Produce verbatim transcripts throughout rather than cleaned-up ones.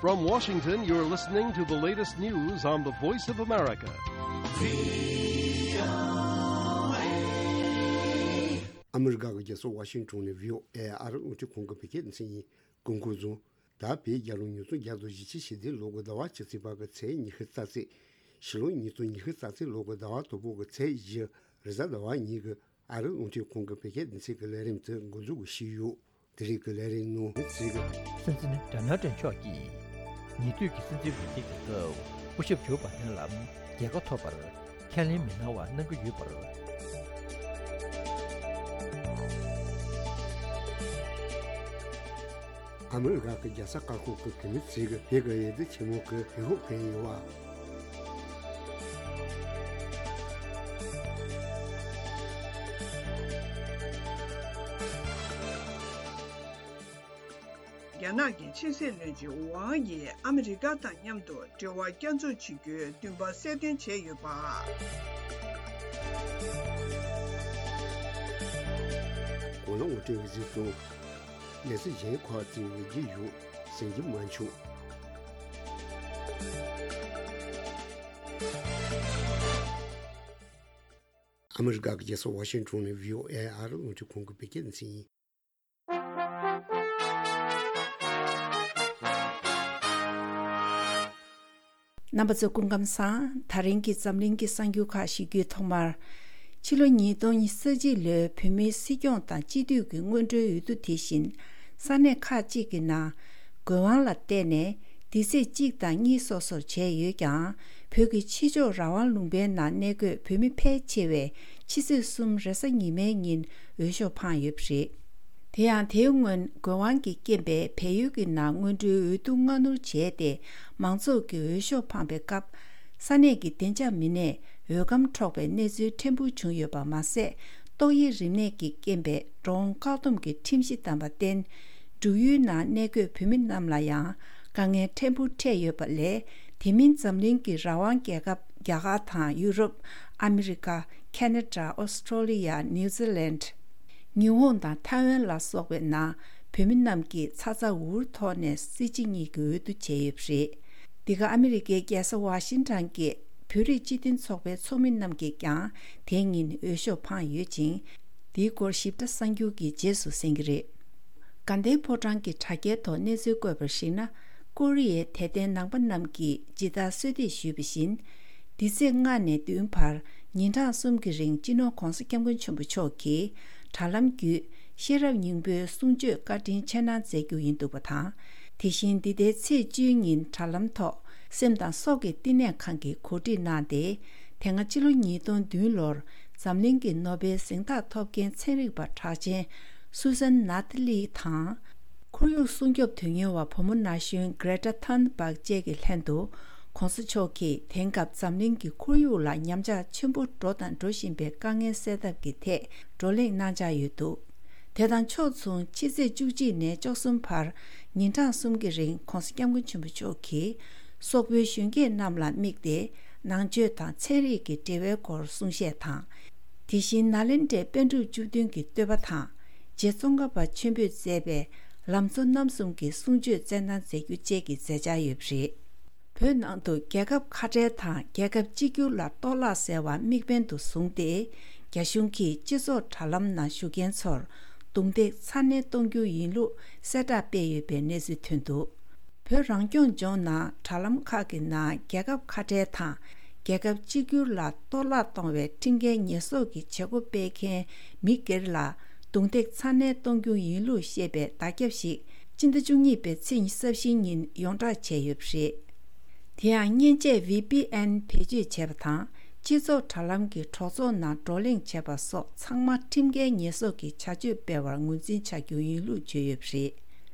From Washington, you're listening to the latest news on the Voice of America. ཨ་མི་རི་ཀ་གི་རྒྱལ་ས་ཝ་ཤིང་ཊོན་ནས་བྷི་ཨོ་ཨེ་ཨ་རི་རླུང་འཕྲིན་ཁང་གི་བོད་སྐད་སྡེ་ཚན་ཡིན། སྐུ་འཁོར་བཟུང་། ད་བོད་རྒྱལ་ལོ་ཉིས་སྟོང་བརྒྱ་དང་བཞི་བཅུ་ཞེ་བདུན་ལོ་གི་ཟླ་བ་བཅུ་གཅིག་པ་གི་ཚེས་ཉི་ཤུ་རྩ་གཅིག་ཕྱི་ལོ་ཉིས་སྟོང་ཉི་ཤུ་རྩ་གཅིག་ལོ་གི་ཟླ་བ་དང་པོ་གི་ཚེས་བཞི་རེས་གཟའ་ཟླ་བ་ཉིན་གྱི་ཨ་རི་རླུང་འཕྲིན་ཁང་གི་བོད་སྐད་སྡེ་ཚན་གྱི་ལས་རིམ་དེ་འགོ་འཛུགས་ཞུས་ཡོད། དེ་རིང་གི་ལས་རིམ་ནང་མི་ཚེ་གི་སྲིད་འཛིན་ཌོ་ནལ་ཊམ་མཆོག་གིས་ཉེ་དུས་ཀྱི་སྲིད་འཛིན་འོས་བསྡུ་གི་སྐབས་སྐུ་ཞབས་ཇོ་བྷའི་ཌེན་ལ་རྒྱལ་ཁ་ཐོབ་པར་ཁས་ལེན་མི་གནང་བ་གནང་གི་ཡོད་པར། ཨ་མི་རི་ཀ་གི་རྒྱལ་ས་ཀ་ཁོག་གི་བོད་མི་ཚོས་ཀྱི་བོད་ཀྱི་འོས་བསྡུ་ཆེན་མོ་གི་འོས་ཤོག་འཕེན་ཡོད་པ། རྒྱ་ནག་གི་ཕྱི་སྲིད་བློན་ཆེན་ཝང་ཡིས་ཨ་མི་རི་ཀ་དང་མཉམ་དུ་འབྲེལ་བ་བསྐྱར་འཛུགས་བྱེད་རྒྱུའི་འདུན་པ་གསལ་སྟོན་བྱས་ཡོད་པ། གོ་ལ་ངོ་སྤྲོད་གཟིགས་སོང་། གནས་ཚུལ་གཞན་ཁག་ཅིག་ཡོད་རྒྱུ་ཡོད་གསན་རྒྱུ་མ་བྱུང་། ཨ་མི་རི་ཀ་གི་རྒྱལ་ས་ཝ་ཤིང་ཊོན་ནས་བྷི་ཨོ་ཨེ་ཨ་རི་རླུང་འཕྲིན་ཁང་གི་བོད་སྐད་སྡེ་ཚན་ཡིན། རྣམ་པ་ཚོ་སྐུ་ཁམས་བཟང་། ད་རིང་གི་འཛམ་གླིང་གི་གསར་འགྱུར་ཁག་ཞུ་རྒྱུའི་ཐོག་མར། ཕྱི་ལོ་ཉིས་སྟོང་ཉི་ཤུ་རྩ་གཅིག་ལོའི་བོད་མིའི་སྲིད་སྐྱོང་དང་སྤྱི་འཐུས་ཀྱི་སྔོན་འགྲོའི་འོས་བསྡུ་དེ་བཞིན་ས་གནས་ཁག་ཅིག་གི་ནང་། དགོས་དབང་ལ་བརྟེན་ནས་འདི་ཚེས་གཅིག་དང་གཉིས་སོ་སོར་བྱས་ཡོད་ཀྱང་། བོད་ཀྱི་ཕྱི་ཕྱོགས་རང་དབང་ལུང་པའི་ནང་གནས་འཁོད་བོད་མི་ཕལ་ཆེ་བས་ཕྱི་ཚེས་གསུམ་རེས་གཟའ་ཉི་མའི་ཉིན་འོས་ཤོག་འཕངས་ཡོད་པ་རེད། དེ་ཡང་དེའི་སྔོན་དགོས་དབང་གི་རྐྱེན་པས་བལ་ཡུལ་གྱི་ནང་སྔོན་འགྲོའི་འོས་བསྡུ་སྔ་སྣུར་བྱས་ཏེ་མང་ཚོགས་ཀྱིས་འོས་ཤོག་འཕངས་པའི་སྐབས། ས་གནས་ཀྱི་བདེ་འཇགས་མི་སྣས་འོས་སྒམ་འཕྲོག་པའི་གནས་ཚུལ་ཕྲན་བུ་བྱུང་ཡོད་པ་མ་ཟད། ཏོག་དབྱིབས་རིམས་ནད་ཀྱི་རྐྱེན་པས་འགྲོ་འོང་བཀག་སྡོམ་གྱི་ཁྲིམས་གཞི་བསྡམས་པར་བརྟེན། འབྲུག་ཡུལ་ནང་གནས་འཁོད་བོད་མི་རྣམས་ལ་ཡང་དཀའ་ངལ་ཕྲན་བུ་འཕྲད་ཡོད་པ་ལས། དེ་མིན་འཛམ་གླིང་གི་རང་དབང་རྒྱལ་ཁབ་རྒྱ་གར་དང་ཡུ་རོབ། ཨ་མི་རི་ཀ། ཁ་ན་ཌ། ཨོ་སི་ཀྲོ་ལི་ཡ། ནིའུ་ཛི་ལན། ཉི་ཧོང་དང་ཐའེ་ཝན་ལ་སོགས་པའི་ནང་བོད་མི་རྣམས་ཀྱིས་ཚ་ཚ་འུར་འུར་ཐོག་ནས་སྲིད་སྤྱི་གཉིས་ཀྱི་འོས་བསྡུ་བྱས་ཡོད་པ་རེད། འདི་ག་ཨ་མི་རི་ཀའི་རྒྱལ་ས་ཝ་ཤིང་ཊོན་གྱི་བོད་རིགས་སྤྱི་མཐུན་ཚོགས་པའི་ཚོགས་མི་རྣམས་ཀྱིས་ཀྱང་དེ་ཉིན་འོས་ཤོག་འཕངས་ཡོད་ཅིང་། འདིའི་སྐོར་ཞིབ་ཕྲ་གསར་འགྱུར་གྱི་རྗེས་སུ་གསན་གྱི་རེད། དགའ་ལྡན་ཕོ་བྲང་གི་དྲ་རྒྱའི་ཐོག་གནས་ཚུལ་བཀོད་པར་གཞིགས་ན། ཀོ་རི་ཡའི་དད་ལྡན་ནང་པ་རྣམས་ཀྱིས་ཇི་ལྟར་གསོལ་འདེབས་ཞུས་པ་བཞིན། འདི་ཚེས་ལྔ་ནས་བདུན་བར་ཉིན་གྲངས་གསུམ་གྱི་རིང་སྤྱི་ནོར་༧གོང་ས་༧སྐྱབས་མགོན་ཆེན་པོ་མཆོག་གིས་དྲ་ལམ་བརྒྱུད་ཤེས་རབ་སྙིང་པོའི་གསུང་ཆོས་བཀའ་དྲིན་ཆེ་གནང་མཛད་རྒྱུ་ཡིན་འདུག་པ་དང་། དེ་བཞིན་འདི་ཟླའི་ཚེས་བཅུའི་ཉིན་དྲ་ལམ་ཐོག་སེམས་དང་སྲོག་གི་བསྟི་གནས་ཁང་གིས་གོ་སྒྲིག་གནང་སྟེ། དེ་སྔ་ཕྱི་ལོ་ཉིས་སྟོང་བདུན་ལོར་འཛམ་གླིང་གི་ནོ་བེལ་གཟེངས་རྟགས་ཐོབ་མཁན་ཚན་རིག་པ་གྲགས་ཅན་སུ་སན་ནཱ་ཐི་ལི་དང་། ཁོར་ཡུག་སྲུང་སྐྱོབ་དོན་གཉེར་བ་བུ་མོ་ན་གཞོན་གྷི་རེ་ཊ་ཐུན་སྦག་བཅས་ཀྱི་ལྷན་དུ། ྋགོང་ས་མཆོག་གིས་དེང་སྐབས་འཛམ་གླིང་གི་ཁོར་ཡུག་ལ་ཉམས་ཆག་ཆེན་པོ་འགྲོ་དང་འགྲོ་བཞིན་པའི་དཀའ་ངལ་སེལ་ཐབས་ཀྱི་ཐད་བགྲོ་གླེང་གནང་འཆར་ཡོད་འདུག་དེ་དང་ཕྱོགས་མཚུངས་ཕྱི་ཚེས་བཅུ་གཅིག་ནས་བཅུ་གསུམ་བར་ཉིན་གྲངས་གསུམ་གྱི་རིང་ྋགོང་ས་ྋསྐྱབས་མགོན་ཆེན་པོ་མཆོག་གིས་སོག་པོའི་གཞོན་སྐྱེས་རྣམས་ལ་དམིགས་ཏེ་ནང་ཆོས་དང་ཚན་རིག་གི་འབྲེལ་བའི་སྐོར་གསུང་བཤད་དང་། དེ་བཞིན་ནཱ་ལེནྡྲའི་པཎ་གྲུབ་བཅུ་བདུན་གྱི་བསྟོད་པ་དང་རྗེ་ཙོང་ཁ་པ་ཆེན་པོས་མཛད་པའི་ལམ་གཙོ་རྣམ་གསུམ་གྱི་གསུང་ཆོས་སྩལ་གནང་མཛད་རྒྱུ་བཅས་ཀྱི་མཛད་འཆར་ཡོད་པ་རེད། བོད་ནང་དུ་རྒྱལ་ཁབ་ཁ་བྲལ་དང་རྒྱལ་ཁབ་གཅིག་གྱུར་ལ་གཏོར་བརླག་ཟེར་བ་དམིགས་འབེན་དུ་བཟུང་སྟེ། རྒྱ་གཞུང་གིས་སྤྱི་ཚོགས་དྲ་ལམ་ནང་ཞུགས་མཁན་ཚོར་རྡུང་རྡེག་ཚ་ནན་གཏོང་རྒྱུ་ཡིན་ལུགས་གསལ་བསྒྲགས་སྤེལ་ཡོད་པའི་གནས་ཚུལ་ཐོན་འདུག་བོད་རང་སྐྱོང་ལྗོངས་ནང་དྲ་ལམ་ཁག་གི་ནང་རྒྱལ་ཁབ་ཁ་བྲལ་དང་རྒྱལ་ཁབ་གཅིག་གྱུར་ལ་གཏོར་བརླག་གཏོང་བའི་ཁྲིམས་འགལ་ཉེས་གསོག་གི་བྱེད་སྒོ་སྤེལ་མཁན་མི་སྒེར་ལ་རྡུང་རྡེག་ཚ་ནན་གཏོང་རྒྱུ་ཡིན་ལུགས་བཤད་པའི་བརྡ་ཁྱབ་ཞིག་སྤྱི་ཟླ་བཅུ་གཉིས་པའི་ཚེས་ཉི་ཤུ་རྩ་བཞིའི་ཉིན་ཡོངས་བསྒྲགས་བྱས་ཡོད་པ་རེད། དེ་ཡང་མཉེན་ཆས་ཝི་པི་ཨེན་བེད་སྤྱོད་བྱས་པ་དང་སྤྱི་ཚོགས་དྲ་ལམ་གྱི་གྲོགས་ཚོགས་ནང་བགྲོ་གླེང་བྱས་པ་སོགས་ཚང་མ་ཁྲིམས་འགལ་ཉེས་གསོག་གི་བྱ་སྤྱོད་སྤེལ་བར་ངོས་འཛིན་བྱ་རྒྱུ་ཡིན་ལུགས་བརྗོད་ཡོད་པ་རེད།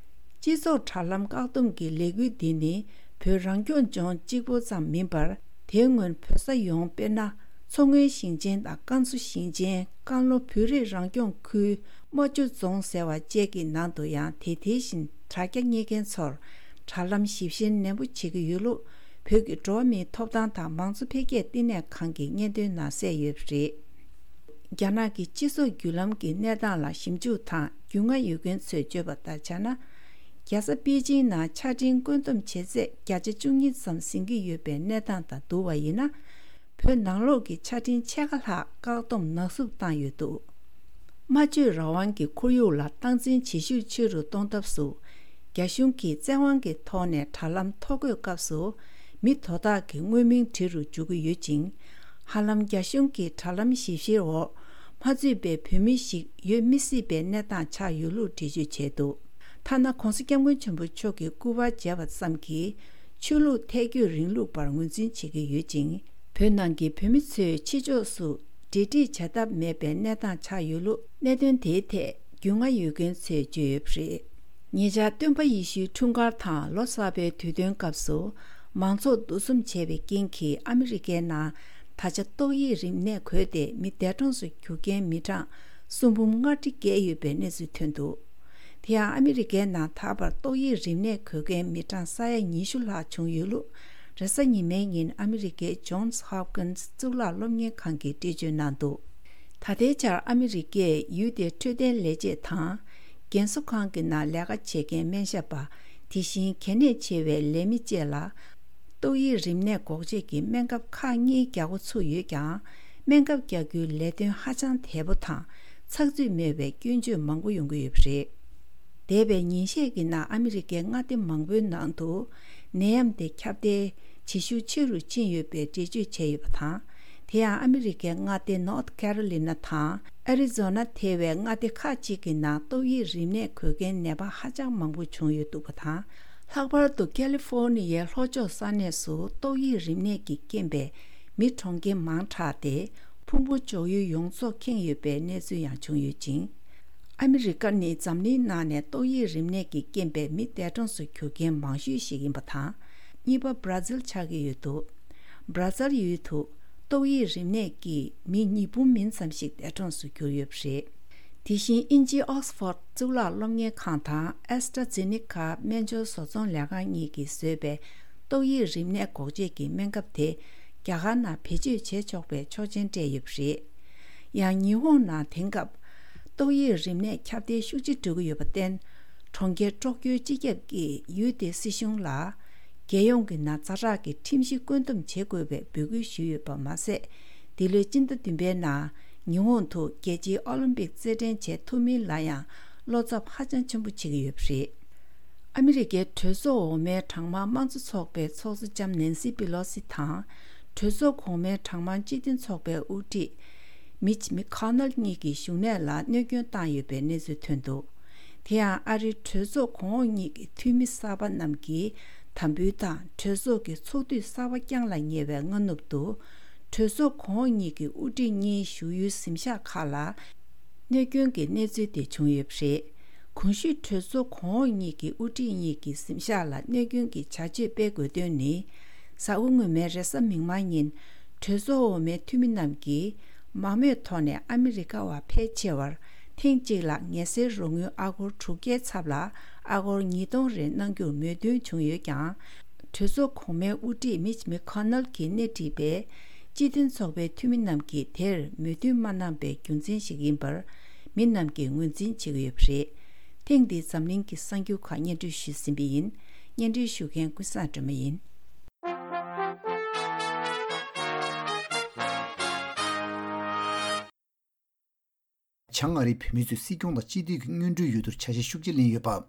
སྤྱི་ཚོགས་དྲ་ལམ་བཀག་སྡོམ་གྱི་ལས་འགུལ་འདི་ནི་བོད་རང་སྐྱོང་ལྗོངས་གཅིག་པུ་ཙམ་མིན་པར། དེའི་སྔོན་བོད་ས་ཡོངས་དཔེར་ན། མཚོ་སྔོན་ཞིང་ཆེན་དང་ཀན་སུའུ་ཞིང་ཆེན། ཀན་ལྷོ་བོད་རིགས་རང་སྐྱོང་ཁུལ། རྨ་ཆུ་རྫོང་ཟེར་བ་བཅས་ཀྱི་ནང་དུ་ཡང་དེ་དེ་བཞིན་དྲ་རྒྱ་གཉེར་མཁན་ཚོར་དྲ་ལམ་ཞིབ་བཤེར་ནན་པོ་བྱེད་ཀྱི་ཡོད་ལུགས། བོད་ཀྱི་འགྲོ་བ་མིའི་ཐོབ་ཐང་དང་མང་གཙོ་འཕེལ་རྒྱས་བསྟི་གནས་ཁང་གིས་སྙན་ཐོའི་ནང་གསལ་ཡོད་པ་རེད། རྒྱ་ནག་གི་སྤྱི་ཚོགས་བརྒྱུད་ལམ་གྱི་གནས་སྟངས་ལ་ཞིབ་འཇུག་དང་རྒྱུས་མངའ་ཡོད་མཁན་ཚོས་བརྗོད་པ་ལྟར་ཆ་ན། རྒྱ་ རྒྱལ་ས་པེ་ཅིང་ནང་ཆ་འཕྲིན་བཀོད་འདོམས་བྱེད་ཚད་བརྒྱ་ཆ་བཅུ་གཉིས་ཙམ་ཟིན་གྱི་ཡོད་པའི་གནས་སྟངས་དང་བསྡུར་བ་ཡིན་ན། བོད་ནང་ལོགས་ཀྱི་ཆ་འཕྲིན་ཕྱེད་ཀ་ལྷག་བཀག་སྡོམ་ནག་བསུབ་བཏང་ཡོད་འདུག་སྨྲ་བརྗོད་རང་དབང་གི་ཁོར་ཡུག་ལ་སྟངས་འཛིན་བྱེད་ཤུགས་ཆེ་རུ་གཏོང་ཐབས་སུ། རྒྱ་གཞུང་གིས་བཙན་དབང་གི་ཐོག་ནས་དྲ་ལམ་ཐོ་འགོད་སྐབས་སུ། མི་དོ་བདག་གི་དངོས་མིང་བྲིས་རུ་འཇུག་གི་ཡོད་ཅིང་། ཧ་ལམ་རྒྱ་གཞུང་གི་དྲ་ལམ་ཞིབ་བཤེར་འོག་མ་ཚུད་པའི་བོད་མི་ཞིག་ཡོད་མི་སྲིད་པའི་གནས་སྟངས་ཆགས་ཡོད་ལུགས་འགྲེལ་བརྗོད་བྱས་འདུག་ཐ་ན་༸གོང་ས་༸སྐྱབས་མགོན་ཆེན་པོ་མཆོག་གིས་སྐུ་པར་མཇལ་བ་ཙམ་གྱིས་ཆོས་ལུགས་ཐལ་འགྱུར་རིང་ལུགས་པར་ངོས་འཛིན་བྱེད་ཀྱི་ཡོད་ཅིང་། བོད་ནང་གི་བོད་མི་ཚོས་ཕྱི་ཕྱོགས་སུ་འབྲེལ་འདྲིས་བྱ་ཐབས་མེད་པའི་གནས་སྟངས་ཆགས་ཡོད་ལུགས་གནད་དོན་དེའི་ཐད་རྒྱུས་མངའ་ཡོད་མཁན་ཚོས་བརྗོད་ཡོད་པ་རེད། ཉེ་ཆར་སྟོན་པ་ཡེ་ཤུའི་འཁྲུངས་སྐར་དང་ལོ་གསར་པའི་དུས་སྟོན་སྐབས་སུ་མང་ཚོགས་འདུ་འཛོམས་བྱས་པའི་རྐྱེན་གྱིས་ཨ་མི་རི་ཀའི་ནང་ད་ཆ་ཏོག་དབྱིབས་རིམས་ནད་འགོས་ཏེ་མི་འདས་གྲོངས་སུ་གྱུར་མཁན་མི་གྲངས་སུམ་འབུམ་ལྔ་ཁྲི་བརྒལ་ཡོད་པའི་གནས་ཚུལ་ཐོན་འདུག་དེ་ཡང་ཨ་མི་རི་ཀའི་ནང་ད་བར་ཏོག་དབྱིབས་རིམས་ནད་འགོས་མཁན་མི་གྲངས་ས་ཡ་ཉི་ཤུ་ལྷག་བྱུང་ཡོད་ལུགས་རེས་གཟའ་ཉི་མའི་ཉིན་ཨ་མི་རི་ཀའི་ཇོན་སི་ཧོབ་ཀིན་སི་གཙུག་ལག་སློབ་གཉེར་ཁང་གིས་འགྲེལ་བརྗོད་གནང་འདུག་ད་ལྟའི་ཆར་ཨ་མི་རི་ཀས་ཡུལ་དེའི་འཕྲོད་བསྟེན་ལས་བྱེད་དང་། རྒན་གསོ་ཁང་གི་ནང་ལས་ཀ་བྱེད་མཁན་སྨན་ཞབས་པ། དེ་བཞིན་གལ་གནད་ཆེ་བའི་ལས་མི་བཅས་ལ། ཏོག་དབྱིབས་རིམས་ནད་འགོག་བཅོས་ཀྱི་སྨན་ཁབ་ཁག་གཉིས་རྒྱག་འགོ་ཚུགས་ཡོད་ཀྱང་། སྨན་ཁབ་རྒྱག་རྒྱུའི་ལས་དོན་ཧ་ཅང་དལ་པོ་དང་ཚགས་ཚུད་མེད་པའི་སྐྱོན་བརྗོད་མང་པོ་ཡོང་གི་ཡོད་པ་རེད། འདས་པའི་ཉིན་ཤས་ཀྱི་ནང་ཨ་མི་རི་ཀའི་མངའ་སྡེ་མང་པོའི་ནང་དུ་ནད་ཡམས་དེ་ཁྱབ་གདལ་བྱེད་ཤུགས་ཆེ་རུ་ཕྱིན་ཡོད་པའི་འགྲེལ་བརྗོད་བྱས་ཡོད་པ་དང་། དེ་ཡང་ཨ་མི་རི་ཀའི་མངའ་སྡེ་North Carolina དང་Arizona ཐེ་བའི་མངའ་སྡེ་ཁག་ཅིག་གི་ནང་ཏོག་དབྱིབས་རིམས་ནད་འགོས་མཁན་ནད་པ་ཧ་ཅང་མང་པོ་བྱུང་ཡོད་འདུག་པ་དང་། ལྷག་པར་དུ་ཀ་ལི་ཧྥོར་ནི་ཡའི་ལྷོ་ཕྱོགས་ས་གནས་སུ་ཏོག་དབྱིབས་རིམས་ནད་ཀྱི་རྐྱེན་པས་མི་གྲོངས་མཁན་མང་དྲགས་ཏེ། ཕུང་པོ་འཇོག་ཡུལ་ཡོངས་རྫོགས་ཁེངས་ཡོད་པའི་གནས་ཚུལ་ཡང་བྱུང་ཡོད་ཅིང་། ཨ་མི་རི་ཀ་ནི་འཛམ་གླིང་ནང་ནས་ཏོག་དབྱིབས་རིམས་ནད་ཀྱི་རྐྱེན་པས་མི་འདས་གྲོངས་སུ་གྱུར་མཁན་མང་ཤོས་ཤིག་ཡིན་པ་དང་། གཉིས་པ་བྷ་ར་ཛིལ་ཆགས་ཀྱི་ཡོད་འདུག་བྷ་ར་ཛིལ་ཡུལ་དུ་ཏོག་དབྱིབས་རིམས་ནད་ཀྱིས་མི་ཉིས་འབུམ་མིན་ཙམ་ཞིག་འདས་གྲོངས་སུ་གྱུར་ཡོད་པ་རེད། དེ་བཞིན་དབྱིན་ཇིའི་ཨོག་སི་ཕོར་གཙུག་ལག་སློབ་གཉེར་ཁང་དང་ཨེ་སི་ཊ་ཛེ་ནི་ཀ་སྨན་སྦྱོར་བཟོ་ཚོང་ལས་ཁང་གཉིས་ཀྱིས་བཟོས་པའི་ཏོག་དབྱིབས་རིམས་ནད་འགོག་བཅོས་ཀྱི་སྨན་ཁབ་དེ་རྒྱ་གར་ནང་བེད་སྤྱོད་བྱེད་ཆོག་པའི་ཆོག་མཆན་སྤྲད་ཡོད་པ་རེད། ཡང་ཉི་ཧོང་ནང་དེང་སྐབས་ཏོག་དབྱིབས་རིམས་ནད་ཁྱབ་གདལ་ཤུགས་ཆེ་འགྲོ་གི་ཡོད་པར་བརྟེན། གྲོང་ཁྱེར་ཀྲོག་ཀྱོའི་སྤྱི་ཁྱབ་ཀྱིས་ཡུལ་དེའི་སྲིད་གཞུང་ལ། རྒྱལ་ཡོངས་ཀྱི་ནང་ཛ་དྲག་གི་ཁྲིམས་གཞི་བཀོད་འདོམས་བྱེད་དགོས་པའི་འབོད་སྐུལ་ཞུས་ཡོད་པ་མ་ཟད། འདི་ལོའི་སྤྱི་ཟླ་བདུན་པའི་ནང་ཉི་ཧོང་དུ་རྒྱལ་སྤྱིའི་ཨོ་ལིམ་པིག་རྩེད་འགྲན་བྱེད་ཐུབ་མིན་ལ་ཡང་བློ་འཚབ་ཧ་ཅང་ཆེན་པོ་བྱེད་ཀྱི་ཡོད་པ་རེད། ཨ་མི་རི་ཀའི་གྲོས་ཚོགས་འོག་མའི་གྲངས་མང་དམངས་གཙོ་ཚོགས་པའི་ཚོགས་གཙོ་ལྕམ་ནན་སི་པི་ལོ་སི་དང་། གྲོས་ཚོགས་གོང་མའི་གྲངས་མང་སྤྱི་མཐུན་ཚོགས་པའི་དབུ་ཁྲིད་མིཆ་མི་ཁོ་ནལ་གཉིས་ཀྱི་བཞུགས་གནས་ལ་གནོད་སྐྱོན་བཏང་ཡོད་པའི་གནས་ཚུལ་ཐོན་འདུག་དེ་ཡང་ཨ་རིའི་གྲོས་ཚོགས་གོང་འོག་གཉིས་ཀྱི་འཐུས་མི་གསར་པ་རྣམས་ཀྱིས་དམ་འབུལ་དང་གྲོས་ཚོགས་ཀྱི་ཚོགས་དུས་གསར་པ་བསྐྱངས་ལ་ཉེ་བའི་སྔ་ནུབ་ཏུ། གྲོས་ཚོགས་གོང་འོག་གཉིས་ཀྱི་དབུ་ཁྲིད་གཉིས་བཞུགས་ཡུལ་གཟིམ་ཤག་ཁག་ལ་གནོད་སྐྱོན་གྱི་གནས་ཚུལ་དེ་བྱུང་ཡོད་པ་རེད། གོང་ཞུས་གྲོས་ཚོགས་གོང་འོག་གཉིས་ཀྱི་དབུ་ཁྲིད་གཉིས་ཀྱི་གཟིམ་ཤག་ལ་གནོད་སྐྱོན་གྱི་བྱ་སྤྱོད་སྤེལ་དགོས་དོན་ནི། གཟའ་འཁོར་སྔོན་མའི་རེས་གཟའ་མིག་དམར་ཉིན། གྲོས་ཚོགས་འོག་མའི་འཐུས་མི་རྣམས་ཀྱིས། མང་མོས་ཐོག་ནས་ཨ་མི་རི་ཀ་བ་ཕལ་ཆེ་བར། ཐེངས་གཅིག་ལ་ངལ་སེལ་རོགས་དངུལ་ཨ་སྒོར་དྲུག་བརྒྱའི་ཚབ་ལ་ཨ་སྒོར་ཉིས་སྟོང་རེ་གནང་རྒྱུར་མོས་མཐུན་བྱུང་ཡོད་ཀྱང་། གྲོས་ཚོགས་གོང་མའི་དབུ་ཁྲིད་མིཆ་མི་ཁོ་ནལ་གྱིས་སྣེ་ཁྲིད་པའི་སྤྱི་མཐུན་ཚོགས་པའི་འཐུས་མི་རྣམས་ཀྱིས་དེར་མོས་མཐུན་མ་གནང་པའི་རྒྱུ་མཚན་ཞིག་ཡིན་པར་མི་རྣམས་ཀྱིས་ངོས་འཛིན་བྱེད་ཀྱི་ཡོད་པ་རེད། ཐེངས་འདིའི་འཛམ་གླིང་གི་གསར་འགྱུར་ཁག་སྙན་སྒྲོན་ཞུས་ཟིན་པ་ཡིན། སྙན་སྒྲོན་ཞུ་མཁན་ཀུན་བཟང་སྒྲོལ་མ་ཡིན། བྱང་ཨ་རིའི་བོད་མི་ཚོས་སྲིད་སྐྱོང་དང་སྤྱི་འཐུས་ཀྱི་སྔོན་འགྲོའི་འོས་བསྡུར་ཆ་ཤས་ཤུགས་ཆེ་ལེན་ཡོད་པ།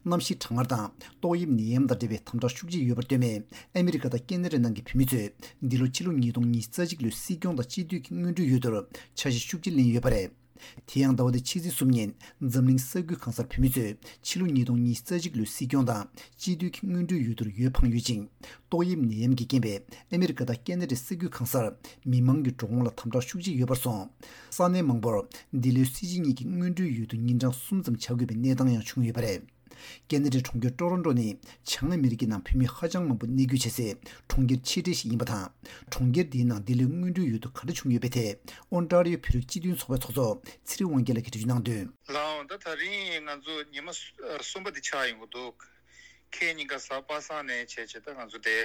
གནམ་གཤིས་གྲང་ངར་དང་ཏོག་དབྱིབས་ནད་ཡམས་དང་འབྲེལ་བའི་དམ་དྲག་ཤུགས་ཆེ་ཡོད་པར་བསྟུན་ནས་ཨ་མི་རི་ཀ་དང་ཁེ་ན་ཌ་ནང་གི་བོད་མི་ཚོས་འདི་ལོ་ཕྱི་ལོ་ཉིས་སྟོང་ཉི་ཤུ་རྩ་གཅིག་ལོའི་སྲིད་སྐྱོང་དང་སྤྱི་འཐུས་ཀྱི་སྔོན་འགྲོའི་འོས་བསྡུར་ཆ་ཤས་ཤུགས་ཆེ་ལེན་ཡོད་པ་རེད། དེ་ཡང་ཟླ་བ་འདིའི་ཕྱི་ཚེས་གསུམ་ཉིན་འཛམ་གླིང་ས་ཁུལ་གང་སར་བོད་མི་ཚོས་ཕྱི་ལོ་ཉིས་སྟོང་ཉི་ཤུ་རྩ་གཅིག་ལོའི་སྲིད་སྐྱོང་དང་སྤྱི་འཐུས་ཀྱི་སྔོན་འགྲོའི་འོས་བསྡུར་འོས་འཕངས་ཡོད་ཅིང་། ཏོག་དབྱིབས་ནད་ཡམས་ཀྱི་རྐྱེན་པས་ཨ་མི་རི་ཀ་དང་ཁེ་ན་ཌའི་ས་ཁུལ་གང་སར་མི་མང་གི་འགྲོ་འོང་ལ་དམ་དྲག་ཤུགས་ཆེ་ཡོད་པར་སོང་། ས་གནས་མང་པོར་འདི་ལོའི་སྲིད་སྤྱི་གཉིས་ཀྱི་སྔོན་འགྲོའི་འོས་བསྡུ་ཉིན་གྲངས་གསུམ་ཙམ་བྱ་དགོས་པའི་གནས་སྟངས་ཡང་བྱུང་ཡོད་པ་རེད། ཁེ་ན་ཌའི་གྲོང་ཁྱེར་ཀྲོ་རོན་ཀྲོ་ནི་བྱང་ཨ་མི་རི་ཀའི་ནང་བོད་མི་ཧ་ཅང་མང་པོ་གནས་སྐྱོད་བྱེད་སའི་གྲོང་ཁྱེར་ཆེ་གྲས་ཤིག་ཡིན་པ་དང་། གྲོང་ཁྱེར་འདིའི་ནང་འདི་ལོའི་སྔོན་འགྲོའི་འོས་བསྡུ་ག་འདྲ་བྱུང་ཡོད་པའི་ཐད་ཨོན་ཊ་རི་ཡོ་བོད་རིགས་སྤྱི་མཐུན་ཚོགས་པའི་ཚོགས་གཙོ་ཚེ་རིང་དབང་རྒྱལ་ལགས་ཀྱིས་འགྲེལ་བརྗོད་གནང་དོན། ལགས་འོང་། ད་ད་རིང་ང་ཚོ་ཉི་མ་གསུམ་པ་འདི་ཆགས་ཡོང་གི་འདུག་ཁེ་ཉིན་ཀ་གཟའ་པ་སངས་ནས་བྱས་བྱས་ད་ང་ཚོ་དེ་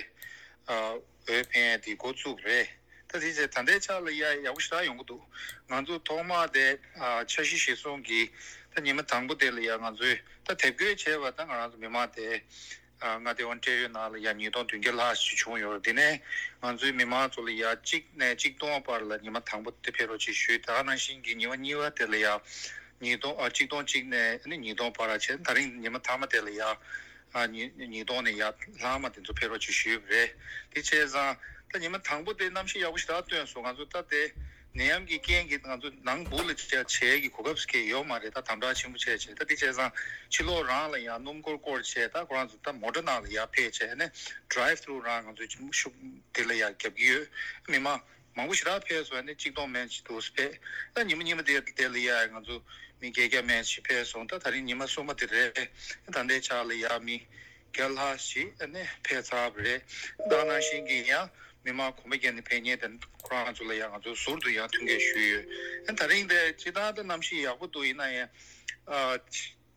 འོས་འཕེན་ཡས་དེ་འགོ་བཙུགས་རེད། ད་དེ་བྱས་ད་ལྟའི་ཆ་ལ་ཡ་ཡག་པོ་ཞེ་དྲག་ཡོང་གི་འདུག་ང་ཚོ་ཐོག་མ་དེ་འཆར་གཞི་གཞིར་བཟུང་གིས་ ད་ཉི་མ་དང་པོ་དེ་ལ་ཡ་ང་ཚོས་ད་དེབ་འགོད་བྱས་པ་ད་ང་རང་ཚོ་མི་མང་དེ་ཨ་མངའ་སྡེ་ཨོན་ཊེ་རི་ཡོ་ནང་ལ་ཡ་ཉིས་སྟོང་བདུན་བརྒྱ་ལྷག་ཞིག་བྱུང་ཡོད་རེད། དེ་ནས་ང་ཚོའི་མི་མང་ཚོ་ལ་ཡ་གཅིག་ནས་གཅིག་སྟོང་བར་ལ་ཉི་མ་དང་པོ་དེ་ཕེབས་རོགས་ཅེས་ཞུས། ད་ག་ནང་བཞིན་གྱི་ཉི་མ་གཉིས་པ་དེ་ལ་ཡ་ཉིས་སྟོང་ཨ་གཅིག་སྟོང་གཅིག་ནས་ཨ་ནི་ཉིས་སྟོང་བར་བྱས། ད་རིང་ཉི་མ་མཐའ་མ་དེ་ལ་ཡ་ཨ་ཉིས་ཉིས་སྟོང་ནས་ཡར་ལྷག་མ་དེ་ཚོ་ཕེབས་རོགས་ཅེས་ཞུས་པ་རེད། དེ་བྱས་ཙང་ད་ཉི་མ་དང་པོ་དེ་གནམ་གཤིས་ཡག་པོ་ཞེ་དྲག་སྟོན་སོང་། ང་ཚོ་ད་དེ་ནད་ཡམས་ཀྱི་རྐྱེན་གྱིས་ང་ཚོ་ནང་སྦུག་ལ་བྱ་བྱེད་ཀྱི་གོ་སྐབས་སུ་སྐྱེལ་ཡོད་མ་རེད། ད་དམ་དྲག་ཆེན་པོ་བྱས་བྱས་ད་དེ་བྱས་ཙང་ཕྱི་ལོགས་རང་ལ་ཡང་སྣུམ་འཁོར་བསྐོར་བྱས་ད་ཁོ་རང་ཚོ་ད་མོ་ཊ་ནང་ལ་ཡར་ཕེབས་བྱས་ནས་ཌི་རའེབ་ཐུ་རུ་རང་ང་ཚོའི་ཤུགས་དེ་ལ་ཡར་རྒྱབ་ཀྱི་ཡོད། མི་མང་མང་པོ་ཞེ་དྲག་ཕེབས་སོང་། ཨ་ནི་གཅིག་སྟོང་མན་ཞིག་འདུག་ཕེབས། ད་ཉི་མ་གཉིས་པ་དེ་དེ་ལ་ཡ་ང་ཚོ་མི་བརྒྱད་བརྒྱ་མན་ཞིག་ཕེབས་སོང་། ད་ད་རིང་ཉི་མ་གསུམ་པ་དེ་རེད། ད་ལྟའི་ཆ་ལ་ཡ་མི་བརྒྱ་ལྷག་ཞིག་ཨ་ནི་ཕེབས་ཚར་བ་རེད། ད་ནང་བཞིན་གྱི་ཡང་མི་མང་གོམ་པ་བརྒྱབ་ནས་ཕེབས་མཁན་དེ་ཁོ་རང་ཚོ་ལ་ཡ་ང་ཚོ་ཟུར་དུ་ཡང་ཐུགས་འགན་ཞུས་ཡོད། ཨ་ད་རིང་དེ་སྤྱིར་བཏང་ད་གནམ་གཤིས་ཡག་པོ་འདུག་ཡིན་ན་ཡང་ཨ།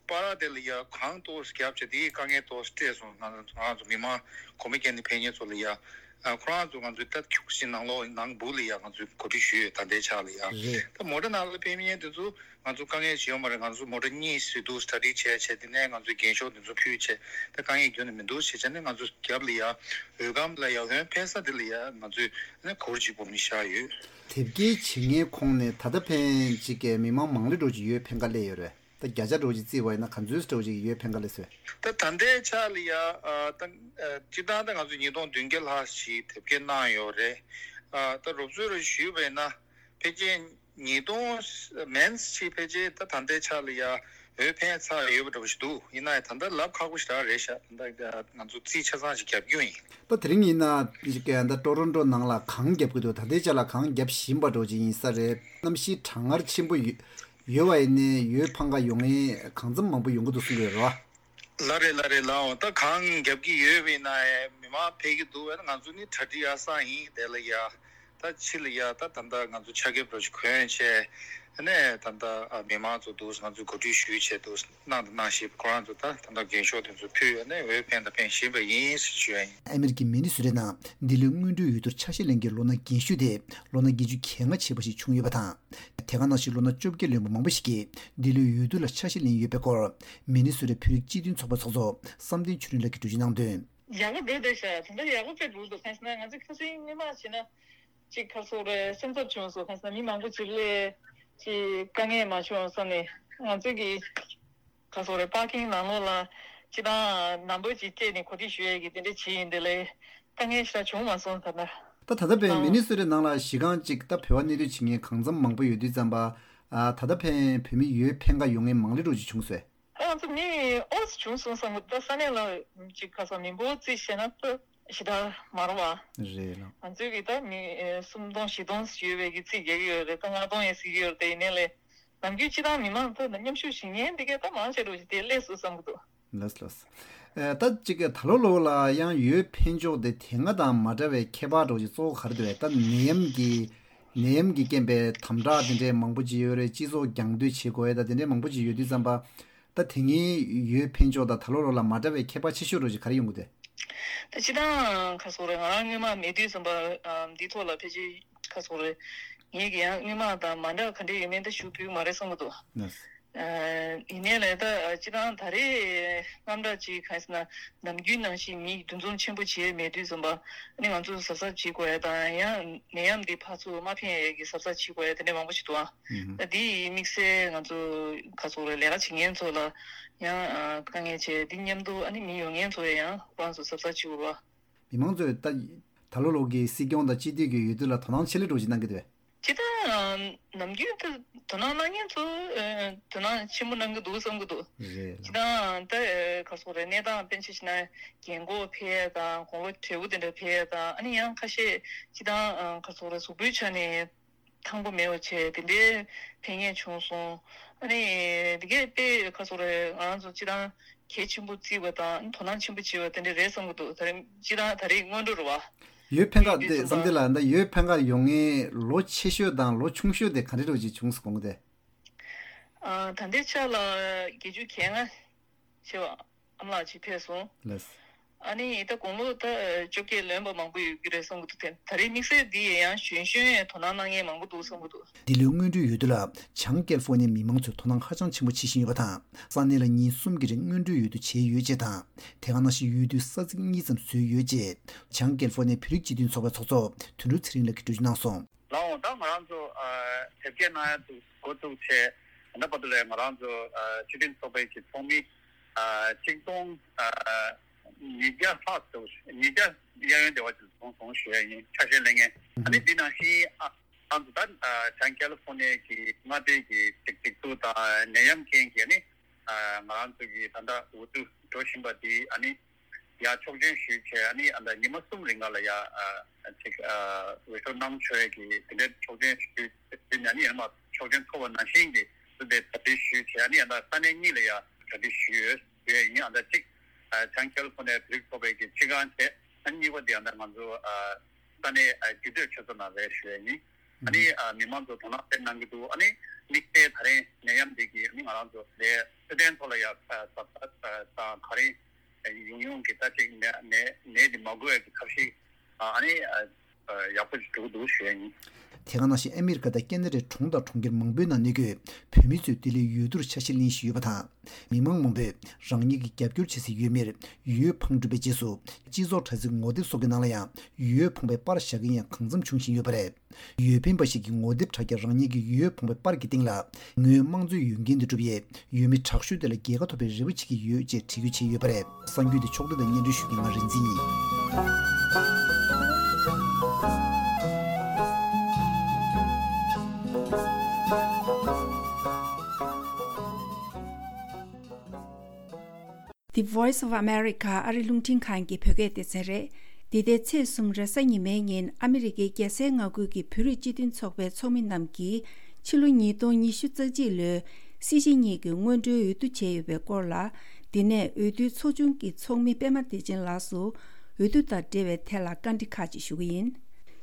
པར་དེ་ལ་ཡ་གངས་ཏོག་ཙམ་བརྒྱབ་བྱས་དེའི་དཀའ་ངལ་ཏོག་ཙམ་སྤྲད་སོང་། ང་ང་ཚོ་མི་མང་གོམ་པ་བརྒྱབ་ནས་ཕེབས་མཁན་ཚོ་ལ་ཡ་ཨ་ཁོ་རང་ཚོ་ང་ཚོའི་ད་ཁྱུག་ཞིག་ནང་ལོགས་ནང་སྦུག་ལ་ཡ་ང་ཚོས་གོ་སྒྲིག་ཞུས་ཡོད། ད་ལྟའི་ཆ་ལ་ཡ་རེད། ད་མོ་ཊ་ནང་ལ་ཕེབས་མཁན་དེ་ཚོ་ང་ཚོ་དཀའ་ངལ་ཞིག་ཡོད་མ་རེད། ང་ཚོ་མོ་ཊ་གཉིས་ཞིག་འདུག་སྟ་ཌི་བྱས་བྱས་དེ་ནས་ང་ཚོའི་འགེངས་ཤོག་དེ་ཚོ་ཕུལ་བྱས་ད་དཀའ་ངལ་ཁྱོན་ནས་མི་འདུག་བྱས་བྱས་ནས་ང་ཚོ་རྒྱབ་ལ་ཡ་འོས་སྒམ་ལ་ཡ་འོས་འཕེན་ས་དེ་ལ་ཡ་ང་ཚོས་ནས་གུར་གཅིག་པོ་མི་བཞག་ཡོད། དེབ་སྐྱེལ་བྱེད་མཁན་ཁོངས་ནས་ད་ལྟ་ཕན་གཅིག་གི་མི་མང་མང་ལེ་འགྲོ་གཅིག་ཡོད་ཕན་ཁ་ལས་ཡོད་རེད། ད་བརྒྱ་ཆ་འགྲོ་གཅིག་བརྩིས་པ་ཡིན་ན་ག་ཚོད་འགྲོ་གཅིག་ཡོད་ཕན་ཁ་ལས་སོས། ད་ད་ལྟའི་ཆ་ལ་ཡ་ཨ་ད་ཨ་སྤྱིར་བཏང་ད་ང་ཚོ་ཉིས་སྟོང་བདུན་བརྒྱ་ལྷག་ཞིག་དེབ་སྐྱེལ་གནང་ཡོད་རེད། ཨ་ད་རོབ་ཚོད་རེ་ཞུས་པ་ཡིན་ན་ཕལ་ཆེར་ཉིས་སྟོང་མན་ཞིག་ཕལ་ཆེར་ད་ད་ལྟའི་ཆ་ལ་ཡ་འོས་འཕེན་ཚར་ཡོད་པ་འདྲ་པོ་ཞིག་འདུག་ཡིན་ན་ཡང་ད་ལྟ་ལབ་ཁག་པོ་ཞིག་རང་རེད་ཤག་ད་ལྟ་ང་ཚོ་རྩིས་ཆ་ཚང་ཞིག་རྒྱབ་རྒྱུ་ཡིན། ད་དེ་རིང་ཡིན་ན་ད་ཊོ་རོན་ཊོ་ནང་ལ་གངས་རྒྱབ་ཀྱི་འདུག་ད་ལྟའི་ཆ་ལ་གངས་རྒྱབ་བཞིན་པ་འདྲ་པོ་ཅིག་ཡིན་ས་རེད། གནམ་གཤིས་གྲང་ངར་ཆེན་པོ་ཡོད་ཡོད་པ་ཡིན་ནའི་འོས་འཕེན་ག་ཡོང་མཁན་གང་འཚམ་མང་པོ་ཡོང་གི་འདུག་གསུང་གི་ཡོད་རེད་བ། ལགས་རེད་ལགས་རེད་ལགས། འོ་ད་གངས་རྒྱབ་ཀྱི་ཡོད་པ་ཡིན་ན་ཡང་མི་མང་ཕེབས་ཀྱི་འདུག་བས་ན་ང་ཚོ་ནི་གྲ་སྒྲིག་ཡག་ས་ཡིན་དེ་ལ་ཡ། ད་ཕྱི་ལ་ཡ་ད་ད་ལྟ་ང་ཚོ་ཆ་རྒྱབ་རོགས་ཅིག་གོན་བྱས་ནས་ད་ལྟ་ཨ་མི་མང་ཚོ་འདུག་ང་ཚོས་གོ་སྒྲིག་ཞུས་བྱས་འདུག་གནང་དང་གནང་བཞིན་པ་ཁོ་རང་ཚོ་ད་ད་ལྟ་འགེངས་ཤོག་དེ་ཚོ་ཕུལ་ཡོད་ནས་འོས་འཕེན་དང་འཕེན་བཞིན་པ་ཡིན་ཞེས་ཞུ་ཡ་ཡིན། ཨ་མེ་རི་ཀའི་མི་ནི་སོ་ཊའི་ནང་འདི་ལོའི་སྔོན་འགྲོའི་འོས་བསྡུར་ཆ་ཤས་ལེན་མཁན་ལོ་ན་རྒན་ཤོས་དེ་ལོ་ན་བརྒྱད་ཅུ་གྱ་ལྔ་བྱས་པ་ཞིག་བྱུང་ཡོད་པ་དང་། དེ་ག་ནང་བཞིན་ལོ་ན་བཅོ་བརྒྱད་ལོན་པ་མང་པོ་ཞིག་གིས་འདི་ལོའི་འོས་བསྡུ་ལ་ཆ་ཤས་ལེན་ཡོད་པའི་སྐོར་མི་ནི་སོ་ཊའི་བོད་རིགས་སྤྱི་མཐུན་ཚོགས་པའི་ཚོགས་གཙོ་བསམ་གཏན་ཆོས་སྒྲོན་ལགས་ཀྱིས་འགྲེལ་བརྗོད་གནང་དོན། ཡག་པོ་འགྲོ་བསྡད་ཤག་དེ་འདྲ་ཡག་པོ་དཔེ་འདུག་འདུག་གང་ཟེར་ན་ང་ཚོ་ཁ་སང་སྔོན་མ་བྱས་ན་ཅིག་ཁ་སོ་རེ་སེམས་འཚབ་བྱུང་སོང་། གང་ཟེར་ན་མི་མང་པོ་ཅིག་སླེབས་ཅིག་དཀའ་ངལ་མ་བྱུང་བསམ་ནས་ང་ཚོ་གི་ཁ་སོ་རེ་པར་ཀིང་ནང་ལོགས་ལ་ཅི་དང་ནམ་བར་ཅིག་སྤྲད་ནས་གོ་སྒྲིག་ཞུ་ཡས་ཀྱི་དེ་འདྲ་བྱས་ཡིན་དེ་ལས་དཀའ་ངལ་ཞེ་དྲག་བྱུང་མ་སོང་ད་ལྟ། ད་ད་ལྟ་བས་མི་ནི་སོ་ཊའི་ནང་ལ་གཞི་རྐང་གཅིག་ད་བོད་པ་གནས་སྡོད་བྱེད་མཁན་གང་འཚམ་མང་པོ་ཡོད་དུས་ཙམ་པ། ཨ་ད་ལྟ་ཕན་བོད་མི་ཡོད་ཕན་ག་ཡོང་མཁན་མང་ལེ་འགྲོ་ཅིག་བྱུང་སོང་། ཨ་ང་ཚོ་མི་ཨོ་ཙི་བྱུང་སོང་བསམ་གི་ད་ས་གནས་ལ་ཅིག་ཁ་སང་མི་འབོར་རྩིས་བྱས་ན་ད་ཞེ་དྲག་མ་རེད་བ། རེད་ལགས། ང་ཚོའི་གི་ད་མི་ཨེ་སུམ་སྟོང་བཞི་སྟོང་ཡོད་པའི་གི་རྩིས་རྒྱག་གི་ཡོད་རེད། ད་ལྔ་སྟོང་ཡང་ཟིན་གི་ཡོད་རེད། དེ་ཡིན་ནའི་ལས་ནམ་རྒྱུན་སྤྱི་བཏང་མི་མང་ད་མཉམ་ཞུགས་བྱེད་མཁན་འདི་གས་ད་མང་ཆེ་རུ་ཞིག་དེ་སླེབས་སོང་བསམ་གི་འདུག་ལགས་ལགས། ཨེ་ད་ཅིག་ད་ལོ་ལོ་ལ་ཡང་འོས་འཕེན་ཕྱོགས་དེ་དེ་སྔ་དང་མ་འདྲ་བའི་ཁྱད་པར་འདྲ་བོ་ཅིག་གཙོ་བོ་ག་རེ་འདུག་བས། ད་ནད་ཡམས་ཀྱི་ནད་ཡམས་ཀྱི་རྐྱེན་པས་དམ་དྲག་དེ་འདྲའི་མང་པོ་ཅིག་ཡོད་རེད། སྤྱི་ཚོགས་རྒྱང་སྡོད་བྱེད་དགོས་ཡས་ད་དེ་འདྲའི་མང་པོ་ཅིག་ཡོད་དུས་ཙམ་པ། ད་དེ་སྔའི་འོས་འཕེན་ཕྱོགས་དང་ད་ལོ་ལོ་ལ་མ་འདྲ་བའི་ཁྱད་པར་ཆེ་ཤོས་འདྲ་བོ་ཅིག་ག་རེ་ཡོང་གི་འདུག་ད་སྤྱིར་བཏང་ཁ་སོ་རེ་ང་རང་སྔོན་མ་མེད་དུས་ཙམ་པ་འདི་ཐོག་ལ་ཕལ་ཆེར་ཁ་སོ་རེ་ངེད་ཀྱི་ཡང་སྔོན་མ་དང་མ་འདྲ་ག་འདྲ་ཡོད་མེད་ད་ཞུ་ཕོད་མ་རེད་བསམ་གི་འདུག་ཡིན་ནའི་ལས་ད་སྤྱིར་བཏང་ད་རེས་རྣམ་གྲངས་ཅིག་གང་ཟེར་ན་ནམ་རྒྱུན་ནང་བཞིན་མི་འདུ་འཛོམས་ཆེན་པོ་བྱས་མེད་དུས་ཙམ་པ་ཨ་ནི་ང་ཚོ་གཟབ་གཟབ་བྱེད་དགོས་ཡ་དང་ཡང་ནད་ཡམས་འདི་ཕར་ཚུར་མ་འཕེན་ཡ་གི་གཟབ་གཟབ་བྱེད་དགོས་ཡ་དེ་འདྲ་མང་པོ་ཞིག་འདུག་ཨ། ད་འདི་ཡི་དམིགས་བསལ་ང་ཚོ་ག་ཚོ་རེ་ལས་ཀ་བྱེད་མཁན་ཚོ་ལ་ཡང་དཀའ་ངལ་ཆེ་འདི་མཉམ་དུ་ཨ་ནི་མི་ཡོང་མཁན་ཚོ་ཡང་ཁོ་རང་ཚོ་གཟབ་གཟབ་བྱེད་དགོས་པ། མི་མང་ཚོས་ད་ད་ལོ་ལོ་གི་སྲིད་སྐྱོང་དང་སྤྱི་འཐུས་ཀྱི་འོས་བསྡུ་ལ་དོ་སྣང་ཆེ་ལེ་འགྲོ་ཞིག་གནང་གི་འདུག་བས། སྤྱིར་བཏང་ནམ་རྒྱུན་དུ་དོ་སྣང་གནང་མཁན་ཚོ་དོ་སྣང་ཆེན་པོ་གནང་གི་འདུག་བསམ་གི་འདུག་རེད་ལགས། སྤྱིར་བཏང་ད་ག་སོག་རེད་གནས་སྟངས་དཔེ་ཆ་བཞག་ན་རྒན་གོག་ཕེབས་ཡས་དང་དགུང་ལོ་བགྲེས་པོ་དེ་འདྲ་ཕེབས་ཡས་དང་ཨ་ནི་ཡང་ཁ་ཤས་སྤྱིར་བཏང་ག་སོག་རེད་གཟུགས་པོའི་ཆ་ནས་ཐང་པོ་མེད་པ་བྱས་དེ་འདྲའི་ཕེབས་མཁན་བྱུང་སོང་། ཨ་ནི་དེ་གས་དཔེ་ག་སོག་རེད་ང་རང་ཚོ་སྤྱིར་བཏང་གལ་ཆེན་པོ་བརྩིས་པ་དང་དོ་སྣང་ཆེན་པོ་བྱས་པ་དེ་འདྲ་རེད་བསམ་གི་འདུག་ད་རེས་སྤྱིར་བཏང་ད་རེས་སྔོན་འགྲོ་རེད་བ། འོས་འཕེན་ཁ་དེ་བསམ་གཏན་ལགས་ད་འོས་འཕེན་ཁ་ཡོང་མཁན་ལོ་ཆེ་ཤོས་དང་ལོ་ཆུང་ཤོས་དེ་ག་འདྲ་འདྲ་བོ་ཅིག་བྱུང་སོང་གོང་དེ། ཨ་ད་ལྟའི་ཆ་ལ་བརྒྱད་ཅུ་གྱ་ལྔ་བྱས་པ་ཨ་མ་ལགས་ཅིག་ཕེབས་སོང་། ལགས། ཨ་ནི་ད་དགུང་ལོ་ད་བཅོ་བརྒྱད་ལོན་པ་མང་པོ་ཡོད་ཀྱི་རེད་བསམ་གྱི་འདུག་དེ་ད་རེས་དམིགས་བསལ་འདི་ཡང་གཞོན་གཞོན་ཡང་དོ་སྣང་གནང་མཁན་མང་པོ་འདུག་བསམ་གྱི་འདུག་འདི་ལོའི་སྔོན་འགྲོའི་འོས་བསྡུ་ལ་བྱང་ཀེ་ལི་ཧྥོ་ནི་ཡའི་མི་མང་ཚོས་དོ་སྣང་ཧ་ཅང་ཆེན་པོ་བྱེད་བཞིན་ཡོད་པ་དང་། ས་གནས་ལ་ཉིན་གསུམ་གྱི་རིང་སྔོན་འགྲོའི་འོས་བསྡུ་བྱས་ཡོད་ཅེས་དང་། དེ་ག་ནང་བཞིན་འོས་བསྡུའི་ས་ཚིགས་གཉིས་ཙམ་བཟོས་ཡོད་ཅེས་བྱང་ཀེ་ལི་ཧྥོ་ནི་ཡའི་བོད་རིགས་སྤྱི་མཐུན་ཚོགས་པའི་ཚོགས་གཙོ་དོན་གྲུབ་ཚེ་རིང་ལགས་ཀྱིས་འགྲེལ་བརྗོད་གནང་སོང་། ལགས་འོང་། ད་ང་རང་ཚོ་ཨ་དེབ་སྐྱེལ་གནང་ཡ་འདུག་འགོ་བཙུགས་བྱས་ད་ལྟ་བར་དུ་ལས་ང་རང་ཚོ་ཨ་སྤྱི་མཐུན་ཚོགས་པའི་གི་ཚོགས་མི་ཨ་ཆིག་སྟོང་ཨ་ཉིས་བརྒྱ་ལྷག་འདུག་ཉིས་བརྒྱ་གཡས་གཡོན་དེ་བ་ཅིག་སོང་སོང་ཞུ་ཡ་ཡིན། ཆ་ཤས་ལེན་མཁན། ཨ་ནི་འདི་ནང་བཞིན་ཨ་ང་ཚོ་ད་ཨ་བྱང་ཀེ་ལི་ཧྥོ་ནི་ཡའི་གི་མངའ་སྡེ་གི་སྒྲིག་སྒྲིག་འཛུགས་དང་ནད་ཡམས་རྐྱེན་གྱིས་ཨ་ནི་ཨ་ང་རང་ཚོ་གི་ད་ལྟ་འོས་བསྡུ་འགྲོ་བཞིན་པ་འདི་ཨ་ནི་ཡར་ཆོག་མཆན་ཞུས་བྱས། ཨ་ནི་ཨ་ད་ཉི་མ་གསུམ་རིང་ག་ལ་ཡ་ཨ་ཅིག་ཨ་འོས་ཤོག་གནང་ཆོག་ཡས་ཀྱི་དེ་འདྲའི་ཆོག་མཆན་ཞུས་ཞུས་ནས། ཨ་ནི་ཡང་མ་ཆོག་མཆན་ཐོབ་པ་ནང་བཞིན་གྱི་སུ་དེ་གྲ་སྒྲིག་ཞུས་བྱས། ཨ་ནི་ཨ་ད་ས་གནས་གཉིས་ལ་ཡ་གྲ་སྒྲིག་ཞུས་ཡོད་ཡིན། ཨ་ད་གཅིག་ཨ་བྱང་ཀེ་ལི་ཧྥོ་ནི་ཡའི་བོད་རིགས་ཚོགས་པའི་གི་སྤྱི་ཁང་བྱས། ཨ་ནི་གཉིས་པ་དེ་ཨ་ད་ང་ཚོ་ཨ་ས་གནས་ཨ་རྒྱུད་སྟོད་ཆོས་ཚོགས་ནང་རེད་ཞུ་ཡས་ཡིན། ཨ་ནི་ཨ་མི་མང་ཚོ་དོ་སྣང་དཔེ་གནང་གི་འདུག་ཨ་ནི་དམིགས་བསལ་ད་རེས་ནད་ཡམས་འདི་གིས་ཨ་ནི་ང་རང་ཚོ་ལས་འཕྲོད་བསྟེན་ཐོག་ལ་ཡ་ཨ་ཟབ་ཟབ་དང་ག་རེ་ཡོང་ཡོང་གི་ད་ཅིག་ནད་ནད་ནད་འདི་མ་འགོས་ཀྱི་ཐབས་ཤེས་ཨ་ནི་ཨ་ཡག་པོ་ཞིག་འགྲོ་གི་འདུག་ཞུ་ཡ་ཡིན། དེ་ག་ནང་བཞིན་ཨ་མི་རི་ཀ་དང་ཁེ་ན་ཌའི་གྲོང་དང་གྲོང་ཁྱེར་མང་པོའི་ནང་གནས་འཁོད་བོད་མི་ཚོས་འདི་ལོའི་འོས་བསྡུར་ཆ་ཤས་ལེན་བཞིན་ཡོད་པ་དང་། མི་མང་མང་པོས་རང་ཉིད་ཀྱི་རྒྱབ་སྐྱོར་བྱེད་སའི་ཡུལ་མིར་འོས་འཕངས་གྲུབ་པའི་རྗེས་སུ། སྤྱི་ཚོགས་དྲ་ཚིགས་ངོ་དེབ་སོགས་ཀྱི་ནང་ལ་ཡང་འོས་འཕངས་པའི་པར་བཞག་མཁན་ཡང་གང་འཚམ་བྱུང་བཞིན་ཡོད་པ་རེད། འོས་འཕེན་པ་ཞིག་གིས་ངོ་དེབ་དྲ་རྒྱར་རང་ཉིད་ཀྱི་འོས་འཕངས་པའི་པར་གྱི་སྟེང་ལ། ངོས་དམངས་གཙོའི་འོས་འགན་དུ་གྲུབ་པའི་འོས་མི་དྲག་ཤོས་དེ་ལ་རྒྱལ་ཁ་ཐོབ་པའི་རེ་བ་བྱེད་ཀྱི་ཡོད་ཅེས་འབྲི་རྒྱུ་བྱས་ཡོད་པ་རེད། གསར་འགྱུར་དེ་ཕྱོགས་བསྒྲིགས་དང་སྙན་སྒྲོན་ཞུ་མཁན་ང་རིག་འཛིན་ཡིན། The Voice of America ཨ་རི་རླུང་འཕྲིན་ཁང་གི་བོད་སྐད་སྡེ་ཚན་རེད། འདི་ཟླའི་ཚེས་གསུམ་རེས་གཟའ་ཉི་མའི་ཉིན་ཨ་མི་རི་ཀའི་རྒྱལ་སའི་མངའ་ཁུལ་གྱི་བོད་རིགས་སྤྱི་མཐུན་ཚོགས་པའི་ཚོགས་མི་རྣམས་ཀྱིས་ཕྱི་ལོ་ཉིས་སྟོང་ཉི་ཤུ་རྩ་གཅིག་ལོའི་སྲིད་སྤྱི་གཉིས་ཀྱི་སྔོན་འགྲོའི་འོས་བསྡུ་བྱས་ཡོད་པའི་སྐོར་ལ། འདི་ནས་འོས་བསྡུའི་ཚོགས་ཆུང་གི་ཚོགས་མི་པད་མ་བདེ་ཆེན་ལགས་སུ་འོས་བསྡུ་དང་འབྲེལ་བའི་ཐད་ལ་བཀའ་འདྲི་ཁག་ཅིག་ཞུ་གི་ཡིན།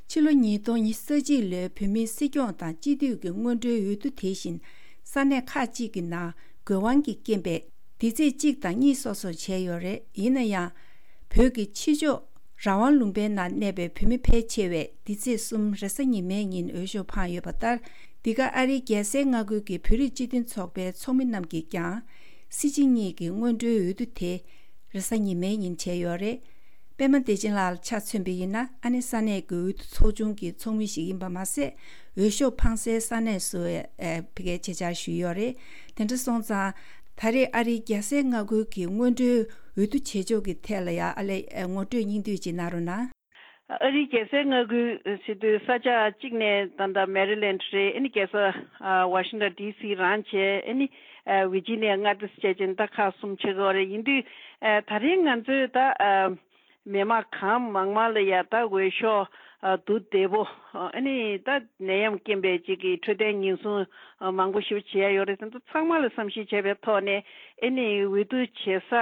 ཕྱི་ལོ་ཉིས་སྟོང་ཉི་ཤུ་རྩ་གཅིག་ལོའི་བོད་མིའི་སྲིད་སྐྱོང་དང་སྤྱི་འཐུས་ཀྱི་སྔོན་འགྲོའི་འོས་བསྡུ་དེ་བཞིན་ས་གནས་ཁག་ཅིག་གི་ནང་དགོས་དབང་གི་རྐྱེན་པས་འདི་ཚེས་གཅིག་དང་གཉིས་སོ་སོར་བྱས་ཡོད་རེད། ཡིན་ན་ཡང་། བོད་ཀྱི་ཕྱི་ཕྱོགས་རང་དབང་ལུང་པའི་ནང་གནས་པའི་བོད་མི་ཕལ་ཆེ་བས་འདི་ཚེས་གསུམ་རེས་གཟའ་ཉི་མའི་ཉིན་འོས་ཤོག་འཕངས་ཡོད་པ་ལྟར། འདི་ག་ཨ་རིའི་རྒྱལ་སའི་མངའ་ཁུལ་གྱི་བོད་རིགས་སྤྱི་མཐུན་ཚོགས་པའི་ཚོགས་མི་རྣམས་ཀྱིས་ཀྱང་། སྲིད་སྤྱི་གཉིས་ཀྱི་སྔོན་འགྲོའི་འོས་བསྡུ་དེ་རེས་གཟའ་ཉི་མའི་ཉིན་བྱས་ཡོད་རེད། པད་མ་བདེ་ཆེན་ལགས་ལ་ཆ་མཚོན་པ་ཡིན་ན། ཨ་ནི་ས་གནས་ཀྱི་འོས་བསྡུ་ཚོགས་ཆུང་གི་ཚོགས་མི་ཞིག་ཡིན་པ་མ་ཟད། འོས་ཤོག་འཕངས་སའི་ས་གནས་སུ་ཨེ་ཕ་གིའི་ཆེད་བཅར་ཞུས་ཡོད་རེད། དེ་འདྲ་སོང་ཙང་། ད་རེས་ཨ་རིའི་རྒྱལ་སའི་མངའ་ཁུལ་གྱི་སྔོན་འགྲོའི་འོས་བསྡུ་བྱེད་ཕྱོགས་ཀྱི་ཐད་ལ་ཡང་ཨ་ལས་ངོ་སྤྲོད་སྙིང་བསྡུས་ཅིག་གནང་རོགས་གནང་། ཨ་རིའི་རྒྱལ་སའི་མངའ་ཁུལ་ཟེར་དུས་ས་ཆ་གཅིག་ནས་ད་ལྟ་མེ་རི་ལེན་ཌི་རེད། ཨ་ནི་རྒྱལ་ས་ཨ་ཝ་ཤིང་ཊོན་ཌི་སི་རང་བྱས། ཨ་ནི་ཨ་ཝི་ཇི་ནི་ཡ་མངའ་སྡེ་བྱས་ཅན་ད་ཁག་གསུམ་ཕྱེ་དགོས་རེད། ཡིན་དུས་ཨ་ད་རིང་ང་ཚོས་ད་ཨ་མི་མང་གང་མང་མང་ལ་ཡ་ད་འོས་ཤོག་ཨ་བསྡུ་བདེ་པོ། ཨ་ནི་ད་ནད་ཡམས་རྐྱེན་པས་ཅིག་གི་འཕྲོད་བསྟེན་ཉེན་སྲུང་མང་པོ་ཞིག་བྱེད་ཡ་ཡོད་རེད། དེ་ཚོ་ཚང་མ་ལ་བསམ་ཤེས་བྱས་པའི་ཐོག་ནས། ཨ་ནི་འོས་བསྡུ་བྱེད་ས་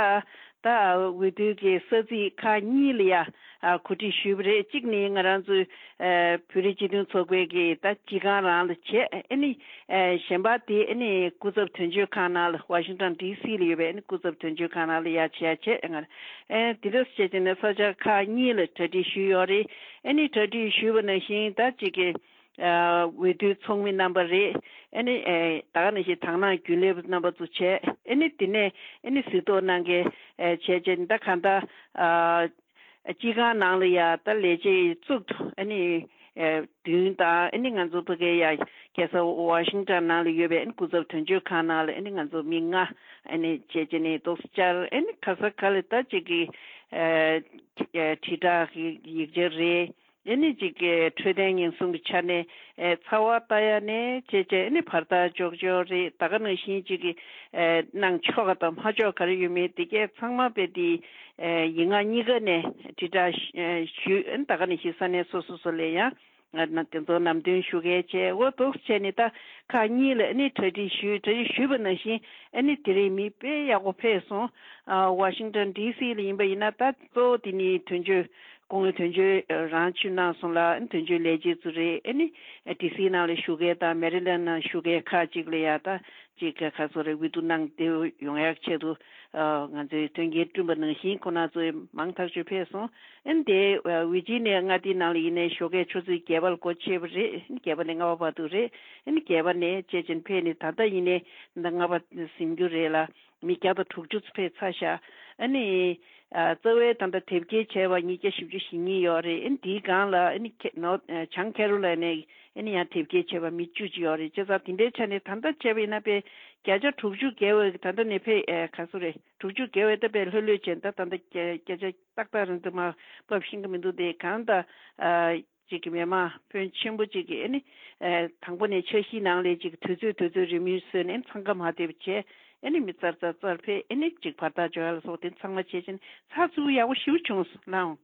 ད་འོས་བསྡུ་གི་ས་ཚིགས་ཁག་གཉིས་ལ་ཡ་གོ་སྒྲིག་ཞུས་པ་རེད། གཅིག་ནི་ང་རང་ཚོའི་ཨ་བོད་རིགས་སྤྱི་མཐུན་ཚོགས་པའི་གི་ད་སྤྱི་ཁང་རང་ལ་བྱས། ཨ་ནི་ཨ་གཞན་པ་དེ་ཨ་ནི་སྐུ་ཚབ་དོན་གཅོད་ཁང་ནང་ལ་ཝ་ཤིང་ཊོན་ཌི་སི་ལ་ཡོད་པའི་ཨ་ནི་སྐུ་ཚབ་དོན་གཅོད་ཁང་ནང་ལ་ཡ་བྱས་བྱས། ང་ཨ་དེ་འདྲ་བྱས་བྱས་ནས་ས་ཆ་ཁག་གཉིས་ལ་གྲ་སྒྲིག་ཞུས་ཡོད་རེད། ཨ་ནི་གྲ་སྒྲིག་ཞུས་པ་ནང་བཞིན་ད་གཅིག་གི་ཨ་འོས་བསྡུའི་ཚོགས་མི་རྣམ་པ་རེད། ཨ་ནི་ཨེ་ད་ག་ནང་བཞིན་དང་བླངས་རྒྱུན་ལས་རྣམ་པ་ཚོ་བྱས། ཨ་ནི་དེ་ནས་ཨ་ནི་གཟིགས་རྟོག་གནང་མཁན་ཨེ་བྱས་བྱས་ད་གང་ལྟར་ཨ་སྤྱི་ཁང་ནང་ལ་ཡ་ད་ལས་བྱེད་གཙུག་ཏུ་ཨ་ནི་ཨེ་བདུན་དང་། ཨ་ནི་ང་ཚོ་ཕ་གའི་ཡ་རྒྱལ་ས་ཝ་ཤིང་ཊོན་ནང་ལ་ཡོད་པའི་ཨ་ནི་སྐུ་ཚབ་དོན་གཅོད་ཁང་ནང་ལ་ཨ་ནི་ང་ཚོ་མི་ལྔ་ཨ་ནི་བྱས་བྱས་ནས་ཏོག་ཙམ་བཅར། ཨ་ནི་ག་ས་ག་ལ་ད་ཅིག་གི་ཨེ་ཨེ་དྲིལ་བསྒྲགས་ཀྱི་ཡིག་ཆ་རེད། ཨ་ནི་ཅིག་གི་འཕྲོད་བསྟེན་ཉེན་སྲུང་གི་ཆ་ནས་ཨེ་ཚ་བ་ལྟ་ཡ་ནས་བྱས་བྱས། ཨ་ནི་བར་ཐག་འཇོག་འཇོག་རེད། ད་ག་ནང་བཞིན་ཅིག་གི་ཨེ་གནང་ཆོག་ག་དང་མ་ཆོག་ག་རེ་ཡོད་མེད་དེ་གས་ཚང་མ་དཔེ་དེ་ཨེ་ཡིག་ངག་གཉིས་ཀ་ནས་དྲིལ་བསྒྲགས་ཞུ། ཨ་ནི་ད་ག་ནང་བཞིན་ས་གནས་སོ་སོ་སོ་ལ་ཡང་ང་ན་དེ་ཚོ་ལམ་སྟོན་ཞུ་གས་བྱས། འོ་འདུག་བྱས་ནས་ད་ཁག་གཉིས་ལ་ཨ་ནི་གྲ་སྒྲིག་ཞུས། གྲ་སྒྲིག་ཞུས་པ་ནང་བཞིན་ཨ་ནི་དེ་རིང་མི་དཔེ་ཡག་པོ་ཕེབས་སོང་། ཨ་ཝ་ཤིང་ཊོན་ཌི་སི་ལ་ཡིན་པ་ཡིན་ན་ད་གཙོ་བོ་དེ་ནི་དོན་གཅོད་ སྐུ་ངོ་དོན་གཅོད་རང་ཆུ་གནང་སོང་ལ། དོན་གཅོད་ལས་བྱེད་ཚོ་རེད། ཨ་ནི་ཌི་སི་ནང་ལ་བཞུགས་མཁན་དང་མེ་རི་ལན་ནང་བཞུགས་མཁན་ཁག་ཅིག་ལ་ཡ་ད་ཅིག་ག་ཚོད་རེད། འོས་བསྡུ་གནང་བསྡད་ཡོང་ཡག་ཆེད་དུ་ང་ཚོའི་དོན་རྐྱེན་བསྐྲུན་པ་ནང་བཞིན་ཁོང་རྣམ་ཚོ་མང་ཐག་ཆོད་ཕེབས་སོང་། ཨ་ནི་དེ་ཝི་ཇི་ནི་ཡ་མངའ་སྡེ་ནང་ལ་ཡིན་ནའི་ཞོགས་ཀས་ཆུ་ཚོད་བརྒྱད་པ་ལ་སྒོ་ཕྱེ་བ་རེད། ཨ་ནི་བརྒྱད་པ་ནས་ལྔ་པ་བར་དུ་རེད། ཨ་ནི་བརྒྱད་པ་ནས་བཅད་ཅན་ཕེབས་ནས་ད་ལྟ་ཡིན་ནའི་ད་ལྟ་ལྔ་པ་ཟིན་རྒྱུ་རེད་ལ། མི་བརྒྱ་དང་དྲུག་ཅུ་ཕེབས་ཚར་ཤག་ཨ་ནི་ཨ་རྩ་བའི་ད་ལྟ་དེབ་སྐྱེལ་བྱས་པ་ཉིས་བརྒྱ་བཞི་བཅུ་ཞེ་གཉིས་ཡོད་རེད། ཨ་ནི་དེའི་སྒང་ལ་ཨ་ནི་ཁེ་ནོར་ཨ་བྱང་ཁེ་རོ་ལ་ནས་ཨ་ནི་ཡང་དེབ་སྐྱེལ་བྱས་པ་མི་བཅུ་ཅིག་ཡོད་རེད། བྱས་ཙང་དེ་འདྲའི་ཆ་ནས་ད་ལྟ་བྱས་པ་ཡིན་ན་དཔེ་བརྒྱ་ཆ་དྲུག་ཅུ་བརྒལ་བའི་ད་ལྟ་ནས་ཕེབས་ཨ་ག་ཚོད་རེད། དྲུག་ཅུ་བརྒལ་བའི་ད་དཔེ་ལྷོད་ལྷོད་བྱས། ད་ད་ལྟ་བརྒྱ་བརྒྱ་ཆ་ཏག་ཏག་རང་དུ་མ་བབས་ཤེས་ཀྱི་མི་འདུག་དེ་གང་ལྟར་ཨ། ཅིག་གི་མི་མང་ཕོན་ཆེན་པོ་ཅིག་གིས་ཨ་ནི་ཨ་དང་པོ་ནས་འཆར་གཞིའི་ནང་ལས་ཅིག་དུས་ཚོད་དུས་ཚོད་རེ་མུས་བཟོས་ནས་འཚང་ཁ་མ་ཐེབས་བྱས། ཨ་ནི་མི་ཙར་ཙར་ཙར་ཕེབས། ཨ་ནི་ཅིག་བར་ཐག་འཇོག་ཡ་ལ་སོགས་དེ་ཚང་མ་བྱས་ཕྱིན་ཚགས་ཚུད་ཡག་པོ་ཞེ་པོ་བྱུང་སོང་། ལགས་འོང་།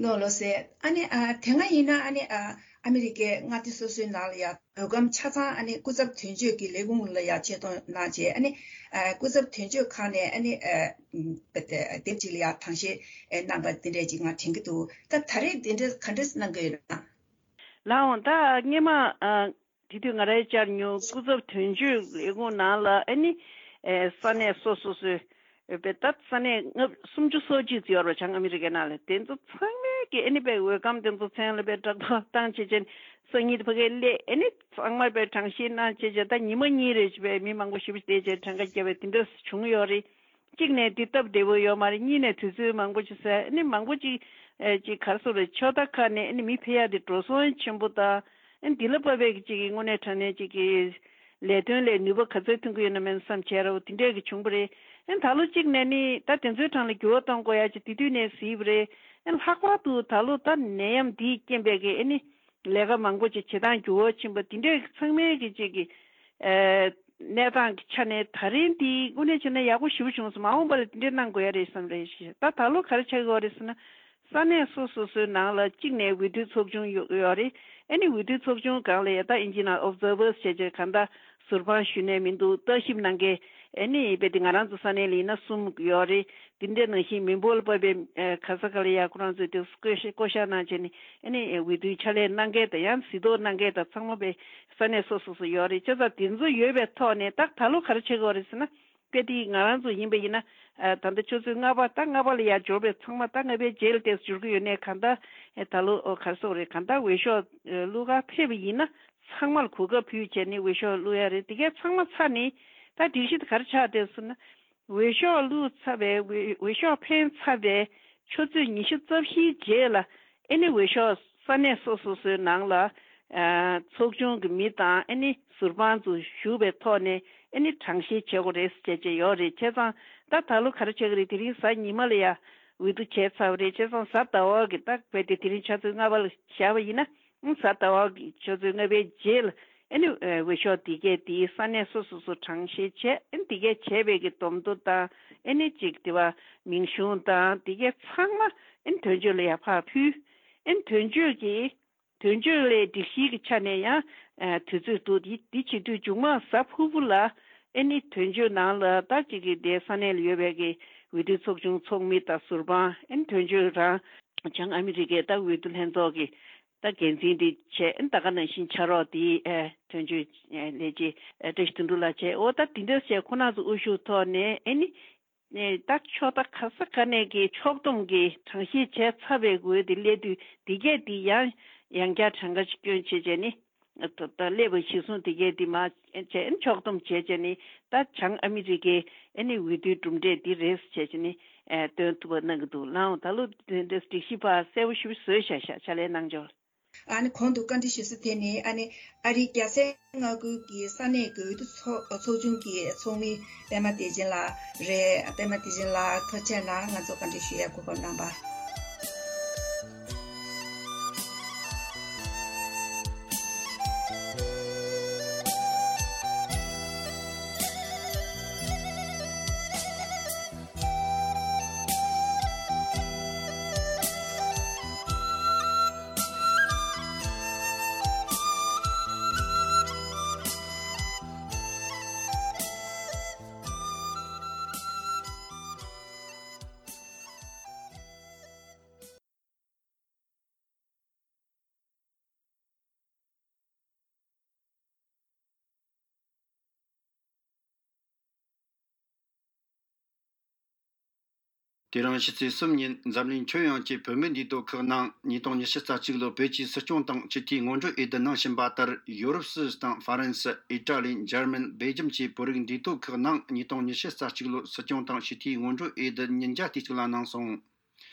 ནོར་ལོ་ཟེར། ཨ་ནི་ཨ་དེ་སྔ་ཡིན་ན་ཨ་ནི་ཨ་ཨ་མི་རི་ཀའི་མངའ་སྡེ་སོ་སོའི་ནང་ལ་ཡ་འོས་སྒམ་ཆ་ཚང་ཨ་ནི་སྐུ་ཚབ་དོན་གཅོད་ཀྱི་ལས་ཁུངས་ལ་ཡ་ཆེད་གཏོང་གནང་བྱས། ཨ་ནི་ཨ་སྐུ་ཚབ་དོན་གཅོད་ཁང་ནས་ཨ་ནི་ཨ་དེབ་ཅིག་ལ་ཡ་དྲང་བཤེར་ཨ་གནང་པ་དེ་འདྲས་ཅིག་ང་དྲན་གྱི་འདུག་ད་ད་རེས་དེ་འདྲས་ག་འདྲས་གནང་གི་ཡོད་ན། ལགས་འོང་། ད་སྔས་མ་ཨ་དེ་དུས་ང་རང་བཅར་མྱོང་། སྐུ་ཚབ་དོན་གཅོད་ལས་ཁུངས་ནང་ལ་ཨ་ནི་ཨེ་ས་གནས་སོ་སོ་སོའི་ཨེ་པའི་ད་ས་གནས་ལྔ་སུམ་ཅུ་སོ་གཅིག་ཙམ་ཡོད་རེད་བྱང་ཨ་མི་རི་ཀའི་ནང་ལ། དེ་ཚོ་ཚང་མས་ཀྱི་ཨ་ནི་པའི་འོས་སྒམ་དེ་ཚོ་མཚན་ལ་པའི་བསྒྲགས་གཏོང་བཏང་བྱས་ཅན་སང་ཉིན་ཕ་གིར་སླེབས། ཨ་ནི་ཚང་མ་པའི་དྲང་བཤེར་གནང་བྱས་ཅན་ད་ཉི་མ་གཉིས་རེ་བྱས་པའི་མི་མང་པོ་ཞེ་པོ་བསྡད་བྱས་གྲངས་ཀ་བརྒྱབ་པའི་དེ་འདྲ་བྱུང་ཡོད་རེད། གཅིག་ནས་འདི་སྟབས་བདེ་པོ་ཡོད་མ་རེད། གཉིས་ནས་དུས་ཚོད་མང་པོ་ཅིག་ཟད། ཨ་ནི་མང་པོ་ཅིག་ཨེ་ཅིག་ག་རེ་ཟེར་རེད། ཕྱོགས་མཐའ་ཁག་ནས་ཨ་ནི་མི་ཕེབས་ཡ་དེ་འགྲོ་སོང་ཆེན་པོ་དང་། ཨ་ནི་འདི་ལ་དཔག་པའི་ཅིག་གི་དངོས་གནས་དྲང་གནས་ཅིག་གི་ལས་དོན་ལས་ནུས་པ་ག་ཚོད་ཐོན་གྱི་ཡོད་ན་མེད་ན་བསམ་བྱས་ར་བ་དེ་འདྲས་ཀྱི་བྱུང་བ་རེད། ཨ་ནི་ད་ལོ་གཅིག་ནས་ནི་ད་དེ་ཚོའི་གྲངས་ལ་འགྱུར་བ་གཏོང་དགོས་ཡ་ཅིག་དེ་དུས་ནས་གཟིགས་པ་རེད། ཨ་ནི་ལྷག་པར་དུ་ད་ལོ་ད་ནད་ཡམས་འདིའི་རྐྱེན་པས་ཀྱི་ཨ་ནི་ལས་ཀ་མང་པོ་ཅིག་བྱེད་སྟངས་འགྱུར་བ་ཕྱིན་པ་དེ་འདྲས་ཀྱི་ཚང་མའི་གི་ཅིག་གི་ཨེ་གནས་སྟངས་ཀྱི་ཆ་ནས་ད་རིང་འདི་དངོས་གནས་བྱས་ན་ཡག་པོ་ཞེ་པོ་བྱུང་སོང་། མ་འོངས་པ་ལ་འདི་འདྲས་གནང་དགོས་ཡ་རེད་བསམ་རེད་ཤག་ད་ད་ལོ་ག་རེ་ཆགས་ཀྱི་ཡོད་རེད་ཟེར་ན། ས་གནས་སོ་སོ་སོའི་ནང་ལ་གཅིག་ནས་འོས་བསྡུའི་ཚོགས་ཆུང་ཡོད་ཡོད་རེད། ཨ་ནི་འོས་བསྡུའི་ཚོགས་ཆུང་སྒང་ལ་ཡ་ད་ཨིན་ཇི་ནང་ཨོབ་ཛར་བར་སི་བྱས་བྱས་གང་ལྟར་ཟུར་དཔང་ཞུ་ནས་མི་འདུག་བརྟག་ཞིབ་གནང་མཁན་ཨ་ནི་དཔེ་དེ་ང་རང་ཚོ་ས་གནས་ལ་ཡིན་ན་གསུམ་ཡོད་རེད། དེ་འདྲ་ནང་བཞིན་མི་འབོར་ལ་དཔག་པའི་ཨ་ག་ས་ག་ལ་ཡ་ཁོ་རང་ཚོས་དེ་བསྐོ་བཞག་གནང་བྱས་ནས་ཨ་ནི་འོས་བསྡུའི་ཕྱག་ལས་གནང་མཁན་དང་ཡང་གཟིགས་རྟོག་གནང་མཁན་དང་ཚང་མ་དཔེ་ས་གནས་སོ་སོ་སོ་ཡོད་རེད། བྱས་ཙང་དེ་ཚོ་ཡོད་པའི་ཐོག་ནས་ད་ད་ལོ་ག་རེ་བྱེད་དགོས་རེད་ཟེར་ན། དཔེ་དེ་ང་རང་ཚོ་ཡིན་པ་ཡིན་ན་ཨ་ད་ལྟ་ཆུ་ཚོད་ལྔ་པ་ད་ལྔ་པ་ལ་ཡར་འབྱོར་བའི་ཚང་མ་ད་ལྔ་པའི་རྗེས་ལ་ཏོག་ཙམ་འབྱོར་གྱི་ཡོད་ནའི་གང་ལྟར་ཨེ་ད་ལོ་ཨོ་ག་རེ་ཟེར་དགོས་རེད། གང་ལྟར་འོས་ཤོག་ཨེ་བླུག་གར་ཕེབས་པ་ཡིན་ན་ཚང་མ་ལ་གོ་སྐབས་ཕུལ་བྱས་ནས་འོས་ཤོག་བླུག་ཡ་རེད། དེ་གས་ཚང་མ་ཚར་ནས་ད་སྒྲིག་གཞི་དེ་ག་རེ་ཆགས་བསྡད་སོང་ན། འོས་ཤོག་བླུགས་ཚར་བའི་འོས་འོས་ཤོག་འཕེན་ཚར་བའི་ཆུ་ཚོད་ཉི་ཤུ་རྩ་བཞིའི་རྗེས་ལ་ཨེ་ནི་འོས་ཤོག་ས་གནས་སོ་སོ་སོའི་ནང་ལ་ཨ་ཚོགས་ཆུང་གི་མི་དང་ཨེ་ནི་ཟུར་དཔང་ཚོ་ཞུགས་པའི་ཐོག་ནས་ཨེ་ནི་གྲངས་བཤེར་བྱེད་དགོས་རེད་ཟེར་བྱས་བྱས་ཡོད་རེད། བྱས་ཙང་ད་ད་ལོ་ག་རེ་བྱེད་ཀྱི་རེད། དེ་རིང་གཟའ་ཉི་མ་ལ་ཡ་འོས་བསྡུ་བྱས་ཚར་བ་རེད། བྱས་ཙང་གཟའ་ཟླ་བ་གི་ད་དཔེ་དེ་དེ་རིང་ཆུ་ཚོད་ལྔ་པ་ལ་བཞག་པ་ཡིན་ན། གཟའ་ཟླ་བ་གི་ཆུ་ཚོད་ལྔ་པའི་རྗེས་ལ་ཨ་ནི་ཨ་འོས་ཤོག་འདི་གས་འདི་ས་གནས་སོ་སོ་སོ་གྲངས་བཤེར་བྱས། ཨ་ནི་འདི་གས་བྱས་པའི་གི་སྡོམ་ཐོ་དང་ཨ་ནི་ཅིག་དེ་བ་མིང་གཞུང་དང་འདི་གས་ཚང་མ་ཨ་ནི་དོན་གཅོད་ལ་ཡར་ཕར་ཕུལ། ཨ་ནི་དོན་གཅོད་ཀྱི་དོན་གཅོད་ལས་སྒྲིག་གཞིའི་གི་ཆ་ནས་ཡང་ཨ་དུས་ཚོད་འདུག་འདི་འདི་བྱེད་དུས་མཇུག་མ་གཟའ་ཕུར་བུ་ལ་ཨ་ནི་དོན་གཅོད་ནང་ལ་ད་ཅིག་གི་དེ་ས་གནས་ལ་ཡོད་པའི་གི་འོས་བསྡུ་ཚོགས་ཆུང་ཚོགས་མི་དང་ཟུར་དཔང་ཨ་ནི་དོན་གཅོད་རང་བྱང་ཨ་མི་རི་ཀའི་ད་འོས་བསྡུ་ལྷན་ཚོགས་ཀྱི་ད་འགན་འཛིན་དེ་བྱས། ད་ག་ནང་བཞིན་ཕྱག་རོགས་དེ་ཨེ་དོན་གཅོད་ཨེ་ལས་བྱེད་ཨེ་བཀྲ་ཤིས་དོན་གྲུབ་ལགས་བྱས། འོ་ད་དེ་འདྲ་བྱས་ཁོ་རང་ཚོ་དབུ་བཞུགས་ཐོག་ནས་ཨེ་ནི་ཨེ་ད་ཕྱོགས་མཐའ་ག་ས་ག་ནས་ཀྱི་ཕྱོགས་བསྡོམས་ཀྱི་གྲངས་བཤེར་བྱས་ཚར་བའི་འོས་དེ་སླེབས་དུས་དེ་གས་དེ་ཡང་ཡང་བསྐྱར་གྲངས་ཀ་ཅིག་སྐྱོན་བྱས་བྱས་ནི་ད་ད་སླེབས་པ་གཞིར་བཟུང་དེ་གས་དེ་མ་བྱས་ཕྱོགས་བསྡོམས་བྱས་བྱས་ནི་ད་བྱང་ཨ་མི་རི་ཀའི་ཨེ་ནི་འོས་བསྡུའི་གྲུབ་འབྲས་འདི་རེད་བྱས་བྱས་ནི་ཨེ་སྟོན་ཐུབ་པ་གནང་གི་འདུག་ལགས་འོང་། ད་ལོ་དེ་འདྲ་སྒྲིག་གཞི་ཕར་གསལ་པོ་ཞེ་པོ་བཟོས་བཞག་ཤག་ཕྱག་ལས་གནང་ཆོག་ཨ་ནི་གོང་དུ་བཀའ་འདྲི་ཞུ་ས་དེ་ནི་ཨ་ནི་ཨ་རིའི་རྒྱལ་སའི་མངའ་ཁུལ་གྱི་ས་གནས་འོས་བསྡུ་ཚོགས་ཚོགས་ཆུང་གི་ཚོགས་མི་པད་མ་བདེ་ཆེན་ལགས་རེད། པད་མ་བདེ་ཆེན་ལགས་ཐུགས་རྗེ་གནང་། ང་ཚོ་བཀའ་འདྲི་ཞུ་ཡ་གོ་སྐབས་གནང་བ། དེ་རིང་ཕྱི་ཚེས་གསུམ་ཉིན་འཛམ་གླིང་ཁྱོན་ཡོངས་ཀྱི་བུད་མེད་འདུས་སྡོད་ཁག་ནང་ཉིས་སྟོང་ཉི་ཤུ་རྩ་གཅིག་ལོ་བོད་ཀྱི་སྲིད་སྐྱོང་དང་སྤྱི་འཐུས་སྔོན་འགྲོ་འོས་བསྡུ་གནང་བཞིན་པ་ལྟར། ཡོ་རོབ་སུད་སི་དང་ཧྥ་རན་སི། ཨི་ཏྲ་ལི། འཇར་མན། སྦེལ་ཇམ་བཅས་བོད་རིགས་འདུས་སྡོད་ཁག་ནང་ཉིས་སྟོང་ཉི་ཤུ་རྩ་གཅིག་ལོ་སྲིད་སྐྱོང་དང་སྤྱི་འཐུས་སྔོན་འགྲོ་འོས་བསྡུ་ཉིས་བརྒྱ་དེ་གཅིག་ལ་གནང་སོང་།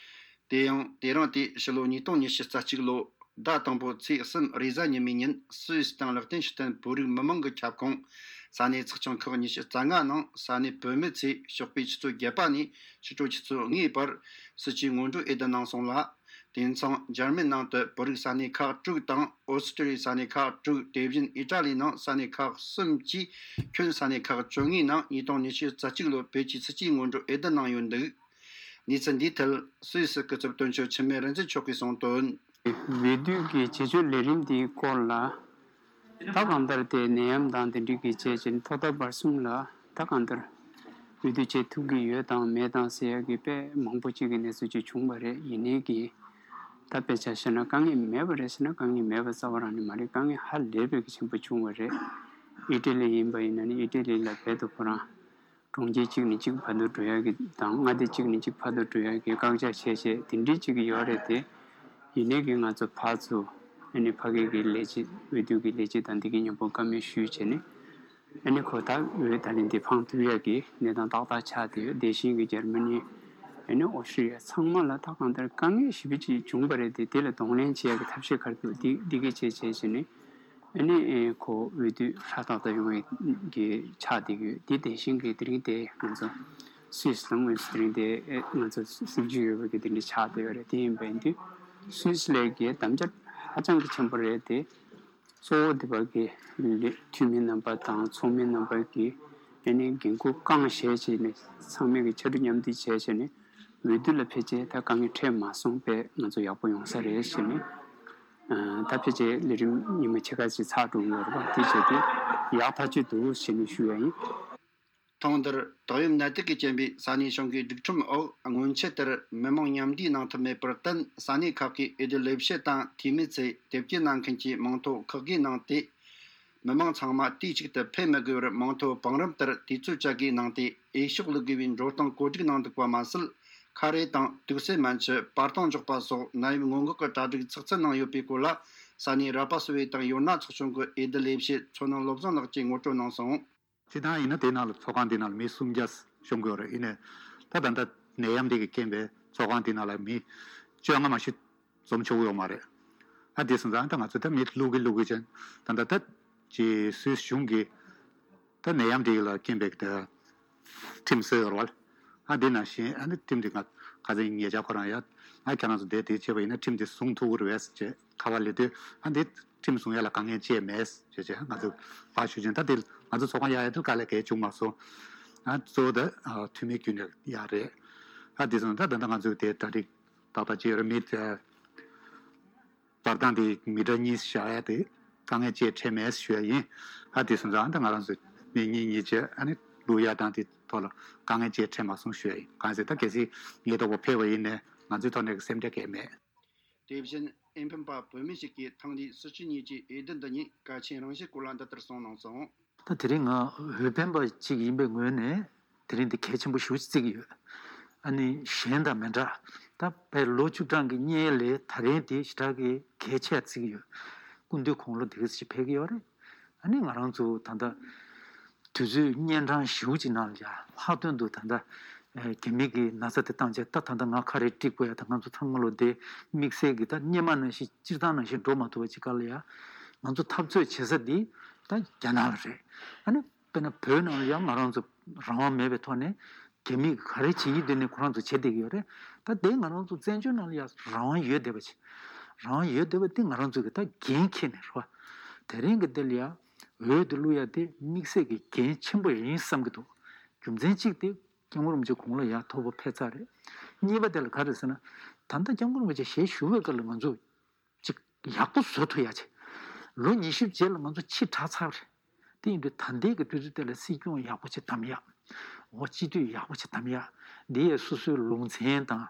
དེ་ཡང་དེ་རིང་དེ་ཕྱི་ལོ་ཉིས་སྟོང་ཉི་ཤུ་རྩ་གཅིག་ལོ་ཟླ་དང་པོ་ཚེས་གསུམ་རེས་གཟའ་ཉི་མའི་ཉིན། སུད་སི་དང་ལེག་ཏེན་ཤི་ཏན་བོད་རིགས་མི་མང་གི་ཁྱབ་ཁོངས་ས་གནས་ཚོགས་ཆུང་ཁག་ཉི་ཤུ་རྩ་ལྔ་ནང་ས་གནས་བུད་མེད་ཚོས་ཞོགས་པའི་ཆུ་ཚོད་བརྒྱད་པ་ནས་ཕྱི་དྲོ་ཆུ་ཚོད་ལྔའི་བར་སྲིད་སྤྱིའི་སྔོན་འགྲོའི་འོས་བསྡུ་གནང་སོང་ལ། དེ་མཚུངས་འཇར་མན་ནང་དུ་བོད་རིགས་ས་གནས་ཁག་དྲུག་དང་། ཨོ་སི་ཀྲི་ལི་ཡའི་ས་གནས་ཁག་དྲུག་དེ་བཞིན་ཨི་ཏྲ་ལི་ནང་ས་གནས་ཁག་གསུམ་གྱི་ཁྱོན་ས་གནས་ཁག་བཅོ་ལྔའི་ནང་ཉིས་སྟོང་ཉི་ཤུ་རྩ་གཅིག་ལོ་བོད་ཀྱི་སྲིད་སྤྱིའི་སྔོན་འགྲོ་འོས་བསྡུ་གནང་ཡོད་འདུག། གནས་ཚུལ་འདིའི་ཐད་སུད་སི་སྐུ་ཚབ་དོན་གཅོད་འཆི་མེད་རིག་འཛིན་མཆོག་གིས་གསུངས་དོན། འོས་བསྡུ་གི་བྱེད་སྤྱོད་ལས་རིམ་དེའི་སྐོར་ལ། ད་གང་ལྟར་དེ་ནད་ཡམས་དང་དེ་འདྲའི་གི་བྱས་ཅིང་ཐོག་མཐའ་བར་གསུམ་ལ་ད་གང་ལྟར་འོས་བསྡུ་བྱེད་ཐུབ་ཀྱི་ཡོད་དང་མེད་དང་ཟེར་ཡ་གི་དཔེ་མང་པོ་ཅིག་གི་གནས་ཚུལ་ཅིག་བྱུང་བ་རེད། ཡིན་ནའི་གི་ད་དཔེ་ཆ་བཞག་ན་དཀའ་ངལ་མེད་པ་རེད་ཟེར་ན་དཀའ་ངལ་མེད་པ་རྩ་བ་རང་ནས་མ་རེད། དཀའ་ངལ་ཧ་ལས་པའི་གི་ཆེན་པོ་བྱུང་བ་རེད། ཨི་ཏྲ་ལི་ཡིན་པ་ཡིན་ན་ནི་ཨི་ཏྲ་ལི་ལ་རྦད་དེ་ཁོ་རང་གྲོང་ཁྱེར་གཅིག་ནས་གཅིག་བར་དུ་འགྲོ་ཡ་གི་དང་མངའ་སྡེ་གཅིག་ནས་གཅིག་བར་དུ་འགྲོ་ཡ་གི་བཀག་ཆ་བྱས་བྱས་དེ་འདྲའི་གཅིག་གི་ཡོད་རེད་དེ། ཡིན་ནའི་གི་ང་ཚོ་ཕར་ཚུར་ཨ་ནི་ཕ་གི་གི་ལས་བྱེད་འོས་བསྡུ་གི་ལས་བྱེད་དང་འདི་གི་མཉམ་པོ་བཀའ་མོལ་ཞུས་བྱས་ནས་ཨ་ནི་ཁོ་ད་འོས་ད་ལན་འདི་འཕངས་ཐུབ་ཡ་གི་གནས་སྟངས་ཏག་ཏག་ཆགས་བསྡད་ཡོད། དེ་བཞིན་གི་འཇར་མ་ནི་ཨ་ནི་ཨོ་སི་ཀྲི་ཡ་ཚང་མ་ལ་ད་གང་ལྟར་དཀའ་ངལ་ཞེ་པོ་ཅིག་བྱུང་བ་རེད་དེ། དེ་ལ་གདོང་ལེན་བྱེད་ཡ་གི་ཐབས་ཤེས་ག་རེ་འདུག་འདི་འདི་གི་བྱས་བྱས་བྱས་ནས། ཨ་ནི་ཨེ་ཁོ་འོས་བསྡུ་ཧྲ་ཏག་ཏག་ཡོང་བའི་གི་ཆགས་བསྡད་ཡོད། དེ་དེ་བཞིན་གི་དེ་རིང་དེ་ང་ཚོ་སུད་སི་ནང་དངོས་སུ་དེ་རིང་དེ་ཨེ་ང་ཚོ་སེམས་ཤུགས་ཡོད་པའི་གི་དེ་འདྲ་ཆགས་བསྡད་ཡོད་རེད། དེ་ཡིན་པ་ཡིན་དུས་སུད་སི་ལ་གི་དམ་བཅའ་ཧ་ཅང་གི་ཆེན་པོ་རེད་དེ། གཙོ་བོ་དེ་བར་གི་ལས་འཐུས་མི་རྣམ་པ་དང་ཚོགས་མི་རྣམ་པ་གི་ཨ་ནི་འགན་ཁུར་བསྐངས་བྱས་བྱས་ནས་ཚང་མས་གི་ཕྱར་གྲུ་མཉམ་འདེགས་བྱས་བྱས་ནས་འོས་བསྡུ་ལ་ཕལ་ཆེར་ད་དཀའ་ངལ་འཕྲད་མ་སོང་པས་ང་ཚོ་ཡག་པོ་ཡོང་ས་རེད་ཞེས་ནས། ཨ་ད་ཕལ་ཆེར་ལས་རིམ་ཉི་མ་ཕྱེད་ཀ་ཅིག་ཚར་འགྲོ་གི་ཡོད་རེད་པ། དེ་བྱས་དུས་ཡག་ཐག་ཆོད་འདུག་ཞེས་ནས་ཞུ་ཡ་ཡིན། ཐེངས་འདིར་ཏོག་དབྱིབས་ནད་དུག་གིས་རྐྱེན་པས་ས་གནས་གཞུང་གི་སྒྲིག་ཁྲིམས་འོག་སྔོན་ཆད་ལྟར་མི་མང་མཉམ་འདུས་གནང་ཐུབ་མེད་པར་བརྟེན། ས་གནས་ཁག་གི་འོས་བསྡུ་ལས་བྱེད་དང་འཐུས་མི་ཚོས་དེབ་སྐྱེལ་གནང་མཁན་གྱི་མིང་ཐོ་ཁག་བགོས་གནང་སྟེ། མི་མང་ཚང་མ་དུས་གཅིག་ཏུ་ཕེབས་མི་དགོས་པར་མིང་ཐོ་བང་རིམ་ལྟར་དུས་ཚོད་བཅད་བགོས་གནང་སྟེ། འོས་ཤོག་བླུག་དགོས་པའི་འགྲོ་སྟངས་བཀོད་སྒྲིག་གནང་འདུག་པ་མ་ཟད། ཁ་རས་དང་དུག་སེལ་སྨན་ཆུ། པར་སྟོང་འཇོག་པ་སོགས་ནད་ཡམས་སྔོན་འགོག་གི་གྲ་སྒྲིག་ཚགས་ཚུད་གནང་ཡོད་པའི་སྐོར་ལ། ས་གནས་ར་པ་སི་ཝེ་དང་ཡོ་ན་ཚོགས་ཆུང་གི་འོས་བསྡུ་ལས་བྱེད་མཚོ་སྣ་བློ་བཟང་ལགས་ཀྱིས་ངོ་སྤྲོད་གནང་སོང་། སྤྱིར་བཏང་ཡིན་ན་དེ་ནང་ལ་ཚོགས་ཁང་དེ་ནང་ལ་མི་སུམ་བརྒྱ་ཤོང་གི་ཡོད་རེད། ཡིན་ནའི་ད་ད་ལྟ་ནད་ཡམས་དེ་གི་རྐྱེན་པས་ཚོགས་ཁང་དེ་ནང་ལ་མི་བཅོ་ལྔ་མ་གཏོགས་འཛོམས་ཆོག་གི་ཡོད་མ་རེད། ཨ་དེ་སོང་ཙང་ད་ང་ཚོ་ད་མི་བླུག་གི་བླུག་གི་ཅན་ད་ད་ད་ཅི་སུད་སི་གཞུང་གི་ད་ནད་ཡམས་དེ་ལ་རྐྱེན་པས་ད་ཁྲིམས་བཟོས་ཡོད་རེད་བ། ཨ་དེ་ནང་བཞིན་ཨ་ནི་ཁྲིམས་དེ་ང་ཁ་སང་ཉེ་ཆར་ཁོ་རང་ཡ་ང་ཁྱེད་རང་ཚོ་བསྡད་དེ་བྱས་པ་ཡིན་ན་ཁྲིམས་དེ་བཟུང་ཐུབ་ཀྱི་རེད་བས་ཟེར་བྱས། ཁ་པར་སླེབས་དུས་ཨ་འདི་ཁྲིམས་བཟུང་ཡ་ལ་དཀའ་ངལ་ཅི་ཡང་མེད་ཞེས་བྱས་ང་ཚོས་ཕར་ཞུ་ཅིང་། ད་དེ་ང་ཚོ་ཚོགས་ཁང་གཡར་ཡ་དེ་དཀའ་ལས་གང་ཡང་བྱུང་མ་སོང་། ཨ་གཙོ་བོ་ད་ཨ་འཐུས་མི་ཁྱོན་ནས་ཡག་རེད། ཨ་དེ་སོང་ད་ད་ལྟ་ང་ཚོས་དེ་གྲ་སྒྲིག་ཏག་ཏག་བྱས་ཡོད་རེད། མི་དེ་བར་སྟོང་དེ་མི་ཊར་གཉིས་བཞག་ཡ་དེ་དཀའ་ངལ་ཅི་ཡང་འཕྲད་མེད་ཞུ་ཡ་ཡིན། ཨ་དེ་སོང་ཙང་ད་ང་རང་ཚོ་མི་གཉིས་གཉིས་བྱས་ཨ་ནི་བླུག་ཡ་དང་དེ་ཐོག་ལ་དཀའ་ངལ་ཅི་ཡང་འཕྲད་མ་སོང་ཞུ་ཡ་ཡིན། གང་ཟེར་ད་གལ་སྲིད་ཉེན་རྟོག་པ་ཕེབས་པ་ཡིན་ནའི་ང་ཚོའི་ཐོག་ནས་སེམས་ཁྲལ་གང་ཡང་མེད། དེ་བཞིན་ཨེ་འཕེན་པ་བོད་མི་ཞིག་གིས་ཐེངས་འདིའི་སྲིད་སྤྱི་གཉིས་ཀྱི་འོས་བསྡུ་འདི་ཉིད་གལ་ཆེན་རང་བཞིན་སྐོར་ལ་འདི་ལྟར་གསུངས་གནང་སོང་། ད་དེ་རིང་ང་འོས་འཕེན་པ་ཅིག་ཡིན་པའི་ངོས་ནས་དེ་རིང་འདི་གལ་ཆེན་པོ་ཞེ་པོ་ཅིག་བརྩི་གི་ཡོད། ཨ་ནི་གཞན་དང་མི་འདྲ། ད་བའི་ལོ་བཅུ་གྲངས་ཀྱི་སྔོན་ལས་ད་རིང་འདི་ཞེ་དྲག་གི་གལ་ཆེ་བརྩི་གི་ཡོད། སྐུ་མདུན་དགུང་ལོ་འདི་ག་ཙམ་ཕེབས་ཀྱི་ཡོད་རེད། ཨ་ནི་ང་རང་ཚོ་ད་ལྟ་དུས་ཚོད་གཉན་འཕྲང་ཞེ་པོ་ཅིག་ནང་ལ་ཡ་ལྷག་དོན་དུ་ད་ལྟ་ཨེ་རྒྱ་མི་གི་ན་ཚ་དེ་བཏང་བྱས། ད་ད་ལྟ་ང་ཁ་རས་དཀྲིས་དགོས་ཡ་ད་ང་ཚོ་ཚང་མ་ལོ་དེ་དམིགས་བསལ་གྱི་ད་སྔོན་མ་ནང་བཞིན་སྤྱིར་བཏང་ནང་བཞིན་འགྲོ་མ་ཐུབ་པ་ཅིག་སྐབས་ལ་ཡ་ང་ཚོ་འཐབ་རྩོད་བྱེད་ས་འདི་ད་རྒྱ་ནག་ལ་རེད། ཨ་ནི་དཔེར་ན་བོད་ནང་ལ་ཡ་ང་རང་ཚོ་རང་དབང་མེད་པའི་ཐོག་ནས་རྒྱ་མི་གིས་ག་རེ་བྱེད་ཀྱི་འདུག་ནས་ཁོ་རང་ཚོ་བྱེད་བསྡད་ཀྱི་ཡོད་རེད། ད་དེ་ང་རང་ཚོ་བཙན་བྱོལ་ནང་ལ་ཡ་རང་དབང་ཡོད་བསྡད་པ་ཅིག་རང་དབང་ཡོད་བསྡད་པ་དེ་ང་རང་ཚོ་གི་ད་འགན་འཁྱེར་ནས་རེད་བ། དེ་རིང་གི་འདི་ལ་ཡ་འོས་དེ་བླུག་ཡ་དེ་དམིགས་བསལ་གྱི་འགན་ཆེན་པོ་ཡིན་བསམ་གྱི་འདུག་རྒྱུ་མཚན་གཅིག་དེ་སྐྱབས་མགོན་རིན་པོ་ཆེ་དགུང་ལོ་ཡར་མཐོ་པོ་ཕེབས་ཚར་རེད། གཉིས་པ་དེ་ལ་ག་རེ་ཟེར་ན། ད་ལྟ་སྐྱབས་མགོན་རིན་པོ་ཆེ་ཞལ་བཞུགས་པའི་སྐབས་ལ་ང་ཚོ་ཅིག་ཡག་པོ་བཟོ་ཐུབ་ཡ་ཆེ། ལོ་ཉི་ཤུ་རྗེས་ལ་ང་ཚོ་ཕྱི་དྲགས་ཚར་རེད། དེ་ཡིན་དུས་ད་ལྟའི་གི་དུས་ཚོད་དེ་ལ་སྲིད་སྐྱོང་ཡག་པོ་ཅིག་བདམས་ཡ། འོ་སྤྱི་འཐུས་ཡག་པོ་ཅིག་བདམས་ཡ། འདི་ཡས་སོ་སོའི་ལུང་ཚན་དང་།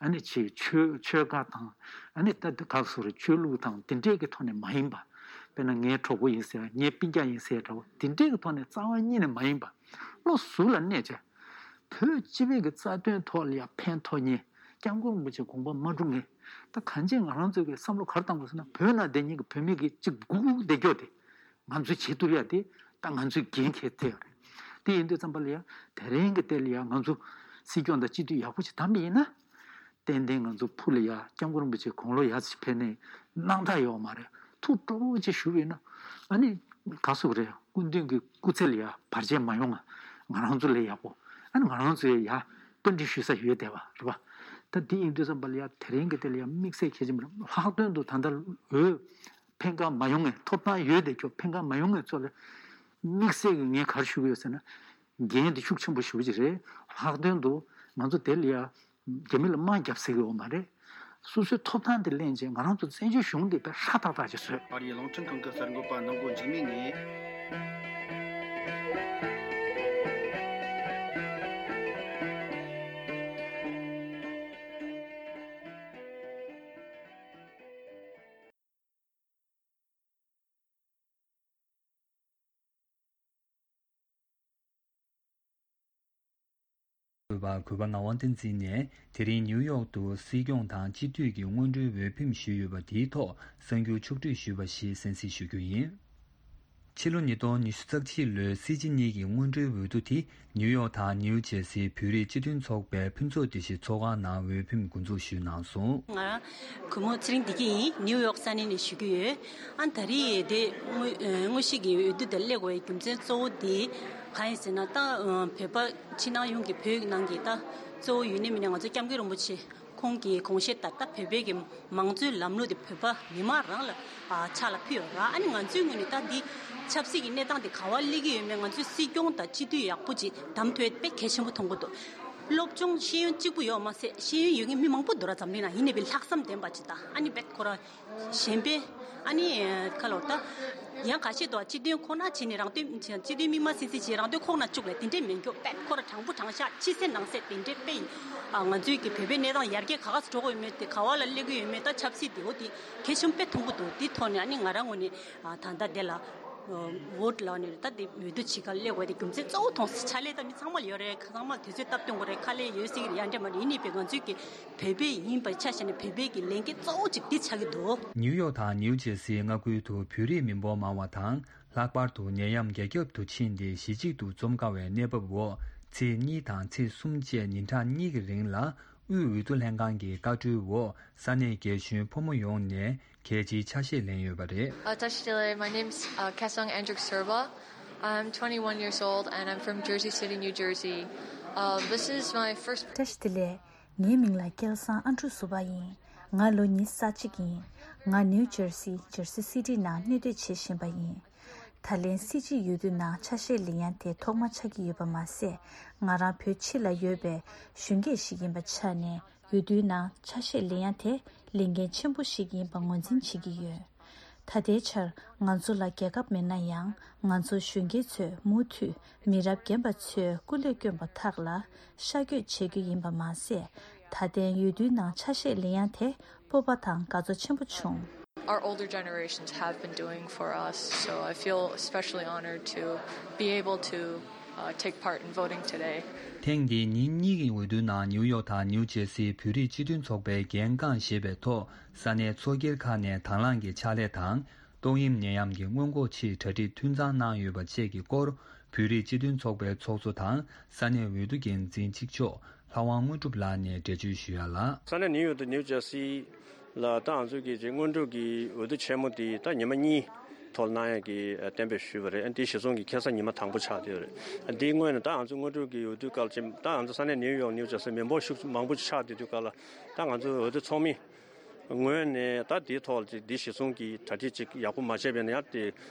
ཨ་ནི་ཆེ་ཆོལ་ཆོལ་ཁ་དང་། ཨ་ནི་ད་དེ་ཁག་སོ་རེ་ཆོས་ལུགས་དང་དེ་འདྲས་ཀྱི་ཐོག་ནས་མ་ཡིན་པ། དཔེར་ན་ངའི་གྲོགས་པོ་ཡིན་ཟེར་ཡ་ངའི་སྤུན་ཀྱག་ཡིན་ཟེར་ཡ་འདྲ་བོ་དེ་འདྲས་ཀྱི་ཐོག་ནས་རྩ་བ་ཉིད་ནས་མ་ཡིན་པ། བློ་གཟུ་ལ་གནས་བྱས། བོད་སྤྱི་པའི་གི་རྩ་དོན་ཐོག་ལ་ཡང་ཕན་ཐོགས་མཁན། སྐྱབས་མགོན་རིན་པོ་ཆེ་དགོངས་པ་མ་འགྲུབ་མཁན། ད་གང་ཅི་ང་རང་ཚོའི་གི་བསམ་བློ་ག་རེ་བཏང་དགོས་ཟེར་ན། བོད་ནང་བསྡད་མཁན་གི་བོད་མི་གི་གཅིག་སྒུག་སྒུག་བསྡད་རྒྱུ་དེ་ང་ཚོས་བྱེད་ཐུབ་ཡ་དེ་ད་ང་ཚོའི་འགན་འཁྱེར་ཐུབ་ཡ་རེད། དེ་ཡིན་དུས་ཙམ་པ་ལ་ཡ་དེ་རིང་གི་དེ་ལ་ཡ་ང་ཚོ་སྲིད་སྐྱོང་དང་སྤྱི་འཐུས་ཡག་པོ་ཞིག་བདམས་པ་ཡིན་ན། ཏན་ཏན་ང་ཚོ་ཕུགས་ལ་ཡ་སྐྱབས་མགོན་རིན་པོ་ཆེ་དགུང་ལོ་ཡར་ཕེབས་ནས་སྣང་དག་ཡོད་མ་རེད། ཐུགས་སྤྲོ་བོ་ཅིག་ཞུ་བས་ན། ཨ་ནི་ག་སུ་རེད། སྐུ་མདུན་གྱི་སྐུ་ཚེ་ལ་ཡ་བར་ཆད་མ་ཡོང་ང་། ང་རང་ཚོ་ལ་ཡག་པོ། ཨ་ནི་ང་རང་ཚོའི་ཡ་བསྟུན་གྲོས་ཞུ་ས་ཡོད་བསྡད་པ་རེད་པ། ད་འདི་ཡིན་དུས་ཙམ་པ་ལ་ཡ་དེ་རིང་གི་དེ་ལ་ཡ་དམིགས་བསལ་གལ་ཆེན་པོ་རེད། ལྷག་དོན་དུ་ད་ལྟ་འོས་ཕན་ཁ་མ་ཡོང་ངས། ཐོབ་ཐང་ཡོད་དེ་ཁྱོད་ཕན་ཁ་མ་ཡོང་ངས་ཚོ་ལ་དམིགས་བསལ་གྱི་ངས་ག་རེ་ཞུ་གི་ཡོད་ཟེར་ན། འགན་དེ་ཤུགས་ཆེན་པོ་ཞེ་པོ་ཅིག་རེད། ལྷག་དོན་དུ་ང་ཚོ་དེ་ལ་ཡ་རྒྱ་མི་ལ་དམག་རྒྱབ་སྲིད་ཀྱི་ཡོད་མ་རེད། སོ་སོའི་ཐོབ་ཐང་དེ་ལེན་བྱས་ང་རང་ཚོ་བཙན་བྱོལ་གཞུང་དེ་དཔེ་ཧྲ་ཏག་ཏག་ཅིག་བཟོས། ཨ་རིའི་རླུང་འཕྲིན་ཁང་གི་གསར་འགོད་པ་ནང་སྒོ་འཇིགས་མེད་ངས། གུས་པ་གུས་པ་ངག་དབང་བསྟན་འཛིན་ནས་དེ་རིང་ནིའུ་ཡོག་ཏུ་སྲིད་སྐྱོང་དང་སྤྱི་འཐུས་ཀྱི་སྔོན་འགྲོའི་འོས་འཕེན་ཞུས་ཡོད་པ་དེའི་ཐོག་གསར་འགྱུར་ཕྱོགས་བསྒྲིགས་ཞུས་པ་ཞིག་གསན་གཟིགས་ཞུ་རྒྱུ་ཡིན། ཕྱི་ལོ་ཉིས་སྟོང་ཉི་ཤུ་རྩ་གཅིག་ལོའི་སྲིད་སྤྱི་གཉིས་ཀྱི་སྔོན་འགྲོའི་འོས་བསྡུ་དེ་ནིའུ་ཡོག་དང་ནིའུ་ཇེ་སིའི་བོད་རིགས་སྤྱི་མཐུན་ཚོགས་པའི་ཕུན་ཚོགས་སྡེ་བཞི་ཚོགས་ཁང་ནང་འོས་འཕེན་འགོ་འཛུགས་ཞུས་གནང་སོང་། ང་རང་གུས་མོ་ཚེ་རིང་བདེ་སྐྱིད་ཡིན། ནིའུ་ཡོག་ས་གནས་ནས་ཞུ་གི་ཡོད། ཨ་ད་རེས་དེ་དངོས་དངོས་གཞི་གི་འོས་བསྡུ་དེ་སླེབས་དགོས་པའི་རྒྱུ་མཚན་གཙོ་བོ་དེ་གང་ཡིན་ཟེར་ན། ད་བོད་པ་ཕྱི་ནང་ཡོངས་ཀྱི་བོད་ནང་གི་ད་གཙོ་བོ་ཡུན་ནས་མི་ནས་ང་ཚོ་སྐྱབས་མགོན་རིན་པོ་ཆེ་ཁོང་གི་དགོངས་བཞེད་ལྟར་ད་བོད་པའི་གི་མང་གཙོའི་ལམ་ལུགས་དེ་བོད་པ་མི་མང་རང་ལ་ཕྱག་ལ་ཕུལ་ཡོད་ར། ཨ་ནི་ང་ཚོའི་ངོས་ནས་ད་འདི་ཆབ་སྲིད་ཀྱི་གནས་སྟངས་དེ་ག་བ་སླེབས་ཀྱི་ཡོད་མེད། ང་ཚོའི་སྲིད་སྐྱོང་དང་སྤྱི་འཐུས་ཡག་པོ་ཅིག་བདམས་ཐུབ་ཡ་དཔེ་གལ་ཆེན་པོ་མཐོང་གི་འདུག་སློབ་སྦྱོང་ཤེས་ཡོན་གཅིག་པུ་ཡོད་མ་ཟད་ཤེས་ཡོན་ཡོད་མཁན་མི་མང་པོ་འདུག་ར། འཛམ་གླིང་ནང་ཡིན་ནའི་བས་ལྷག་བསམ་ལྡན་པ་ཅིག་དང་། ཨ་ནི་བས་ཁོ་རང་གཞན་པའི་ཨ་ནི་ཁ་ལོ་ད་ཡང་ཁ་ཤས་དུ་སྤྱི་དོན་ཁོ་ན་བྱས་ནས་རང་དོན་སྤྱི་དོན་མི་མ་སྲིད་སྲིད་བྱས་རང་དོན་ཁོག་ན་བཅུག་ལས་དེ་འདྲས་མེད་མཁན། བས་ཁོ་རང་དྲང་པོ་དྲང་བཞག་ཕྱི་གསལ་ནང་གསལ་དེ་འདྲས་དཔེ་ཡིན། ང་ཚོའི་གི་བོད་པའི་གནས་སྟངས་ཡར་རྒྱས་ག་ག་སུ་འགྲོ་གི་ཡོད་མེད་དེ། ག་བ་ལ་སླེབས་ཀྱི་ཡོད་མེད། ད་ཆབ་སྲིད་དེ་འོ་དེ་གལ་ཆེན་པོ་དཔེ་མཐོང་གི་འདུག་དེ་ཐོག་ནས་ཨ་ནི་ང་རང་ངོས་ནས་ད་ལྟ་དེ་ལ་ཝོ་ཊི་ལ་ནས་ད་དེ་འོས་བསྡུ་བྱེད་གར་སླེབས་དགོས་དེ་རྒྱུ་མཚན་གཙོ་བོ་མཐོང་སོང་། ཕྱག་ལས་ད་མི་ཚང་མ་ལ་ཡོད་རེད། ཚང་མ་དུས་ཚོད་སྟབས་བསྟུན་དགོས་རེད། ཁ་ལས་ཡོད་སྲིད་ཀྱི་རེད། ཡ་འདྲ་མ་རེད། ཡིན་ནའི་བས་ང་ཚོའི་གི་བོད་པའི་ཡིན་པའི་ཆ་བཞག་ནས་བོད་པའི་གི་ལས་འགན་གཙོ་བོ་གཅིག་དེ་ཆགས་ཀྱི་འདུག་ནིའུ་ཡོག་དང་ནིའུ་ཇེ་སིའི་མངའ་ཁུལ་དུ་བོད་རིགས་མི་འབོར་མང་བ་དང་། ལྷག་པར་དུ་ནད་ཡམས་འགག་རྒྱབ་ཏུ་ཕྱིན་ཏེ་གཞིས་བྱེས་དུ་འཛོམས་དཀའ་བའི་གནས་བབ་འོག་ཚེས་གཉིས་དང་ཚེས་གསུམ་བཅས་ཉིན་གྲངས་གཉིས་ཀྱི་རིང་ལ་དབུས་འོས་བསྡུ་ལྷན་ཁང་གི་བཀའ་འཁྲོལ་འོག་ས་གནས་རྒན་གཞོན་ཕོ་མོ་ཡོངས་ནས་གལ་ཆེའི་ཆ་ཤས་ལེན་ཡོད་པ་རེད། Uh, Tashi Delek, my name's uh, Kesang Andrick Serba. I'm twenty-one years old and I'm from Jersey City, New Jersey. Uh, this is my first བཀྲ་ཤིས་བདེ་ལེགས། ངའི་མིང་ལ་སྐལ་བཟང་ཨ་འབྲུག་ཟུར་པ་ཡིན། ང་ལོ་ཉི་ཤུ་རྩ་གཅིག་ཡིན། ང་ནིའུ་ཇར་སི་Jersey City ནང་གནས་སྡོད་བྱེད་བཞིན་པ་ཡིན། ད་ལན་སྲིད་སྤྱི་འོས་བསྡུ་ནང་ཆ་ཤས་ལེན་ཡ་དེ་ཐོག་མ་ཆགས་ཀྱི་ཡོད་པ་མ་ཟད། ང་རང་བོད་ཕྱི་ལ་ཡོད་པའི་གཞོན་སྐྱེས་ཤིག་ཡིན་པ་ཆ་ནས་འོས་བསྡུའི་ནང་ཆ་ཤས་ལེན་ཡ་དེ་ལས་འགན་ཆེན་པོ་ཞིག་ཡིན་པ་ངོས་འཛིན་བྱེད་ཀྱི་ཡོད། ད་ལྟའི་ཆར་ང་ཚོ་ལ་རྒྱལ་ཁབ་མེད་ན་ཡང་། ང་ཚོ་གཞོན་སྐྱེས་ཚོས་མུ་མཐུད་མི་རབས་རྒན་པ་ཚོས་སྐུ་ལས་བསྐྱོན་པ་དག་ལ་ཤ་བསྐྱོད་བྱེད་རྒྱུ་ཡིན་པ་མ་ཟད། ད་ཐེངས་འོས་བསྡུའི་ནང་ཆ་ཤས་ལེན་ཡ་དེ་སྤོབས་པ་དང་དགའ་ཚོར་ཆེན་པོ་བྱུང་། Our older generations have been doing for us, so I feel especially honored to be able to uh, take part in voting today. ཐེངས་འདིའི་ཉིན་གཉིས་ཀྱི་འོས་བསྡུའི་ནང་ནིའུ་ཡོག་དང་ནིའུ་ཇེ་སིའི་བོད་རིགས་སྤྱི་མཐུན་ཚོགས་པའི་འགན་རྐང་བཞེས་པའི་ཐོག་ས་གནས་ཚོགས་སྒེར་ཁག་ནས་དང་བླངས་ཀྱི་ཕྱག་ལས་དང་། ཏོག་དབྱིབས་ནད་ཡམས་ཀྱི་སྔོན་འགོག་ཆེད་གྲ་སྒྲིག་འཐུས་ཚང་གནང་ཡོད་པ་བཅས་ཀྱི་སྐོར། བོད་རིགས་སྤྱི་མཐུན་ཚོགས་པའི་ཚོགས་གཙོ་དང་ས་གནས་འོས་བསྡུ་འགན་འཛིན་གཅིག་ལྕོགས་ལྷ་དབང་དངོས་གྲུབ་ལགས་ནས་འགྲེལ་བརྗོད་ཞུ་ཡ་ལ། ས་གནས་ནིའུ་ཡོག་དང་ནིའུ་ཇར་སི་ལ་ད་ང་ཚོ་གི་སྔོན་འགྲོ་གི་འོས་བསྡུ་ཆེན་མོ་དེ་ད་ཉི་མ་གཉིས་ཐོག་གནང་ཡ་གི་གཏན་འབེབས་ཞུས་པ་རེད། དེ་གཞི་བཟུང་གི་ཁ་སང་ཉི་མ་དང་པོ་ཆགས་བསྡད་ཡོད་རེད། དེའི་སྔོན་ནས་ད་ང་ཚོ་སྔོན་འགྲོ་གི་འོས་བསྡུ་སྐབས་ཅིག་ད་ང་ཚོ་ས་གནས་ནིའུ་ཡོག་ནིའུ་ཇར་སི་མི་འབོར་ཤུགས་མང་པོ་ཆགས་བསྡད་དུས་སྐབས་ལ་ད་ང་ཚོ་འོས་བསྡུ་ཚོགས་མི་ངོས་ནས་ད་དེའི་ཐོག་ལ་ཅིག་འདི་གཞི་བཟུང་གི་གྲ་སྒྲིག་ཅིག་ཡག་པོ་མ་བྱས་པས་ན་ཡང་དེ་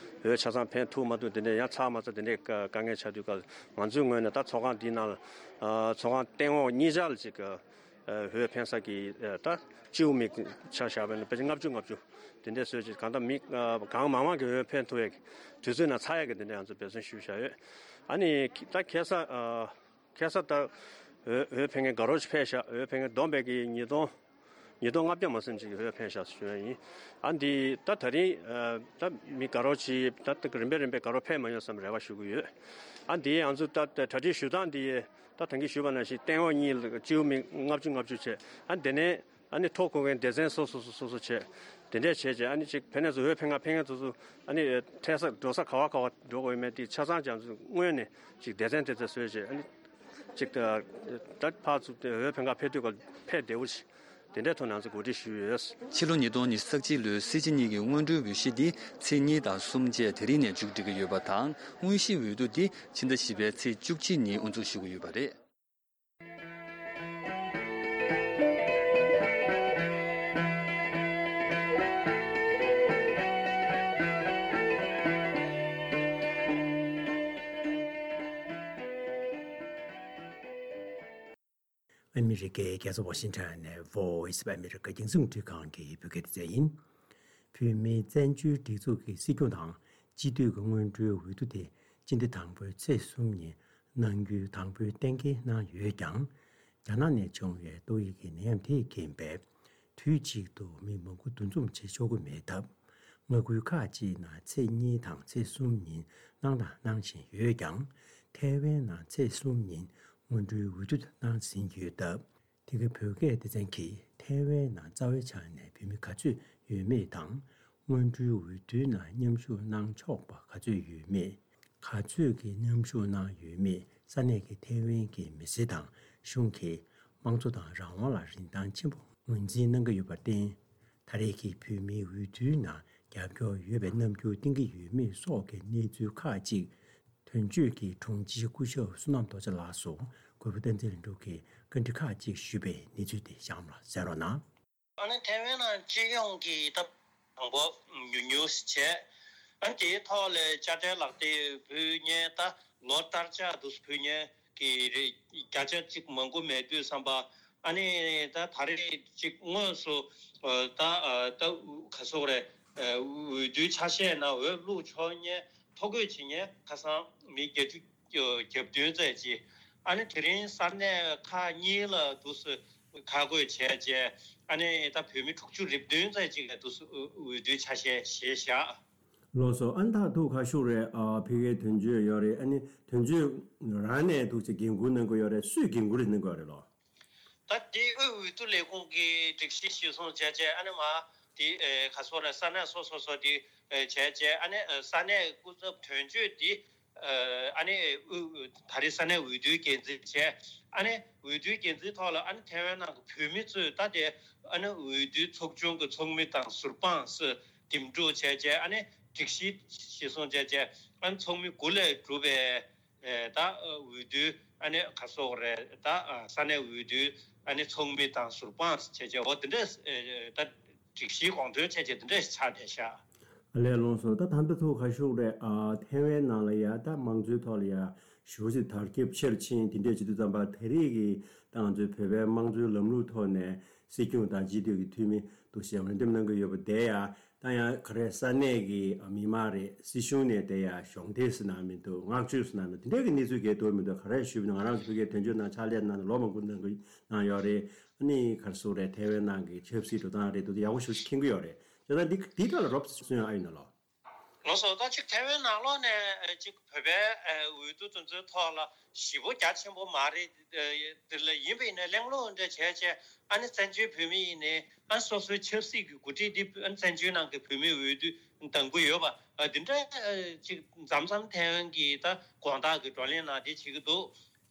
འོས་ཆ་ཚང་ཕན་ཐོགས་མ་ཐུབ། དེ་འདྲས་ཡང་ཚར་མ་ཚར་དེ་འདྲས་དཀའ་དཀའ་ངལ་ཆགས་དུས་སྐབས་ང་ཚོའི་ངོས་ནས་ད་ཚོགས་ཁང་འདིའི་ནང་ལ་ཚོགས་ཁང་སྟེང་འོག་གཉིས་ཆར་ལ་ཅིག་འོས་འཕེན་ས་གི་ད་སྤྱི་བོ་མི་ཆ་བཞག་པས་ན་ཕལ་ཆེར་ལྔ་བཅུ་ང་བཅུ་དེ་འདྲས་བཟོས་ཅིག་གང་ལྟར་མི་གང་མང་མང་གི་འོས་འཕེན་ཐུབ་ཡས་དུས་ཚོད་ནང་ཚར་ཡས་ཀྱི་དེ་འདྲས་ང་ཚོ་འབད་བརྩོན་ཞུས་བཞག་ཡོད། ཨ་ནི་ད་ཁ་སང་ཁ་སང་ད་འོས་འོས་འཕེན་མཁན་དགའ་རབ་ཅིག་ཕེབས་ཤག་འོས་འཕེན་མཁན་བསྡོམས་པས་ཀྱི་ཉིས་སྟོང་ཉིས་སྟོང་ལྔ་བརྒྱ་མ་ཟིན་ཅིག་འོས་འཕེན་ཤག་ཞུ་ཡ་ཡིན། ཨ་འདི་ད་ད་རིང་ད་མི་དགའ་རབ་ཅིག་ད་རིམ་པས་རིམ་པས་དགའ་རབ་ཕེབས་མ་ཡོང་བསམ་རེ་བ་ཞུ་གི་ཡོད། ཨ་འདི་ང་ཚོ་ད་གྲ་སྒྲིག་ཞུ་སྟངས་འདི་ ད་ཐང་གིས་ཞུས་པ་ནང་བཞིན་སྟེང་འོག་གཉིས་ལ་སྤྱི་འོས་མི་ལྔ་བཅུ་ལྔ་བཅུ་བྱས། ཨ་ནི་དེ་ནས་ཨ་ནི་ཐོ་འགོད་མཁན་སྡེ་ཚན་སོ་སོ་སོ་སོ་སོ་བྱས། དེ་འདྲས་བྱས་བྱས་ཨ་ནི་ཅིག་ཕན་ནས་ཚོ་འོས་འཕེན་ག་ཕེབས་མཁན་ཚོ་ཚོ་ཨ་ནི་ཐད་ས་འགྲོ་ས་ག་བ་ག་བ་འགྲོ་དགོས་ཡོད་མེད་དེ་ཆ་ཚང་རྒྱ་མཚོ་སྔོན་ནས་ཅིག་སྡེ་ཚན་དེ་ཚོ་བཟོས་བྱས། ཨ་ནི་ཅིག་ད་ད་ཕར་ཚུར་དེ་འོས་འཕེན་ག་ཕེབས་དུས་ག་ཕེབས་བདེ་བོ་ཞིག་དེ་འདྲས་ཐོག་ནང་ཚོ་གོ་སྒྲིག་ཞུས་ཡོད། ཕྱི་ལོ་ཉིས་སྟོང་ཉི་ཤུ་རྩ་གཅིག་ལོའི་སྲིད་སྤྱི་གཉིས་ཀྱི་སྔོན་འགྲོའི་འོས་གཞི་འདི་ཚེས་གཉིས་དང་གསུམ་བཅས་དེ་རིང་ནས་མཇུག་སྒྲིལ་གྱི་ཡོད་པ་དང་། དངོས་གཞིའི་འོས་བསྡུ་འདི་ཕྱི་ཟླ་བཞི་པའི་ཚེས་བཅུ་གཅིག་ཉིན་དབུ་འཛུགས་ཞུ་གི་ཡོད་པ་རེད། ཨ་མི་རི་ཀའི་རྒྱལ་ས་ཝ་ཤིང་ཊོན་ནས་Voice of America རྒྱང་སྲིང་རླུང་འཕྲིན་ཁང་གི་བོད་སྐད་སྡེ་ཚན་ཡིན། བོད་མིའི་བཙན་བྱོལ་སྒྲིག་འཛུགས་ཀྱི་སྲིད་སྐྱོང་དང་སྤྱི་འཐུས་ཀྱི་སྔོན་འགྲོའི་འོས་བསྡུ་དེ་སྤྱི་ཟླ་དང་པོའི་ཚེས་གསུམ་ཉིན་གནང་རྒྱུའི་དང་པོའི་གཏན་འཁེལ་གནང་ཡོད་ཀྱང་། རྒྱ་ནག་ནས་བྱུང་བའི་ཏོག་དབྱིབས་ཀྱི་ནད་ཡམས་དེས་རྐྱེན་པས། དུས་གཅིག་ཏུ་མི་མང་པོ་འདུ་འཛོམས་བྱེད་ཆོག་གི་མེད་སྟབས། མངའ་ཁུལ་ཁག་ཅིག་ནང་ཚེས་གཉིས་དང་ཚེས་གསུམ་ཉིན་གནང་དང་གནང་བཞིན་ཡོད་ཀྱང་། ཐའེ་ཝན་ནང་ཚེས་གསུམ་ཉིན་སྔོན་འགྲོའི་འོས་བསྡུ་གནང་ཟིན་ཡོད་སྟབས། དེ་གའི་བོད་སྐད་སྡེ་ཚན་གྱིས་ཐའེ་ཝན་ནང་རྩ་བའི་ཆ་ནས་བོད་མི་ག་ཚོད་ཡོད་མེད་དང་། སྔོན་འགྲོའི་འོས་བསྡུའི་ནང་མཉམ་ཞུགས་གནང་ཆོག་པ་ག་ཚོད་ཡོད་མེད། ག་ཚོད་ཀྱིས་མཉམ་ཞུགས་གནང་ཡོད་མེད་ས་གནས་ཀྱི་ཐའེ་ཝན་གྱི་མི་སེར་དང་གཞུང་གིས་དམངས་གཙོ་དང་རང་དབང་ལ་རིན་ཐང་ཆེན་པོ་ངོས་འཛིན་གནང་གི་ཡོད་པར་བརྟེན། ད་རེས་ཀྱི་བོད་མིའི་འོས་བསྡུའི་ནང་རྒྱབ་སྐྱོར་ཡོད་པའི་རྣམ་འགྱུར་བསྟན་གྱི་ཡོད་མེད་སོགས་ཀྱི་གནས་ཚུལ་ཁག་ཅིག་དོན་གཅོད་ཀྱི་དྲུང་ཆེ་སྐུ་ཞབས་བསོད་ནམས་རྡོ་རྗེ་ལགས་སུ་གུས་པ་བསྟན་འཛིན་ལྷུན་གྲུབ་ཀྱིས་བཀའ་འདྲི་ཁག་ཅིག་ཞུས་པའི་གནས་ཚུལ་དེ་གཤམ་ལ་གསན་རོགས་གནང་། ཨ་ནི་ཐའེ་ཝན་ནང་སྤྱི་ཡོངས་ཀྱི་ད་དང་པོ་ཉུང་ཉུང་བྱས། ཨ་ནི་དེའི་ཐོག་ལ་དཔྱ་ཁྲལ་ལག་དེབ་ཕུལ་མཁན་ད་ལོ་ལྟར་ཆགས་འདུག་ཕུལ་མཁན་གྱི་རེ་བརྒྱ་ཆ་གཅིག་མང་པོ་མེད་དུས་ཙམ་པ། ཨ་ནི་ད་ད་རེས་ཅིག་དངོས་སུ་ད་ད་ག་སོག་རེད། འོས་བསྡུའི་ཆ་ཤས་ནང་འོས་བླུགས་ཆོག་མཁན་ཐོ་འགོད་བྱེད་མཁན་ཁ་སང་མི་བརྒྱད་ཅུ་གྱ་བདུན་ཙམ་ཅིག་ཨ་ནི་དེ་རིང་ས་གནས་ཁག་གཉིས་ལ་འདུག་སེ་ཁག་བགོས་བྱས་རྗེས། ཨ་ནི་ད་བོད་མི་དྲུག་ཅུ་རེ་བདུན་ཙམ་ཅིག་ལ་འདུག་སེ་འོས་བསྡུའི་ཆ་ཤས་བཞེས་བཞག་ལགས་སོ། ཨ་ནི་ད་ཐུག་ཁ་ཤུགས་རེད། ཨ་ཕ་གིའི་དོན་གཅོད་ཡོད་རེད། ཨ་ནི་དོན་གཅོད་རང་ནས་འདུག་སེ་འགན་འཁུར་གནང་གི་ཡོད་རེད། སུས་འགན་འཁུར་གནང་གི་ཡོད་རེད་ལོ། ད་དེ་དབུས་འོས་བསྡུ་ལས་ཁུངས་ཀྱི་སྒྲིག་གཞི་གཞིར་བཟུང་བྱས་རྗེས། ཨ་ནི་མ་དེ་ག་སོག་རེད། ས་གནས་སོ་སོ་སོ་དེ་བྱས་རྗེས། ཨ་ནི་ས་གནས་སྐུ་ཚབ་དོན་གཅོད་དེ་ཨ་ནི་དབུས་ད་རེས་ས་གནས་འོས་བསྡུའི་འགན་འཛིན་བྱས། ཨ་ནི་འོས་བསྡུའི་འགན་འཛིན་ཐོག་ལ་ཨ་ནི་ཐའེ་ཝན་ནང་གི་བོད་མི་ཚོས་ད་དེ་ཨ་ནི་འོས་བསྡུའི་ཚོགས་ཆུང་གི་ཚོགས་མི་དང་ཟུར་དཔང་སོགས་འདེམས་སྒྲུག་བྱས་རྗེས། ཨ་ནི་སྒྲིག་གཞི་གཞིར་བཟུང་བྱས་རྗེས་ཨ་ནི་ཚོགས་མི་དགུ་ལས་གྲུབ་པའི་ད་འོས་བསྡུ་ཨ་ནི་ག་སོག་རེད། ད་ས་གནས་འོས་བསྡུ་ཨ་ནི་ཚོགས་མི་དང་ཟུར་དཔང་བྱས་རྗེས་འོ་དེ་འདྲས་ད་སྒྲིག་གཞིའི་དགོངས་དོན་བྱས་རྗེས་དེ་འདྲས་ཆགས་བསྡད་ཤག་ཨ་ལས་ལོངས་སོ། ད་ད་ལྟ་ཐུག་ཁ་ཤུགས་རེད། ཨ་ཐའེ་ཝན་ནང་ལ་ཡ་ད་དམངས་གཙོའི་ཐོག་ལ་ཡ་ཞེ་པོ་ཅིག་དར་ཁྱབ་ཆེར་ཕྱིན། དེ་འདྲས་བྱེད་དུས་ཙམ་པ་ད་རེས་ཀྱི་ད་ང་ཚོའི་བོད་པའི་དམངས་གཙོའི་ལམ་ལུགས་ཐོག་ནས་སྲིད་སྐྱོང་དང་སྤྱི་འཐུས་ཀྱི་འཐུས་མི་འདུག་སེ་འོས་འདེམས་གནང་གི་ཡོད་པ་དེ་ཡ། ད་ཡང་ག་རེ་ས་གནས་ཀྱི་མི་མང་རེད། སྲིད་གཞུང་ནས་དེ་ཡང་གཞོགས་འདེགས་ཟེར་ན་མི་འདུག་བསྔགས་བརྗོད་ཟེར་ན་མི་འདུག་དེ་འདྲའི་གི་གནས་ཚུལ་གལ་འདུག་མི་འདུག་ག་རེ་ཞུས་པ་ཡིན་ན། ང་རང་ཚོ་ཕ་གིའི་དོན་གཅོད་ནང་ཕྱག་ལས་གནང་ནས་ལོ་མང་པོ་གནང་གི་གནང་ཡོད་རེད། ཨ་ནི་ག་རེ་ཟེར་དགོས་རེད། ཐའེ་ཝན་ནང་གི་ཆབ་སྲིད་འགྲོ་སྟངས་རེད་འདུག་དེ་ཡག་པོ་ཞེ་པོ་ཅིག་མཁྱེན་གྱི་ཡོད་རེད། བྱས་ཙང་འདི་འདིའི་ཐོག་ལ་རོབ་ཙམ་གསུང་ཡ་ཨ་ཡིན་ན་ལོ། ལགས་སོ། ད་ཅིག་ཐའེ་ཝན་ནང་ལོགས་ནས་ཅིག་བོད་པའི་འོས་བསྡུ་དེ་ཚོའི་ཐོག་ལ་ཞེ་པོ་རྒྱ་ཆེན་པོ་མ་རེད། དེ་ལ་ཡིན་པ་ཡིན་ན་གླེང་སློང་འདྲ་བྱས་བྱས། ཨ་ནི་བཙན་བྱོལ་བོད་མི་ཡིན་ནའི་ཨ་སོ་སོའི་ཆབ་སྲིད་ཀྱི་འགོ་ཁྲིད་འདི་ཨ་བཙན་བྱོལ་ནང་གི་བོད་མིའི་འོས་བསྡུ་འདང་གི་ཡོད་པ་འདི་འདྲ་ཅིག་མཚམས་མཚམས་ཐའེ་ཝན་གྱི་ད་དགོང་དག་གི་བགྲོ་གླེང་ནང་དེ་བྱེད་ཀྱི་འདུག་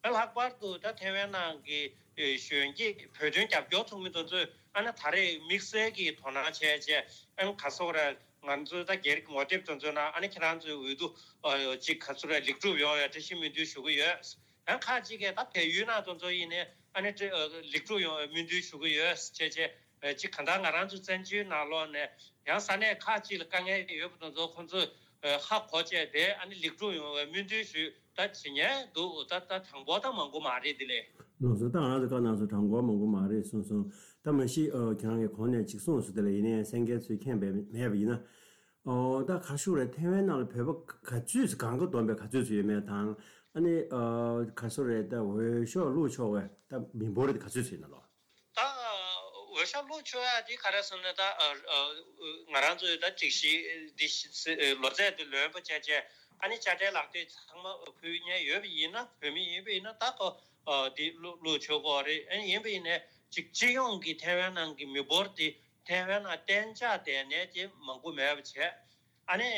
ཨ་ལྷག་པར་དུ་ད་ཐའེ་ཝན་ནང་གི་གཞོན་སྐྱེས་བོད་དོན་རྒྱབ་སྐྱོར་ཚོགས་མི་དེ་ཚོས་ཨ་ནི་ད་རེས་དམིགས་བསལ་གྱི་དོ་སྣང་བྱས་བྱས། ཨ་ནི་ག་སོག་རེད། ང་ཚོའི་ད་སྒེར་གྱི་ངོ་དེབ་དེ་ཚོའི་ནང་ཨ་ནི་ཁྱེད་རང་ཚོའི་འོས་བསྡུ་ཨ་ཅིག་ག་ཚོད་རེད་ལེགས་གྲུབ་ཡོང་བའི་བཀྲ་ཤིས་སྨོན་འདུན་ཞུ་གི་ཡོད། ཡང་ཁག་ཅིག་གིས་ད་བལ་ཡུལ་ནང་དེ་ཚོ་ཡིན་ནའི་ཨ་ནི་ལེགས་གྲུབ་ཡོང་བའི་སྨོན་འདུན་ཞུ་གི་ཡོད་བྱས་བྱས། ཅིག་གང་ལྟར་ང་རང་ཚོ་བཙན་བྱོལ་ནང་ལོགས་ནས་ཡང་ས་གནས་ཁག་ཅིག་ལ་དཀའ་ངལ་ཡོད་པ་དེ་ཚོ་ཁོང་ཚོས་ཧ་གོ་བྱས་ཏེ་ཨ་ནི་ལེགས་གྲུབ་ཡོང་བའི་སྨོན་འདུན་ཞུས་ད་བྱེད་མཁན་འདུག་ད་ད་དང་པོ་ད་མང་པོ་མ་རེད་དེ་ལས། ལགས་སོ། ད་ང་རང་ཚོ་བཀའ་གནང་སོང་། དང་པོ་མང་པོ་མ་རེད་གསུངས་སོང་། ད་མ་གཞི་ཨ་ཁྱེད་རང་གིས་གོང་ནས་ཅིག་གསུངས་སོང་། དེ་ལ་ཡིན་ནའི་གསན་མཁན་ཚོས་མཁྱེན་པ་མེད་པ་ཡིན་ན། ཨོ་ད་ག་ཤུག་རེད། ཐའེ་ཝན་ནང་ལ་བོད་པ་ག་ཚོད་ཅིག་གང་ག་བསྡོམས་པའི་ག་ཚོད་ཅིག་ཡོད་མེད་དང་། ཨ་ནི་ཨ་ག་སུ་རེད། ད་འོས་ཤོག་བླུགས་ཆོག་པའི་ད་མི་འབོར་རེད། ག་ཚོད་ཅིག་ཡིན་ན་ལོ། ད་འོས་ཤོག་བླུགས་ཆོག་ཡ་དེ་ག་རེ་ཟེར་ན་ད་ཨ་ཨ་ང་རང་ཚོའི་ད་སྒྲིག་གཞི་འདི་ལོ་ཚད་དེ་ལོན་པ་བྱས་བྱས། ཨ་ནི་དཔྱ་ཁྲལ་ལག་དེབ་ཚང་མ་ཕུལ་མཁན་ཡོད་པ་ཡིན་ན། བོད་མི་ཡིན་པ་ཡིན་ན་ད་ཁོ་འདི་བླུག་བླུག་ཆོག་གི་རེད། ཨ་ནི་ཡིན་པ་ཡིན་ནའི་ཅིག་སྤྱི་ཡོངས་ཀྱི་ཐའེ་ཝན་ནང་གི་མི་འབོར་དེ་ཐའེ་ཝན་ནང་གཏན་འཇགས་བསྡད་མཁན་དེ་མང་པོ་མེད་པ་བྱས། ཨ་ནི་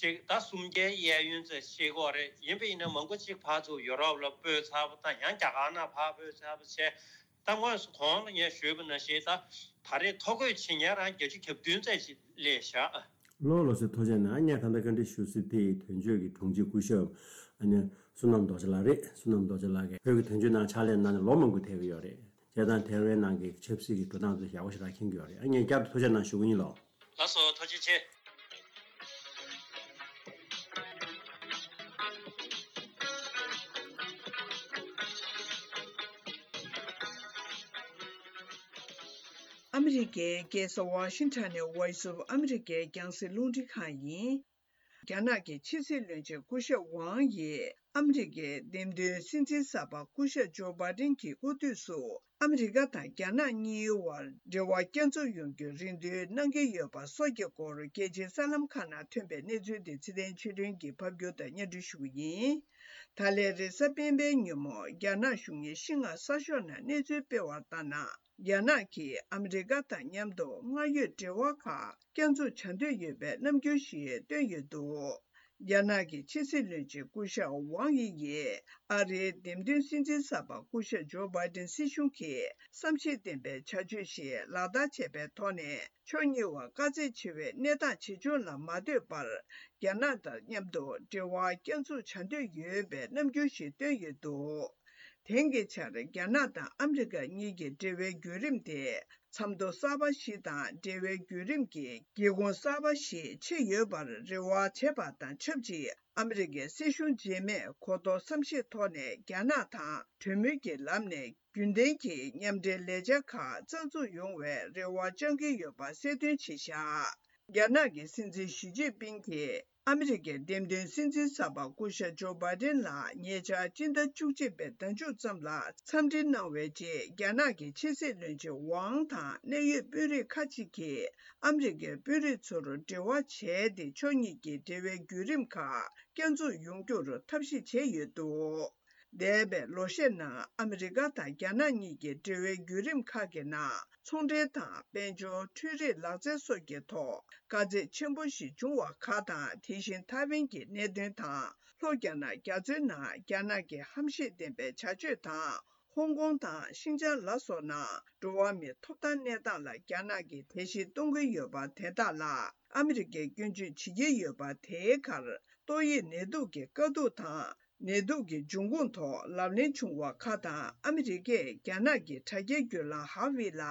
ཅིག་ད་སུམ་བརྒྱའི་གཡས་གཡོན་ཙམ་ཤེས་ཀྱི་ཡོད་རེད། ཡིན་པ་ཡིན་ན་མང་པོ་ཅིག་ཕར་ཚུར་ཡུ་རོབ་ལ་སྤོས་ཚར་བ་དང་། ཡང་རྒྱ་གར་ནང་ཕར་སྤོས་ཚར་བ་བྱས། ད་དངོས་སུ་གོང་ལ་ངས་ཞུས་པ་ནང་བཞིན་ད་ད་རེས་ཐོ་འགོད་བྱེད་མཁན་རང་བརྒྱད་ཅུ་གྱ་བདུན་ཙམ་ཞིག་སླེབས་བཞག། ལགས་ལགས་སོ། ཐུགས་རྗེ་གནང་། ངས་ད་ལྟ་བཀའ་འདྲི་ཞུ་སྲིད་དེ་དོན་གཅོད་ཀྱི་དྲུང་ཆེ་སྐུ་ཞབས་ཨ་ནི་བསོད་ནམས་རྡོ་རྗེ་ལགས་རེད། བསོད་ནམས་རྡོ་རྗེ་ལགས་ཀྱིས་བོད་ཀྱི་དོན་གཅོད་ནང་ཕྱག་ལས་གནང་ནས་ལོ་མང་པོ་ཐེབས་ཀྱི་ཡོད་རེད། བྱས་ཙང་ཐའེ་ཝན་ནང་གི་ཆབ་སྲིད་ཀྱི་འགྲོ་སྟངས་དེ་ཡག་པོ་ཞེ་དྲག་མཁྱེན་གྱི་ཡོད་རེད། ཨ་ངས་བསྐྱར་དུ་ཐུགས་རྗེ་གནང་ཞུ་གི་ཡིན་ལགས། ལགས་སོ། ཐུགས་རྗེ་ཆེ། ཨ་མི་རི་ཀའི་རྒྱལ་ས་ཝ་ཤིང་ཊོན་ནས་Voice of America་རྒྱང་སྲིང་རླུང་འཕྲིན་ཁང་ཡིན། རྒྱ་ནག་གི་ཕྱི་སྲིད་བློན་ཆེན་སྐུ་ཞབས་ཝང་ཡིས་ཨ་མི་རི་ཀའི་འདེམས་ཐོན་སྲིད་འཛིན་གསར་པ་སྐུ་ཞབས་ཇོ་བྷའི་ཏིན་གྱི་སྐུ་དུས་སུ་ཨ་མི་རི་ཀ་དང་རྒྱ་ནག་གཉིས་དབར་འབྲེལ་བ་བསྐྱར་འཛུགས་ཡོང་རྒྱུའི་རེ་འདུན་གནང་གི་ཡོད་པ་སོགས་ཀྱི་སྐོར་རྒྱལ་སྤྱིའི་གསར་ལམ་ཁག་ནང་ཐོན་པའི་གནས་ཚུལ་དེ་ཚེ་བརྟན་ཆོས་སྒྲོན་གྱིས་ཕབ་སྒྱུར་དང་སྙན་སྒྲོན་ཞུ་གི་ཡིན། ད་ལན་རེས་གཟའ་སྤེན་པའི་ཉིན་མོ་རྒྱ་ནག་གཞུང་གིས་ཤིན་ཧྭ་གསར་ཤོག་ནང་གནས་ཚུལ་སྤེལ་བ་ལྟར་ན། རྒྱ་ནག་གིས་ཨ་མི་རི་ཀ་དང་མཉམ་དུ་སྔར་ཡོད་འབྲེལ་བ་ཁག་བསྐྱར་འཛུགས་བྱ་འདོད་ཡོད་པའི་རྣམ་འགྱུར་ཞིག་བཏོན་ཡོད་འདུག། རྒྱ་ནག་གི་ཕྱི་སྲིད་བློན་ཆེན་སྐུ་ཞབས་ཝང་དབྱི་ཡིས་ཨ་རིའི་འདེམས་ཐོན་སྲིད་འཛིན་གསར་པ་སྐུ་ཞབས་ཇོ་བྷའི་ཏིན་སྲིད་གཞུང་གིས་བསམ་ཤེས་ལྡན་པའི་བྱ་སྤྱོད་ཞིག་ལག་བསྟར་བྱས་པའི་ཐོག་ནས། ཕྱོགས་གཉིས་བར་དཀའ་ཚེགས་ཆེ་བའི་གནས་སྟངས་ཇི་བྱུང་ལ་མ་ལྟོས་པར། རྒྱ་ནག་དང་མཉམ་དུ་འབྲེལ་བ་བསྐྱར་འཛུགས་བྱ་འདོད་ཡོད་པའི་རྣམ་འགྱུར་ཞིག་བཏོན་ཡོད་འདུག། དེང་གི་ཆར་རྒྱ་ནག་དང་ཨ་མི་རི་ཀ་གཉིས་ཀྱི་འབྲེལ་བའི་བརྒྱུད་རིམ་དེ་མཚམས་ཐོ་གསར་པ་ཞིག་དང་། འབྲེལ་བའི་བརྒྱུད་རིམ་གྱི་སྒེའུ་ཁུང་གསར་པ་ཞིག་ཕྱེ་ཡོད་པར་རེ་བ་བྱས་པ་དང་ཆབས་ཅིག། ཨ་མི་རི་ཀའི་སྲིད་གཞུང་རྗེས་མས་གོ་རྟོགས་བསམ་ཤེས་ཐོག་ནས་རྒྱ་ནག་དང་གྲོས་མོལ་གྱི་ལམ་ནས་རྒྱུན་ལྡན་གྱི་མཉམ་འབྲེལ་ལས་འཆར་ཁག་རྩ་འཛུགས་ཡོང་བའི་རེ་བ་བཅང་གི་ཡོད་པ་གསལ་སྟོན་བྱས་བཞག། རྒྱ་ནག་གི་སྲིད་འཛིན་ཞི་ཅིན་ཕིང་གིས་ཨ་མི་རི་ཀའི་འདེམས་ཐོན་སྲིད་འཛིན་གསར་པ་སྐུ་ཞབས་ཇོ་བྷའི་ཏིན་ལ་ཉེ་ཆར་སྤྱི་ཟླ་བཅུ་གཅིག་པའི་ཟླ་མཇུག་ཙམ་ལ་འཚམས་འདྲི་གནང་བའི་རྗེས། རྒྱ་ནག་གི་ཕྱི་སྲིད་བློན་ཆེན་ཝང་དང་གནད་ཡོད་དཔོན་རིགས་ཁག་ཅིག་གིས་ཨ་མི་རི་ཀའི་དཔོན་རིགས་ཚོར་འབྲེལ་བ་བྱས་ཏེ། ཕྱོགས་གཉིས་ཀྱི་འབྲེལ་བའི་བརྒྱུད་རིམ་ཁག་བསྐྱར་འཛུགས་ཡོང་རྒྱུར་ཐབས་ཤེས་བྱས་ཡོད་འདུག། འདས་པའི་ལོ་ཤས་ནང་ཨ་མི་རི་ཀ་དང་རྒྱ་ནག་གཉིས་ཀྱི་འབྲེལ་བའི་བརྒྱུད་རིམ་ཁག་གི་ནང་ཚོང་འབྲེལ་དང་། དཔལ་འབྱོར། འཕྲུལ་རིག་ལག་རྩལ་སོགས་ཀྱི་ཐོག་དཀའ་ཚེགས་ཆེན་པོ་ཞིག་བྱུང་བ་ཁག་དང་། དེ་བཞིན་ཐའེ་ཝན་གྱི་གནད་དོན་དང་། ལྷོ་རྒྱ་ནག་རྒྱ་མཚོའི་ནང་རྒྱ་ནག་གི་ཧམ་ཤེད་ལྡན་པའི་བྱ་སྤྱོད་དང་། ཧོང་ཀོང་དང་ཤིན་ཅང་ལ་སོགས་ནང་འགྲོ་བ་མིའི་ཐོབ་ཐང་གནས་སྟངས་ལ་རྒྱ་ནག་གིས་བརྡལ་བཤིག་གཏོང་གི་ཡོད་པ་དེ་དག་ལ་ཨ་མི་རི་ཀས་སྐྱོན་བརྗོད་བྱེད་ཀྱི་ཡོད་པ། དེའི་ཁར་ཏོག་དབྱིབས་ནད་དུག་གི་དཀའ་སྡུག་དང་། ནད་དུག་གི་འབྱུང་ཁུངས་ཐོག་ལབ་གླེང་བྱུང་བ་ཁག་དང་། ཨ་མི་རི་ཀས་རྒྱ་ནག་གི་དྲ་རྒྱའི་བརྒྱུད་ལམ་ཧ་ཝེ་ལ་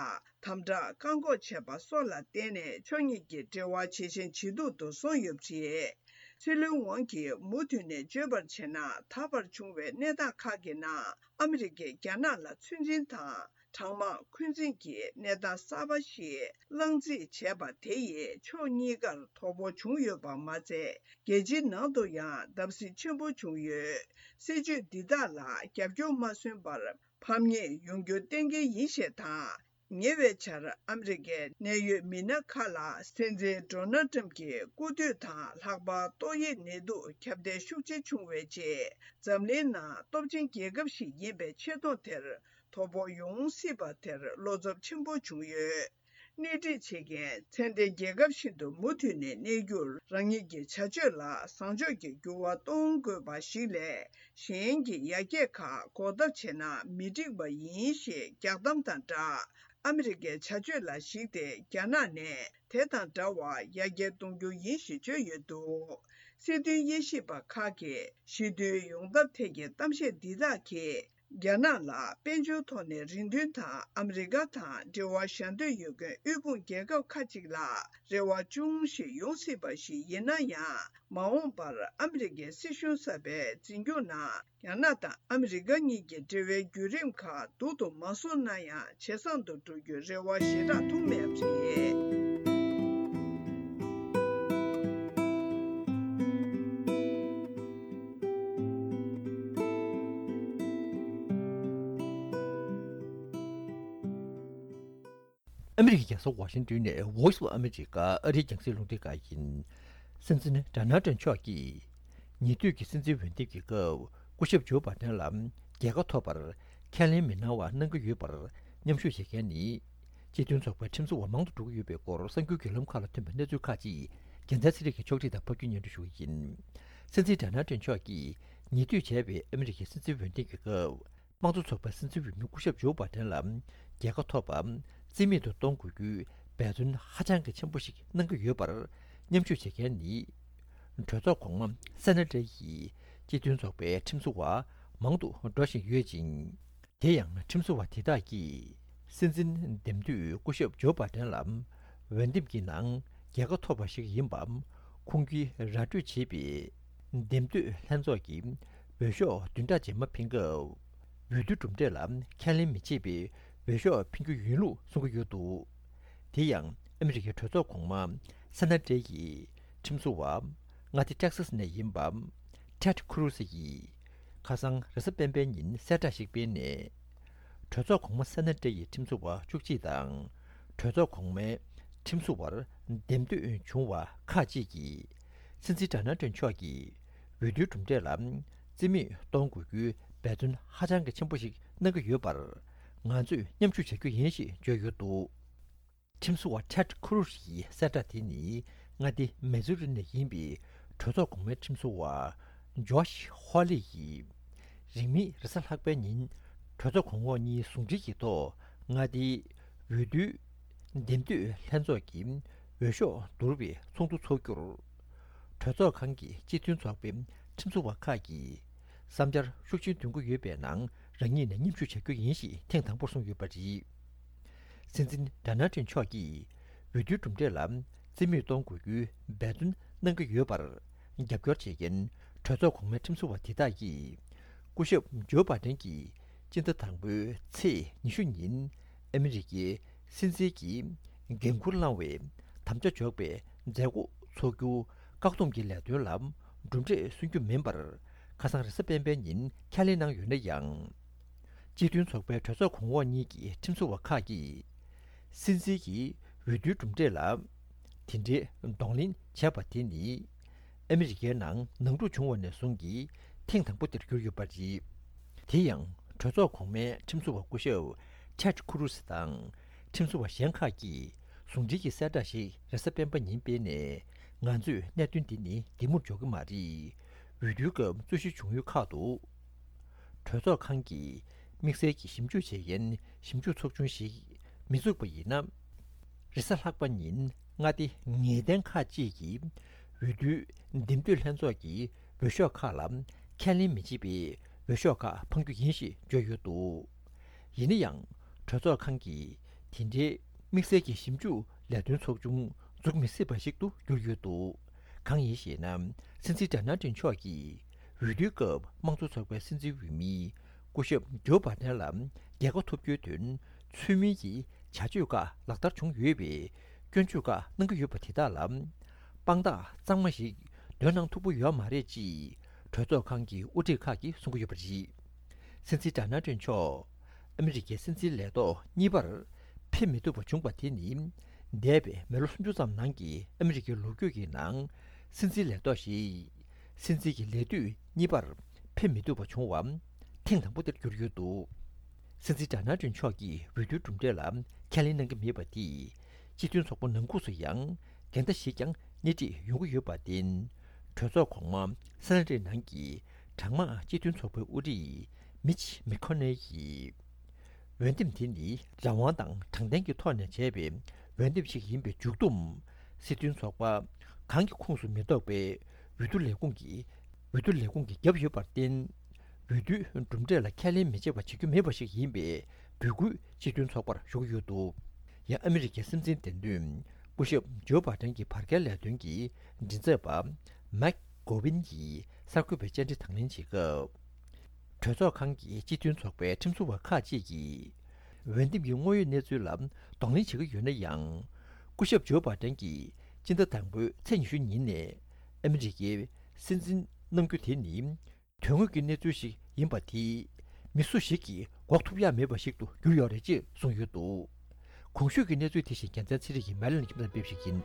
དམ་དྲག་བཀག་འགོག་བྱས་པ་སོགས་ལ་བརྟེན་ནས། ཕྱོགས་གཉིས་ཀྱི་འབྲེལ་བ་ཇེ་ཞན་ཇེ་སྡུག་ཏུ་སོང་ཡོད་པ་རེད། སྲིད་བློན་ཝང་གིས་མུ་མཐུད་ནས་བརྗོད་པར་བྱས་ན། ད་བར་བྱུང་བའི་གནས་སྟངས་ཁག་གི་ནང་ཨ་མི་རི་ཀས་རྒྱ་ནག་ལ་ཚོད་འཛིན་དང་། གྲང་དམག་འཁོན་འཛིན་གྱི་གནས་སྟངས་གསར་པ་ཞིག་བསླངས་རྩིས་བྱས་པ་དེ་ཡིས་ཕྱོགས་གཉིས་ཀར་དོ་ཕོག་བྱུང་ཡོད་པ་མ་ཚད། རྒྱལ་སྤྱིའི་ནང་དུ་ཡང་བརྡབ་གསིག་ཆེན་པོ་བྱུང་ཡོད། སྲིད་བྱུས་འདི་དག་ལ་རྒྱབ་སྐྱོར་མ་སོན་པར་ཕམ་ཉེས་ཡོང་རྒྱུ་གཏན་འཁེལ་ཡིན་ཞེས་དང་། ཉེ་བའི་ཆར་ཨ་མི་རི་ཀའི་གནད་ཡོད་མི་སྣ་ཁག་ལ་སྲིད་འཛིན་ཌོ་ནལ་ཊམ་གྱི་སྐུ་དུས་དང་། ལྷག་པར་ཏོག་དབྱིབས་ནད་དུག་ཁྱབ་གདལ་ཤུགས་ཆེ་བྱུང་བའི་རྗེས། འཛམ་གླིང་ནང་སྟོབས་ཆེན་རྒྱལ་ཁབ་ཞིག་ཡིན་པའི་ཆེ་མཐོང་དེར་དོ་ཕོག་ཡོང་སྲིད་པ་དེར་བློ་འཚབ་ཆེན་པོ་བྱུང་ཡོད། སྣེ་ཁྲིད་བྱེད་མཁན་ཚད་ལྡན་རྒྱལ་ཁབ་ཤིག་ཏུ་མུ་མཐུད་ནས་གནས་རྒྱུར། རང་ཉིད་ཀྱི་བྱ་སྤྱོད་ལ་བཟང་ཕྱོགས་ཀྱི་འགྱུར་བ་གཏོང་དགོས་པ་ཞིག་ལས། གཞན་གྱི་ཡར་རྒྱས་ཁག་འགོག་ཐབས་བྱས་ན་མི་འགྲིག་པ་ཡིན་ཞེས་རྒྱག་གཏམ་དང་སྦྲགས། ཨ་མི་རི་ཀའི་བྱ་སྤྱོད་ལ་གཞིགས་ཏེ། རྒྱ་ནག་ནས་དེ་དང་འདྲ་བར་ཡར་རྒྱས་གཏོང་རྒྱུ་ཡིན་ཞེས་བརྗོད་ཡོད་འདུག། སྲིད་དོན་དབྱེ་ཞིབ་པ་ཁག་གིས་ཞི་མཐུན་ཡོང་ཐབས་ཐད་ཀྱི་གཏམ་བཤད་འདི་དག་གིས། རྒྱ་ནག་ལ་དཔལ་འབྱོར་ཐོག་ནས་རེ་འདུན་དང་། ཨ་མི་རི་ཀ་དང་འབྲེལ་བ་བཞག་འདོད་ཡོད་མཁན་དབུལ་ཕོངས་རྒྱལ་ཁབ་ཁག་ཅིག་ལ་རེ་བ་ཅུང་ཞིག་ཡོང་སྲིད་པ་ཞིག་ཡིན་ན་ཡང་། མ་འོངས་པར་ཨ་མི་རི་ཀའི་སྲིད་གཞུང་གསར་པའི་འཛིན་སྐྱོང་ནང་། རྒྱ་ནག་དང་ཨ་མི་རི་ཀ་གཉིས་ཀྱི་འབྲེལ་བའི་བརྒྱུད་རིམ་ཁག་སྡུག་ཏུ་མ་སོང་ན་ཡང་། ཇེ་བཟང་དུ་འགྲོ་རྒྱུའི་རེ་བ་ཞེ་དྲག་མཐོང་མེད་པ་རེད། ཨ་མི་རི་ཀའི་རྒྱལ་ས་ཝ་ཤིང་ཏོན་ནས་Voice of America་ཨ་རིའི་རྒྱང་སྲིང་རླུང་འཕྲིན་ཁང་ཡིན། སྲིད་འཛིན་ཌོ་ནལ་ཏྲམ་མཆོག་གིས་ ཉེ་དུས་ཀྱི་སྲིད་འཛིན་འོས་འདེམས་ཀྱི་སྐབས་སྐུ་ཞབས་ཇོ་བྷ་དན་ལ་རྒྱལ་ཁ་ཐོབ་པར་ཁས་ལེན་མི་གནང་བ་གནང་གི་ཡོད་པར་མཉམ་ཞུགས་བྱེད་མཁན་ནི། སྤྱི་མཐུན་ཚོགས་པའི་ཁྲིམས་བཟོ་བ་མང་དུ་འགྲོ་གི་ཡོད་པའི་སྐོར་གསར་འགྱུར་བརྒྱུད་ལམ་ཁག་ལ་ཐོན་པའི་གནས་ཚུལ་ཁག་ཅིག་རྒྱལ་མཚན་ཚེ་རིང་གིས་ཕྱོགས་སྒྲིག་དང་ཕབ་སྒྱུར་སྙན་སྒྲོན་ཞུ་གི་ཡིན། སྲིད་འཛིན་ཌོ་ནལ་ཊམ་མཆོག་གིས་ཉེ་དུས་བྱས་པའི་ཨ་མི་རི་ཀའི་སྲིད་འཛིན་འོས་འདེམས་ཀྱི་སྐབས། དམངས་གཙོ་ཚོགས་པའི་སྲིད་འཛིན་འོས་མི་སྐུ་ཞབས་ཇོ་བྷ་དན་ལ་རྒྱལ་ཁ་ཐོབ་པ་རྩིས་མེད་དུ་གཏོང་དགོས་རྒྱུའི་འབད་བརྩོན་ཧ་ཅང་གི་ཆེན་པོ་ཞིག་གནང་གི་ཡོད་པར་མཉམ་ཞུགས་བྱེད་མཁན་ནི། གྲོས་ཚོགས་གོང་མ་སེ་ན་ཏྲེ་ཡིས་སྤྱི་མཐུན་ཚོགས་པའི་ཁྲིམས་བཟོ་བ་མང་དུ་འགྲོ་བཞིན་ཡོད་ཅིང་། དེ་ཡང་ཁྲིམས་བཟོ་བ་དེ་དག་གིས་སྲིད་འཛིན་འདེམས་དུས་སྐུ་ཞབས་ཇོ་བྷ་དན་ལ་འོས་འདེམས་ཀྱི་ནང་རྒྱལ་ཁ་ཐོབ་པ་ཞིག་ཡིན་པ་ཁུངས་སྐྱེལ་ར་སྤྲོད་བྱས་པའི་འདེམས་ཐོན་ལྷན་ཚོགས་ཀྱི་འོས་ཤོག་བདུན་ཕྲག་རྗེས་མ་འཕེན་སྐབས། འོས་བསྡུའི་གྲུབ་འབྲས་ལ་ཁས་ལེན་མི་བྱེད་པའི་འོས་ཤོག་འཕེན་རྒྱུ་ཡིན་ལུགས་གསུང་གི་ཡོད་འདུག་དེ་ཡང་ཨ་མི་རི་ཀའི་གྲོས་ཚོགས་གོང་མ་སེ་ན་ཏྲེ་ཡི་ཁྲིམས་བཟོ་བ་མངའ་སྡེ་ཏེག་སཱས་ནས་ཡིན་པ་ཊེད་ཁུ་རུ་སི་ཡིས་ཁ་སང་རེས་གཟའ་སྤེན་པའི་ཉིན་གསལ་བསྒྲགས་ཤིག་སྤེལ་ནས། གྲོས་ཚོགས་གོང་མ་སེ་ན་ཏྲེ་ཡི་ཁྲིམས་བཟོ་བ་བཅུ་གཅིག་དང་། གྲོས་ཚོགས་གོང་མའི་ཁྲིམས་བཟོ་བར་འདེམས་ཐོན་བྱུང་བ་ཁག་ཅིག་གིས། སྲིད་འཛིན་ཌོ་ནལ་ཊམ་མཆོག་གིས་འོས་བསྡུའི་གྲུབ་འབྲས་ལ་རྩིས་མེད་གཏོང་དགོས་རྒྱུའི་འབད་བརྩོན་ཧ་ཅང་གི་ཆེན་པོ་ཞིག་གནང་གི་ཡོད་པར། ང་ཚོས་མཉམ་ཞུགས་བྱ་རྒྱུ་ཡིན་ཞེས་བརྗོད་ཡོད་འདུག་ཁྲིམས་བཟོ་བ་ཊེད་ཁུ་རུ་ཤི་ཡི་གསལ་བསྒྲགས་དེ་ནི་མངའ་སྡེ་མི་ཛུ་རི་ནས་ཡིན་པའི་གྲོས་ཚོགས་གོང་མའི་ཁྲིམས་བཟོ་བ་ཇོ་ཤི་ཧོ་ལི་ཡིས་རིང་མིན་རེས་གཟའ་ལྷག་པའི་ཉིན་གྲོས་ཚོགས་གོང་འོག་གཉིས་ཟུང་འབྲེལ་གྱི་ཐོག་མངའ་སྡེའི་འོས་བསྡུའི་འདེམས་ཐོན་ལྷན་ཚོགས་ཀྱི་འོས་ཤོག་བསྡུར་བའི་ཚོགས་འདུ་འཚོགས་རྒྱུར། གྲོས་ཚོགས་ཁང་གི་སྤྱི་མཐུན་ཚོགས་པའི་ཁྲིམས་བཟོ་བ་ཁག་གིས་བསམ་འཆར་ཤུགས་ཆེན་འདོན་གྱི་ཡོད་པའི་ནང་རང་ཉིད་ནས་མཉམ་ཞུགས་བྱ་རྒྱུ་ཡིན་ཞེས་ཐེངས་དང་པོར་གསུངས་ཡོད་པ་རེད། སྲིད་འཛིན་ཌོ་ནལ་ཊམ་མཆོག་གིས་འོས་བསྡུའི་གྲུབ་འབྲས་ལ་རྩིས་མེད་གཏོང་དགོས་རྒྱུའི་འབད་བརྩོན་གནང་གི་ཡོད་པར་རྒྱབ་སྐྱོར་བྱེད་མཁན་གྲོས་ཚོགས་གོང་མའི་ཁྲིམས་བཟོ་བ་དེ་དག་གིས། སྐུ་ཞབས་ཇོ་བྷ་ཏན་གྱིས་སྤྱི་ཟླ་དང་པོའི་ཚེས་ཉི་ཤུ་ཉིན་ཨ་མི་རི་ཀའི་སྲིད་འཛིན་གྱི་འགན་འཁུར་བླང་བའི་དམ་བཅའ་འཇོག་པའི་མཛད་སྒོ་འཚོགས་རྒྱུ་བཀག་སྡོམ་གྱི་ལས་དོན་ལ་གྲུབ་འབྲས་སོན་རྒྱུ་མིན་པར་ཁ་སང་རེས་གཟའ་སྤེན་པའི་ཉིན་ཁས་ལེན་གནང་ཡོད་ན་ཡང་། སྤྱི་མཐུན་ཚོགས་པའི་གྲོས་ཚོགས་གོང་འོག་གཉིས་ཀྱི་ཁྲིམས་བཟོ་བ་ཁག་གིས། སྲིད་འཛིན་གྱི་འོས་བསྡུའི་གྲུབ་འབྲས་ལ་དེ་འདྲའི་གདོང་ལེན་བྱས་པ་དེ་ནི། ཨ་མི་རི་ཀའི་ནང་ནང་འཁྲུག་བྱུང་བ་ནས་བཟུང་གི་ཐེངས་དང་པོ་དེར་གྱུར་ཡོད་པ་རེད། དེ་ཡང་གྲོས་ཚོགས་གོང་མའི་ཁྲིམས་བཟོ་བ་སྐུ་ཞབས་ཊེད་ཁུ་རུ་སི་དང་ཁྲིམས་བཟོ་བ་གཞན་ཁག་གིས་ཟུང་འབྲེལ་གྱི་གསལ་བསྒྲགས་ཤིག་རེས་གཟའ་སྤེན་པ་ཉིན་སྤེལ་ནས། ང་ཚོས་གནད་དོན་འདི་ནི་བདེ་མོར་འཇོག་གི་མ་རེད། འོས་བསྡུའི་སྐབས་རྩོད་གཞི་བྱུང་ཡུལ་ཁག་ཏུ། གྲོས་ཚོགས་ཁང་གི་དམིགས་བསལ་གྱི་ཞིབ་འཇུག་བྱེད་མཁན་ཞིབ་འཇུག་ཚོགས་ཆུང་ཞིག་མི་བཙུགས་པ་ཡིན་ན། རེས་གཟའ་ལྷག་པ་ཉིན་མངའ་སྡེ་ངེས་གཏན་ཁག་ཅིག་གིས་འོས་བསྡུའི་འདེམས་ཐོན་ལྷན་ཚོགས་ཀྱི་འོས་ཤོག་ཁག་ལ་ཁས་ལེན་མི་བྱེད་པའི་འོས་ཤོག་ཁག་འཕང་རྒྱུ་ཡིན་ཞེས་བརྗོད་ཡོད་འདུག་ཡིན་ན་ཡང་། གྲོས་ཚོགས་ཁང་གིས་དེ་འབྲེལ་དམིགས་བསལ་གྱི་ཞིབ་འཇུག་ལས་དོན་ཚོགས་ཆུང་འཛུགས་མི་སྲིད་པ་ཞིག་ཏུ་གྱུར་ཡོད་འདུག་གང་ཡིན་ཞེ་ན། སྲིད་འཛིན་ཌོ་ནལ་ཊམ་མཆོག་གིས་འོས་བསྡུའི་སྐབས་དམངས་གཙོ་ཚོགས་པའི་སྲིད་འཛིན་འོས་མི་སྐུ་ཞབས་ཇོ་བྷ་དན་ལ་རྒྱལ་ཁ་ཐོབ་རྒྱུའི་དོན་ཚུལ་མིན་གྱི་བྱ་སྤྱོད་ཁག་ལག་བསྟར་བྱུང་ཡོད་པའི་སྐྱོན་བརྗོད་ཁག་གནང་གི་ཡོད་པ་དེ་དག་ལ་དཔང་རྟགས་གཙང་མ་ཞིག་འདོན་གནང་ཐུབ་ཀྱི་ཡོད་མ་རེད་ཅེས་གྲོས་ཚོགས་ཁང་གི་དབུ་ཁྲིད་ཁག་གིས་གསུང་གི་ཡོད་པ་རེད། སྲིད་འཛིན་ཌོ་ནལ་ཊམ་མཆོག་ཨ་མི་རི་ཀའི་སྲིད་འཛིན་ལས་ཐོག་གཉིས་པར་ཕེབས་མི་ཐུབ་པ་བྱུང་བ་དེ་ནི། འདས་པའི་མི་ལོ་སུམ་ཅུ་ཙམ་ནང་གི་ཨ་མི་རི་ཀའི་ལོ་རྒྱུས་ཀྱི་ནང་། སྲིད་འཛིན་ལས་ཐོག་ཞིག་སྲིད་འཛིན་གྱི་ལས་དུས་གཉིས་པར་ཕེབས་མི་ཐུབ་པ་བྱུང་བ་ཐེངས་དང་པོ་དེར་གྱུར་ཡོད་འདུག་སྲིད་འཛིན་ཌོ་ནལ་ཊམ་མཆོག་གིས་འོས་བསྡུའི་གྲུབ་འབྲས་ལ་ཁས་ལེན་གནང་གི་མེད་པ་དེས། སྤྱི་མཐུན་ཚོགས་པ་ནང་ཁུལ་དུ་ཡང་འགལ་ཟླ་ཞིག་ཀྱང་སྣེ་ཁྲིད་ཡོང་གི་ཡོད་པར་བརྟེན། གྲོས་ཚོགས་གོང་མ་སེ་ན་ཏི་ནང་གི་གྲངས་མང་སྤྱི་མཐུན་ཚོགས་པའི་དབུ་ཁྲིད་མིཆ་མེ་ཁོ་ནེལ་ཡིས། འོས་འདེམས་དེ་ནི་རང་དབང་དང་དྲང་བདེན་གྱི་ཐོག་ནས་བྱས་པའི་འོས་འདེམས་ཤིག་ཡིན་པའི་མཇུག་བསྡོམས། སྲིད་དོན་ཚོགས་པ་གང་གི་ཁོངས་སུ་མི་གཏོགས་པའི་འོས་བསྡུ་ལས་ཁུངས་ཀྱིས། འོས་བསྡུ་ལས་ཁུངས་ཀྱིས་བརྒྱབ་ཡོད་པར་བརྟེན། འོས་བསྡུའི་གྲུབ་འབྲས་ལ་ཁས་ལེན་མི་བྱེད་པ་བྱེད་རྒྱུ་མེད་པ་ཞིག་ཡིན་པའི་འབོད་སྐུལ་སྤྱི་མཐུན་ཚོགས་པར་ཞུ་གི་ཡོད་འདུག་ཡང་ཨ་མི་རི་ཀའི་སྲིད་འཛིན་འདེམས་ཐོན་སྐུ་ཞབས་ཇོ་བྷ་ཏན་གྱི་བར་བརྒལ་ལས་དོན་གྱི་མགྲིན་ཚབ་པ་མེག་གོ་ཝིན་གྱིས་གསར་འགོད་པའི་བཅར་འདྲི་དང་ལེན་བྱེད་སྐབས། གྲོས་ཚོགས་ཁང་གི་སྤྱི་མཐུན་ཚོགས་པའི་ཁྲིམས་བཟོ་བ་ཁག་ཅིག་གིས། འོས་འདེམས་ཀྱི་དངོས་ཡོད་གནས་ཚུལ་ལ་གདོང་ལེན་བྱེད་ཀྱི་ཡོད་ན་ཡང་། སྐུ་ཞབས་ཇོ་བྷ་ཏན་གྱིས་སྤྱི་ཟླ་དང་པོའི་ཚེས་ཉི་ཤུ་ཉིན་ནས་ཨ་མི་རི་ཀའི་སྲིད་འཛིན་གནང་རྒྱུ་དེ་ནི། དོན་དངོས་ཀྱི་གནས་ཚུལ་ཞིག་ཡིན་པ་དེས། མི་སུ་ཞིག་གིས་འགོག་ཐུབ་ཡ་མེད་པ་ཞིག་ཏུ་གྱུར་ཡོད་རེད་ཅེས་གསུངས་ཡོད་འདུག་གོང་ཞུས་ཀྱི་གནས་ཚུལ་དེ་བཞིན་རྒྱལ་མཚན་ཚེ་རིང་གིས་མལ་ལན་ཁྱིམ་ཚང་སྤེལ་ཞིག་ཡིན།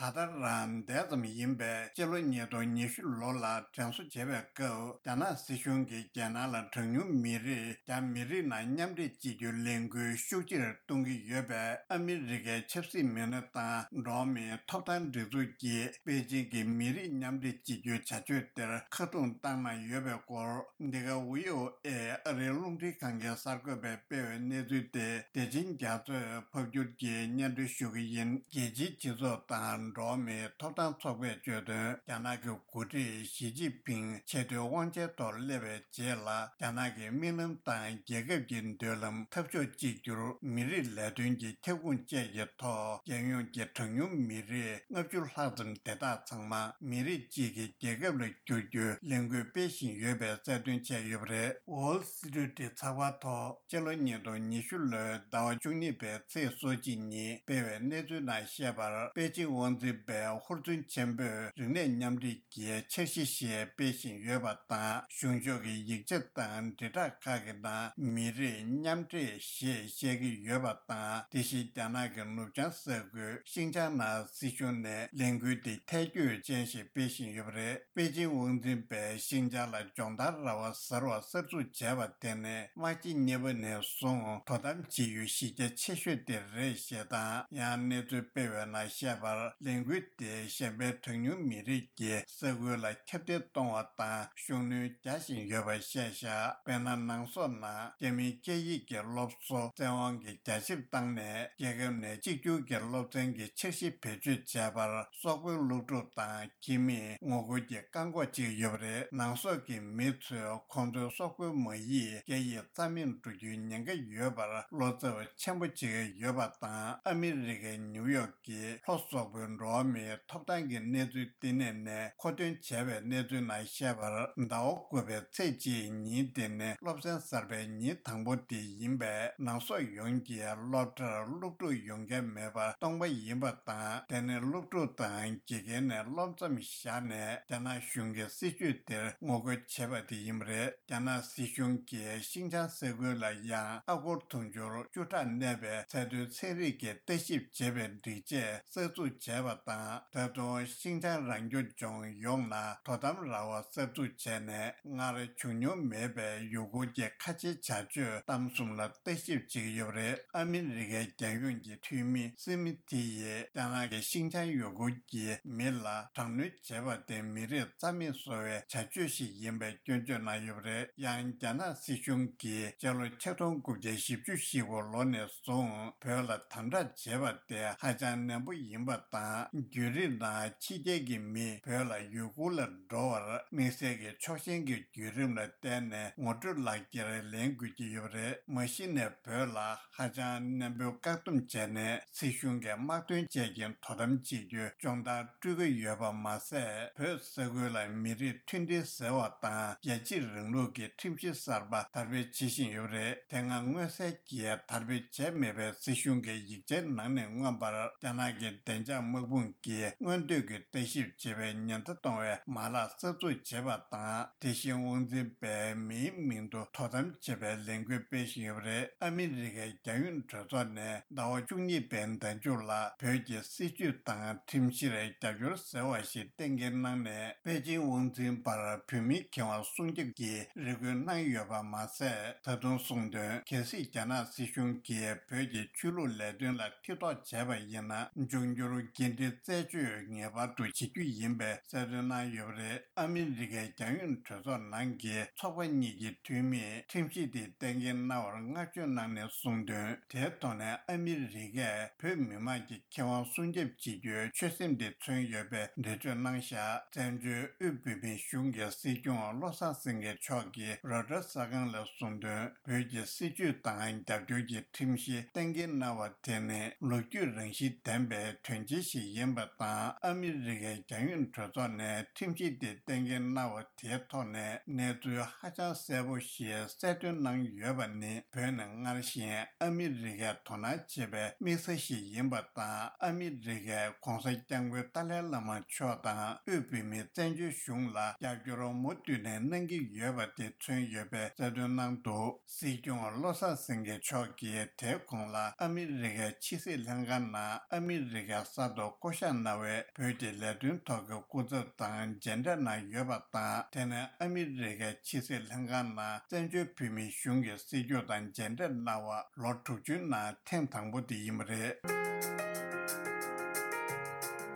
ད་ལྟ་རང་འདས་ཙམ་ཡིན་པས། སྤྱི་ལོ་ཉིས་སྟོང་ཉི་ཤུ་ལོ་ལ་དྲན་གསོ་བྱེད་པའི་སྐབས། རྒྱ་ནག་སྲིད་གཞུང་གིས་རྒྱལ་ནང་ལ་གྲངས་ཉུང་མི་རིགས་རྒྱ་མི་རིགས་ནང་མཉམ་འདྲེས་བྱེད་རྒྱུའི་ལས་འགུལ་ཤུགས་ཆེར་གཏོང་གི་ཡོད་པས། ཨ་མི་རི་ཀའི་ཆབ་སྲིད་མི་སྣ་དང་འགྲོ་བ་མིའི་ཐོབ་ཐང་སྒྲིག་འཛུགས་ཀྱིས་པེ་ཅིང་གི་མི་རིགས་མཉམ་འདྲེས་བྱེད་རྒྱུའི་བྱ་སྤྱོད་དེར་ཁ་རྡུང་བཏང་གནང་ཡོད་པའི་སྐོར། འདི་ག་ཝི་ཨོ་ཨེ་ཨ་རིའི་རླུང་འཕྲིན་ཁང་གི་གསར་འགོད་པས་སྤེལ་བའི་གནས་ཚུལ་དེ། བདེ་ཆེན་རྒྱ་མཚོས་ཕབ་བསྒྱུར་གྱིས་སྙན་སྒྲོན་ཞུ་གི་ཡིན། རྒྱལ་སྤྱིའི་སྤྱི་ཚོགས་དང་འགྲོ་བ་མིའི་ཐོབ་ཐང་ཚོགས་པས་བརྗོད་དོན། རྒྱ་ནག་གི་འགོ་ཁྲིད་ཞི་ཅིན་ཕིང་ཆེས་མཐོའི་དབང་ཆའི་ཐོག་སླེབས་པའི་རྗེས་ལ། རྒྱ་ནག་གི་དམིགས་ལམ་དང་རྒྱལ་ཁབ་ཀྱི་མདུན་ལམ་འཐབ་ཕྱོགས་གཅིག་གྱུར། མི་རིགས་ལས་དོན་གྱི་ཁྱབ་ཁོངས་བཅས་ཀྱི་ཐོག་རྒྱལ་ཡོངས་ཀྱི་གྲངས་ཉུང་མི་རིགས་ལྔ་བཅུ་ལྷག་ཙམ་དེ་དག་ཚང་མ་མི་རིགས་གཅིག་གི་རྒྱལ་ཁབ་ལ་བསྒྱུར་རྒྱུའི་ལས་འགུལ་སྤེལ་བཞིན་ཡོད་པའི་གསལ་སྟོན་བྱས་ཡོད་པ་རེད། Wall Street་ཚགས་པར་ཐོག་སྤྱི་ལོ་ཉིས་སྟོང་ཉི་ཤུ་ལོའི་ཟླ་བ་བཅུ་གཉིས་པའི་ཚེས་སོ་གཅིག་ཉིན་སྤེལ་བའི་གནས་ཚུལ་ནང་བཤད་པར། པེ་ཅིང་དབང་འཛིན་པས་ཧུར་བརྩོན་ཆེན་པོས་རིག་གནས་མཉམ་འདྲེས་ཀྱི་འཆར་གཞི་ཞིག་སྤེལ་བཞིན་ཡོད་པ་དང་། གཞུང་ཕྱོགས་ཀྱི་ཡིག་ཆ་དང་དྲིལ་བསྒྲགས་ཁག་གི་ནང་མི་རིགས་མཉམ་འདྲེས་ཞེས་བཤད་ཀྱི་ཡོད་པ་དང་། དེ་བཞིན་རྒྱ་ནག་གི་ནུབ་བྱང་ས་ཁུལ་ཤིན་ཅང་ནང་སྲིད་གཞུང་ནས་ལས་འགུལ་འདི་ཐལ་འགྱུར་ཅན་ཞིག་སྤེལ་བཞིན་ཡོད་པ་རེད། པེ་ཅིང་དབང་འཛིན་པས་ཤིན་ཅང་ལ་སྦྱོང་བརྡར་ར་བ་གསར་བ་གསར་འཛུགས་བྱས་པ་དེ་ནི་དམག་སྤྱི་གཉིས་པ་ནས་བཟུང་དོ་དམ་བྱེད་ཡུལ་གཞི་རྒྱ་ཆེ་ཤོས་དེ་རེད་ཞེས་དང་། ཡང་གནས་ཚུལ་སྤེལ་བའི་ནང་བཤད་པར། ལས་འགུལ་དེས་གཞན་ཕན་གྲངས་ཉུང་མི་རིགས་ཀྱི་ས་ཁུལ་ལ་ཁྱབ་གདལ་གཏོང་བ་དང་ཤུགས་སྣོན་རྒྱག་བཞིན་ཡོད་པ་བཤད་བཞག་དཔེར་ན། ནང་སོག་ནང་རྒྱ་མིའི་སྐད་ཡིག་གི་སློབ་གསོ་བཙན་དབང་གིས་རྒྱ་ཆེར་བཏང་ནས། རྒྱལ་ཁབ་ནས་གཅིག་གྱུར་གྱི་སློབ་ཚན་གྱི་འཆར་གཞི་བེད་སྤྱོད་བྱས་པར་སོག་པོའི་སློབ་ཕྲུག་དང་ཁྱིམ་མིས་ངོ་རྒོལ་གྱི་བཀག་འགོག་བྱེད་ཀྱི་ཡོད་པ་རེད། ནང་སོག་གི་མི་ཚོས་ཁོང་ཚོའི་སོག་པོའི་མ་ཡིག་སྐད་ཡིག་རྩ་མེད་འགྲོ་རྒྱུའི་ཉེན་ཁ་ཡོད་པར་བློ་འཚབ་ཆེན་པོ་བྱེད་ཀྱི་ཡོད་པ་དང་། ཨ་མི་རི་ཀའི་ནིའུ་ཡོག་གི་ལྷོ་སོག་པོའི་འགྲོ་བ་མིའི་ཐོབ་ཐང་གི་གནས་ཚུལ་བསྟི་གནས་ནས་མཁོ་འདོན་བྱས་པའི་གནས་ཚུལ་ནང་བཤད་པར། ཟླ་བ་དགུ་པའི་ཚེས་གཅིག་ཉིན་དེ་ནི་སློབ་ཚན་གསར་པའི་ཉིན་དང་པོ་དེ་ཡིན་པས། ནང་སོག་ཡོངས་ཀྱི་སློབ་གྲྭར་སློབ་ཕྲུག་ཡོང་མཁན་མེད་པར་སྟོང་པ་ཡིན་པ་དང་། དེ་ནི་སློབ་ཕྲུག་དང་དགེ་རྒན་ནས་སློབ་མཚམས་བཞག་ནས་རྒྱ་ནག་གཞུང་གི་སྲིད་བྱུས་དེར་ངོ་རྒོལ་བྱས་པ་དེ་ཡིན་པ་རེད། རྒྱ་ནག་སྲིད་གཞུང་གིས་ཤིང་ཅང་ས་ཁུལ་ལ་ཡང་ཨ་སྒོར་དུང་ཕྱུར་བཅུ་ཕྲག་གནས་པའི་ཚད་མཐོའི་ཚན་རིག་གི་ལྟ་ཞིབ་བྱེད་པའི་སྒྲིག་ཆས་གསར་འཛུགས་བྱས་པ་དང་། ད་དུང་ཤིང་ཅང་རང་སྐྱོང་ལྗོངས་ཡོངས་ལ་དོ་དམ་ར་བ་གསར་འཛུགས་བྱས་ནས། སྔར་བྱུང་མྱོང་མེད་པའི་ཡུ་གུར་གྱི་ཁ་ཆེའི་བྱ་སྤྱོད་གཏམ་གསུམ་ལ་ལྟ་ཞིབ་བྱེད་ཀྱི་ཡོད་པ་རེད། ཨ་མི་རི་ཀའི་རྒྱལ་ཡོངས་ཀྱི་འཐུས་མི་སི་མི་ཐི་ཡིས་རྒྱ་ནག་གིས་ཤིང་ཅང་ཡུ་གུར་གྱི་མི་ལ་དྲག་གནོན་བྱས་པ་དེ་མི་རིགས་རྩ་མེད་བཟོ་བའི་བྱ་སྤྱོད་ཞིག་ཡིན་པའི་སྐྱོན་བརྗོད་གནང་ཡོད་པ་རེད། ཡང་རྒྱ་ནག་སྲིད་གཞུང་གིས་སྤྱི་ལོ་ཆིག་སྟོང་དགུ་བརྒྱ་བཞི་བཅུ་ཞེ་དགུ་ལོ་ནས་བཟུང་བོད་ལ་དམ་དྲག་བྱས་པ་དེ་ཧ་ཅང་ནན་པོ་ཡིན་པ་དང་། བརྒྱུད་རིམ་ནང་ཕྱི་རྒྱལ་གྱི་མི་བོད་ལ་ཡུ་གུར་ལ་འགྲོ་བར་དམིགས་བསལ་གྱི་ཕྱོགས་ཞེན་གྱི་བརྒྱུད་རིམ་ལ་བརྟེན་ནས་ངོ་སྤྲོད་ལག་འཁྱེར་ལེན་དགོས་ཀྱི་ཡོད་པ་རེད། མ་གཞི་ནས་བོད་ལ་ཧ་ཅང་ནན་པོའི་བཀག་སྡོམ་བྱས་ནས། སྲིད་གཞུང་གིས་དམག་དོན་བཅས་ཀྱི་དོ་དམ་བྱེད་རྒྱུའི་སྦྱོང་བརྡར་སྤྲོད་ཀྱི་ཡོད་པ་མ་ཟད། བོད་ས་ཁུལ་ལ་མི་རིགས་མཐུན་སྒྲིལ་ཟེར་བ་དང་རྒྱལ་གཅེས་རིང་ལུགས་ཀྱི་ཁྲིམས་གཞི་གསར་པ་དར་སྤེལ་བྱེད་བཞིན་ཡོད་པ་རེད། དེ་སྔ་མངོན་གསལ་གྱིས་དར་སྤེལ་བྱས་མེད་པའི་སྲིད་གཞུང་གི་ཡིག་ཆའི་ནང་ནས་མངོན་པར། རྒྱ་ནག་གི་བདེ་འཇགས་དམག་དཔུང་གིས་མངོན་འདོད་ཀྱི་ལྟ་ཞིབ་བྱེད་པའི་ཉེན་བརྡ་གཏོང་བའི་མ་ལག་གསར་འཛུགས་བྱས་པ་དང་། དེ་བཞིན་དབང་འཛིན་པས་མིའི་མིང་དུ་དོ་དམ་བྱེད་པའི་ལས་འགུལ་སྤེལ་བཞིན་ཡོད་པ་རེད། ཨ་མི་རི་ཀའི་རྒྱལ་ཡོངས་གྲོས་ཚོགས་ནས་ཟླ་བ་བཅུ་གཉིས་པའི་ཟླ་མཇུག་ལ་བོད་ཀྱི་སྲིད་བྱུས་དང་ཁྲིམས་གཞིར་རྒྱབ་སྐྱོར་ཟེར་བ་ཞིག་གཏན་འཁེལ་གནང་ནས། པེ་ཅིང་དབང་འཛིན་པར་བོད་མིའི་ཁེ་དབང་སྲུང་སྐྱོབ་ཀྱི་རེ་སྐུལ་གནང་ཡོད་པ་མ་ཟད། ད་དུང་གསུངས་དོན། གལ་སྲིད་རྒྱ་ནག་སྲིད་གཞུང་གིས་བོད་ཀྱི་ཆོས་ལུགས་ལས་དོན་ལ་མཐིལ་རྟོགས་བྱས་པ་ཡིན་ན། འབྱུང་འགྱུར་འགན་འཁྲི་རྩད་གཅོད་ངེས་པར་དུ་བྱེད་རྒྱུ་ཡིན་པའི་གསལ་སྟོན་གནང་ཡོད་པ་རེད། ཨ་མི་རི་ཀའི་རྒྱལ་ཡོངས་གྲོས་ཚོགས་ནང་གི་ཚོགས་པ་གཉིས་ཀྱི་འཐུས་མིས་ཁྲིམས་གཞི་དེ་གཏན་འཁེལ་གནང་བར་བསྔགས་བརྗོད་གནང་ནས་གསུངས་དོན། དེའི་ཐོག་ནས་ཨ་མི་རི་ཀས་བོད་མི་མང་གི་ཁེ་དབང་སྲུང་སྐྱོབ་བྱེད་རྒྱུའི་ཆོད་སེམས་དེ་མཚོན་ཡོད་པའི་འགྲེལ་བརྗོད་གནང་བཞག་བཙན་བྱོལ་དབུས་བོད་མིའི་གཞུང་གི་སྲིད་སྐྱོང་བློ་བཟང་སེང་གེ་མཆོག་གིས་རོའི་ཊར་གསར་ཁང་ལ་གསུངས་དོན། བོད་ཀྱི་སྲིད་བྱུས་དང་རྒྱབ་སྐྱོར་གྱི་ཁྲིམས་གཞི་གཏན་འཁེལ་གནང་བ་དེ་ནི་ལོ་རྒྱུས་རང་བཞིན་ལྡན་པའི་དོན་ཆེན་ཞིག་ཡིན་པ་དང་། ཨ་མི་རི་ཀའི་རྒྱལ་ཡོངས་གྲོས་ཚོགས་ནས་ཁྲིམས་གཞི་དེ་གཏན་འཁེལ་གནང་བ་དེའི་ཐོག་ནས་གནས་ཚུལ་ཧ་ཅང་གསལ་པོ་ཞིག་གསལ་སྟོན་གནང་ཡོད་པ་ནི། བོད་ནི་སྔར་བཞིན་ཨ་མི་རི་ཀས་དོ་སྣང་བྱེད་པའི་དམིགས་ས་ཞིག་ཡིན་པ་དང་། ཨ་མི་རི་ཀས་༧གོང་ས་༧སྐྱབས་མགོན་ཏཱ་ལའི་བླ་མ་མཆོག་དང་དབུས་བོད་མིའི་བཙན་བྱོལ་གཞུང་ལ་རྒྱབ་སྐྱོར་མུ་མཐུད་ནས་གནང་གི་ཡོད་པ་དེ་མཚོན་ཡོད་པའི་གསལ་སྟོན་གནང་འདུག་སྲིད་སྐྱོང་བློ་བཟང་སེང་གེ་མཆོག་གིས་དེའི་གོང་ལ་ཨ་མི་རི་ཀའི་ཕྱི་སྲིད་ལྷན་ཁང་ནང་ཨ་མི་རི་ཀའི་ས་ཐོག་ བསྐོ་གཞག་གནང་བའི་བོད་ཀྱི་ལས་དོན་ཐོག་གི་སྐུ་ཚབ་དང་མཇལ་འཕྲད་གནང་ཡོད་པ་དང་། དེ་ནི་ཨ་མི་རི་ཀའི་ཕྱི་སྲིད་ལྷན་ཁང་ནང་བཙན་བྱོལ་བོད་མིའི་གཞུང་གི་སྲིད་སྐྱོང་དང་མཇལ་འཕྲད་གནང་བ་ལོ་དྲུག་ཅུའི་ནང་ཐེངས་དང་པོ་དེ་ཡིན་པ་རེད།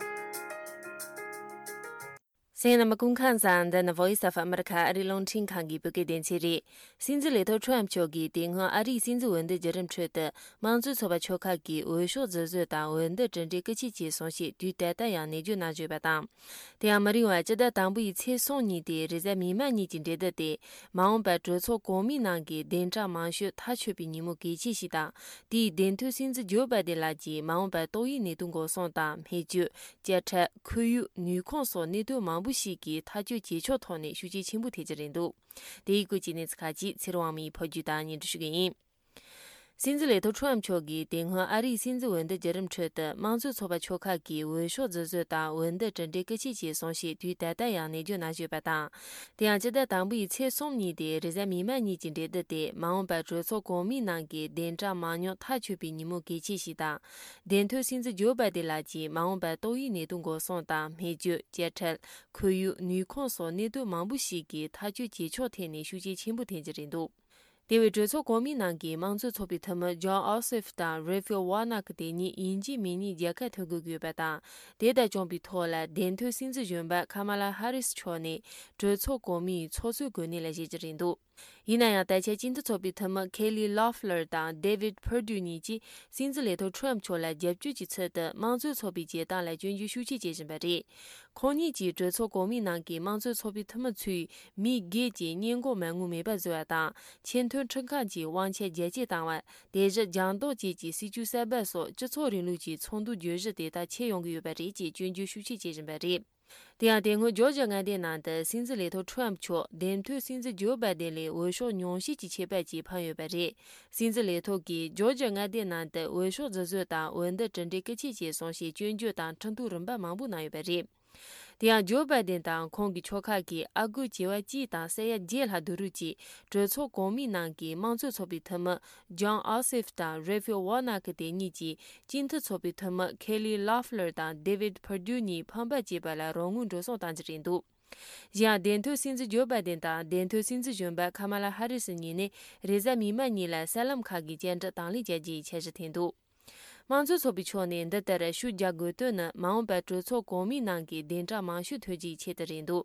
གསན་མཁན་རྣམ་པ་སྐུ་ཁམས་བཟང་། འདི་ནི་Voice of America ཨ་རིའི་རླུང་འཕྲིན་ཁང་གི་བོད་སྐད་སྡེ་ཚན་རེད། སྲིད་འཛིན་ལས་ཐོག་ཁྲོམ་མཆོག་གིས་དེ་སྔོན་ཨ་རིའི་སྲིད་འཛིན་འོས་བསྡུ་བརྒྱུད་རིམ་ཁྲོད་དུ་དམངས་གཙོའི་ཚོགས་པ་ཆོལ་ཁ་གིས་འོས་ཤོག་རྫུན་བཟོ་དང་འོས་བསྡུ་གྲུབ་འབྲས་སྐུ་ཕྱིར་བྱས་སོང་ཞེས་དུས་ད་ལྟ་ཡང་ནན་བརྗོད་གནང་བཞིན་ཡོད་པ་དང་། དེ་ཡང་མི་རིང་བར་སྤྱི་ཟླ་དང་པོ་ཡི་ཚེས་གསུམ་ཉིན་ཏེ་རེས་གཟའ་མིག་དམར་ཉིན་གྱི་འབྲེལ་ཟླ་སྟེ། མ་འོངས་པར་གྲོས་ཚོགས་གོང་མའི་ནང་གི་གདན་གྲངས་མང་ཤོས་ཐག་ཆོད་པའི་ཉིན་མོ་གལ་ཆེ་ཞིག་དང་། དེའི་གདན་ཐོན་སྲིད་འཛིན་ཇོ་བྷའི་ཏིན་ལགས་ཀྱིས་མ་འོངས་པར་ཏོག་དབྱིབས་ནད་དུག་འགོག་སྲུང་དང་། སྨན་བཅོས། དཔྱ་ཁྲལ། ཁོར་ཡུག་ནུས་ཁུངས་སོགས་གནད་དོན་མང་པོ་ཞིག་གི་ཐག་གཅོད་བྱེད་ཕྱོགས་ཐོག་ནས་ཤུགས་རྐྱེན་ཆེན་པོ་ཐེབས་ཀྱི་རེད་འདུག་དེའི་སྐོར་གྱི་གནས་ཚུལ་ཁག་ཅིག་ཚེ་རིང་དབང་མོས་ཕབ་སྒྱུར་དང་སྙན་སྒྲོན་ཞུ་གི་ཡིན། སྲིད་འཛིན་ལས་ཐོག་ཁྲོམ་མཆོག་གིས་དེ་སྔོན་ཨ་རིའི་སྲིད་འཛིན་འོས་བསྡུ་བརྒྱུད་རིམ་ཁྲོད་དུ་དམངས་གཙོའི་ཚོགས་པ་ཆོལ་ཁ་གིས་འོས་ཤོག་རྫུན་བཟོ་དང་འོས་བསྡུ་གྲུབ་འབྲས་སྐུ་ཕྱིར་བྱས་སོང་ཞེས་དུས་ད་ལྟ་ཡང་ནན་བརྗོད་གནང་བཞིན་ཡོད་པ་དང་། དེ་ཡང་སྤྱི་ཟླ་དང་པོ་ཡི་ཚེས་གསུམ་ཉིན་ཏེ་རེས་གཟའ་མིག་དམར་ཉིན་གྱི་འབྲེལ་ཟླ་སྟེ། མ་འོངས་པར་གྲོས་ཚོགས་གོང་མའི་ནང་གི་གདན་གྲངས་མང་ཉུང་ཐག་ཆོད་པའི་ཉིན་མོ་གལ་ཆེ་ཞིག་དང་། གདན་ཐོན་སྲིད་འཛིན་ཇོ་བྷའི་ཏིན་ལགས་ཀྱིས་མ་འོངས་པར་ཏོག་དབྱིབས་ནད་དུག་འགོག་སྲུང་དང་། སྨན་བཅོས། དཔྱ་ཁྲལ། ཁོར་ཡུག་ནུས་ཁུངས་སོགས་གནད་དོན་མང་པོ་ཞིག་གི་ཐག་གཅོད་བྱེད་ཕྱོགས་ཐད་ནས་ཤུགས་རྐྱེན་ཆེན་པོ་ཐེབས་ཀྱི་རེད་འདུག་དེ་བས་གྲོས་ཚོགས་གོང་མའི་ནང་གི་དམངས་གཙོའི་ཚོགས་པའི་འཐུས་མི་ཇོན་ཨོ་སིབ་དང་རེ་ཕེལ་ཝར་ནག་དེ་གཉིས་ཡིན་གཅིག་མིན་གཉིས་རྒྱལ་ཁ་ཐོབ་དགོས་ཀྱི་ཡོད་པ་དང་། དེ་དང་མཚུངས་པའི་ཐོག་ལ་གདན་ཐོན་སྲིད་འཛིན་གཞོན་པ་ཁ་མ་ལ་ཧ་རིས་མཆོག་ནས་གྲོས་ཚོགས་གོང་མའི་ཚོགས་གཙོའི་གོ་གནས་ལ་བཞེས་ཀྱི་རེད་འདུག་ཡིན་ན་ཡང་། ད་ཆ་སྤྱི་འཐུས་ཚོགས་པའི་འཐུས་མི་ཁེ་ལི་ལོ་ཕ་ལར་དང་ཌེ་ཝིད་ཕར་ཌུ་གཉིས་ཀྱིས་སྲིད་འཛིན་ལས་ཐོག་ཁྲོམ་མཆོག་ལ་རྒྱབ་སྐྱོར་གྱི་ཚུལ་དུ་དམངས་གཙོའི་ཚོགས་པའི་བྱེད་སྟངས་ལ་སྐྱོན་བརྗོད་ཤུགས་ཆེ་བྱེད་བཞིན་པ་རེད། ཁོང་གཉིས་ཀྱིས་གྲོས་ཚོགས་གོང་མའི་ནང་གི་དམངས་གཙོའི་ཚོགས་པའི་འཐུས་མི་ཚོས་མི་སྒེར་གྱི་སྙད་འགོག་མ་དངུལ་མེད་པར་བཟོ་བ་དང་། ཆེས་མཐོའི་ཁྲིམས་ཁང་གི་དབང་ཆ་རྒྱ་སྐྱེད་བཏང་བ། དེ་བཞིན་རྒྱང་ལྡོག་བཅས་ཀྱི་སྲིད་བྱུས་གསར་པ་སོགས་སྤྱི་ཚོགས་རིང་ལུགས་ཀྱི་ཚོགས་འདུའི་བརྗོད་གཞི་དེ་དག་ཁྱེར་ཡོང་གི་ཡོད་པ་རེད་ཅེས་སྐྱོན་བརྗོད་ཤུགས་ཆེ་བྱེད་བཞིན་པ་རེད། དེ་ཡང་དེ་སྔོན་ཇོར་ཇི་མངའ་སྡེའི་ནང་དུ་སྲིད་འཛིན་ལས་ཐོག་ཁྲོམ་མཆོག་གདན་ཐོན་སྲིད་འཛིན་ཇོ་བྷའི་ཏིན་ལས་འོས་ཤོག་ཉུང་ཤས་ཀྱི་ཁྱད་པར་གྱིས་འཕམ་ཡོད་པ་རེད། སྲིད་འཛིན་ལས་ཐོག་གིས་ཇོར་ཇི་མངའ་སྡེའི་ནང་དུ་འོས་ཤོག་རྫུན་བཟོ་དང་འོས་བསྡུ་གྲུབ་འབྲས་སྐུ་ཕྱིར་བྱས་སོང་ཞེས་སྐྱོན་བརྗོད་དང་ཁྲིམས་ཐོག་རིམ་པ་མང་པོ་གནང་ཡོད་པ་རེད། དེ་ཡང་ཇོ་བྷའི་ཏིན་དང་ཁོང་གི་ཕྱོགས་ཁག་གིས་ཨ་སྒོར་བྱེ་བ་གཅིག་དང་ས་ཡ་བརྒྱད་ལྷག་བསྡུ་རུབ་ཀྱིས་གྲོས་ཚོགས་གོང་མའི་ནང་གི་དམངས་གཙོའི་ཚོགས་པའི་འཐུས་མི་ཇོན་ཨོ་སིབ་དང་རེ་ཕེལ་ཝར་ནག་དེ་གཉིས་ཀྱིས་སྤྱི་འཐུས་ཚོགས་པའི་འཐུས་མི་ཁེ་ལི་ལོ་ཕ་ལར་དང་ཌེ་ཝིད་ཕར་ཌུ་གཉིས་ཕམ་པར་བྱས་པ་ལ་རོགས་དངུལ་འགྲོ་སོང་བཏང་རྒྱུ་རེད་འདུག་གཞན་ཡང་། གདན་ཐོན་སྲིད་འཛིན་ཇོ་བྷའི་ཏིན་དང་གདན་ཐོན་སྲིད་འཛིན་གཞོན་པ་ཁ་མ་ལ་ཧ་རི་སི་གཉིས་ནི་རེས་གཟའ་མིག་དམར་ཉིན་ལ་གསར་ལམ་ཁག་གི་བཅར་འདྲི་དང་ལེན་བྱ་རྒྱུའི་འཆར་གཞི་འཐེན་འདུག་དམངས་གཙོའི་ཚོགས་པའི་ཕྱོགས་ནས་འདི་ལྟར་ཤུགས་རྒྱག་དགོས་དོན་ནི། མ་འོངས་པར་གྲོས་ཚོགས་གོང་མའི་ནང་གི་གདན་གྲངས་མང་ཤོས་ཐོན་རྒྱུའི་ཆེད་དུ་རེད་འདུག་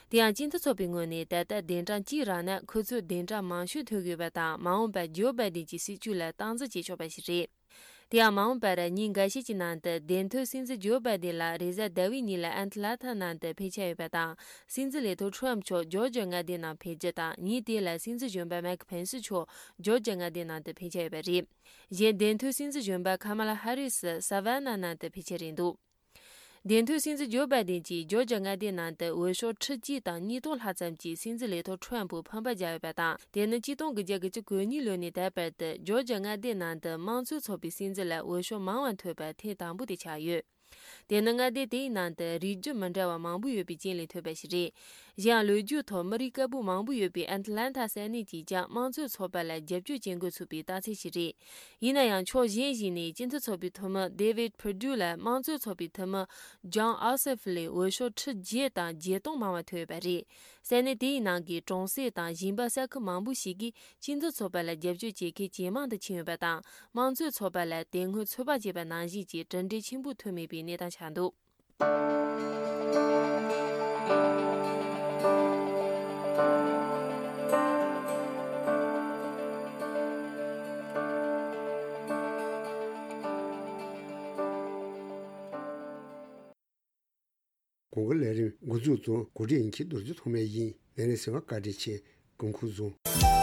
དེ་ཡང་། སྤྱི་འཐུས་ཚོགས་པའི་ངོས་ནས་ད་ལྟ་གདན་གྲངས་གཅིག་རག་ན། ཁོ་ཚོས་གདན་གྲངས་མང་ཤོས་ཐོན་གྱི་ཡོད་པ་དང་། མ་འོངས་པར་ཇོ་བྷའི་ཏིན་གྱི་སྲིད་བྱུས་ལ་སྟངས་འཛིན་བྱེད་ཆོག་པ་ཞིག་རེད། དེ་ཡང་། མ་འོངས་པར་ཉིན་འགའ་ཤས་ཀྱི་ནང་དུ་གདན་ཐོན་སྲིད་འཛིན་ཇོ་བྷའི་ཏིན་ལགས་རེས་གཟའ་ཟླ་བའི་ཉིན་ལ་ཨེ་ཏི་ལན་ཐ་ནང་དུ་ཕེབས་འཆར་ཡོད་པ་དང་། སྲིད་འཛིན་ལས་ཐོག་ཁྲོམ་མཆོག་ཇོར་ཇི་མངའ་སྡེའི་ནང་ཕེབས་རྒྱུ་དང་། ཉིན་དེ་ལ་སྲིད་འཛིན་གཞོན་པ་མེག་ཕེན་སི་མཆོག་ཇོར་ཇི་མངའ་སྡེའི་ནང་དུ་ཕེབས་འཆར་ཡོད་པ་རེད། གཞན། གདན་ཐོན་སྲིད་འཛིན་གཞོན་པ་ཁ་མ་ལ་ཧ་རི་སི་ས་ཝན་ན་ནང་དུ་ཕེབས་འཆར་རེད་འདུག་གདན་ཐོན་སྲིད་འཛིན་ཇོ་བྷའི་ཏིན་གྱིས་ཇོར་ཇི་མངའ་སྡེའི་ནང་དུ་འོས་ཤོག་ཁྲི་གཅིག་དང་ཉིས་སྟོང་ལྷག་ཙམ་གྱིས་སྲིད་འཛིན་ལས་ཐོག་ཁྲོམ་པོ་ཕམ་པར་བྱས་ཡོད་པ་དང་། དེ་ནི་གཅིག་སྟོང་དགུ་བརྒྱ་དགུ་བཅུ་གོ་གཉིས་ལོ་ནས་ད་བར་དུ་ཇོར་ཇི་མངའ་སྡེའི་ནང་དུ་དམངས་གཙོའི་ཚོགས་པའི་སྲིད་འཛིན་ལ་འོས་ཤོག་མང་བ་ཐོབ་པ་ཐེངས་དང་པོ་དེ་ཆགས་ཡོད། དེ་ནི་མངའ་སྡེ་དེའི་ནང་དུ་རིགས་རྒྱུད་མི་འདྲ་བ་མང་པོ་ཡོད་པའི་རྐྱེན་ལས་ཐོན་པ་ཞིག་རེད། གཞན་ཡང་། ལོ་རྒྱུས་ཐོག་མི་རིགས་དཀར་པོ་མང་པོ་ཡོད་པའི་ཨེ་ཏི་ལན་ཐ་ས་གནས་ཀྱིས་ཀྱང་དམངས་གཙོའི་ཚོགས་པ་ལ་རྒྱབ་སྐྱོར་བྱེད་འགོ་ཚུགས་པའི་རྟགས་མཚན་ཞིག་རེད། ཡིན་ན་ཡང་། ཕྱོགས་གཞན་ཞིག་ནས་སྤྱི་འཐུས་ཚོགས་པའི་འཐུས་མི་ཌེ་ཝིད་ཕར་ཌུ་ལ་དམངས་གཙོའི་ཚོགས་པའི་འཐུས་མི་ཇོན་ཨོ་སེབ་ལས་འོས་ཤོག་ཁྲི་བརྒྱད་དང་བརྒྱད་སྟོང་མང་བ་ཐོབ་ཡོད་པ་རེད། ས་གནས་དེའི་ནང་གི་གྲོང་གསེབ་དང་ཞིང་པ་ས་ཁུལ་མང་པོ་ཞིག་གིས་སྤྱི་འཐུས་ཚོགས་པ་ལ་རྒྱབ་སྐྱོར་བྱེད་མཁན་ཇེ་མང་དུ་ཕྱིན་ཡོད་པ་དང་། དམངས་གཙོའི་ཚོགས་པ་ལ་དེ་སྔོན་ཚོད་དཔག་བྱས་པ་ནང་བཞིན་གྱི་གྲུབ་འབྲས་ཆེན་པོ་ཐོན་མེད་པའི་གནས་སྟངས་ཆགས་འདུག་གོང་གི་ལས་རིམ་འགོ་འཛུགས་དང་གོ་སྒྲིག་འཁྱེར་རྡོ་རྗེ་ཐོགས་མེད་ཡིན། ལས་རིམ་གསན་པར་བཀའ་དྲིན་ཆེ། སྐུ་ཁམས་བཟང་།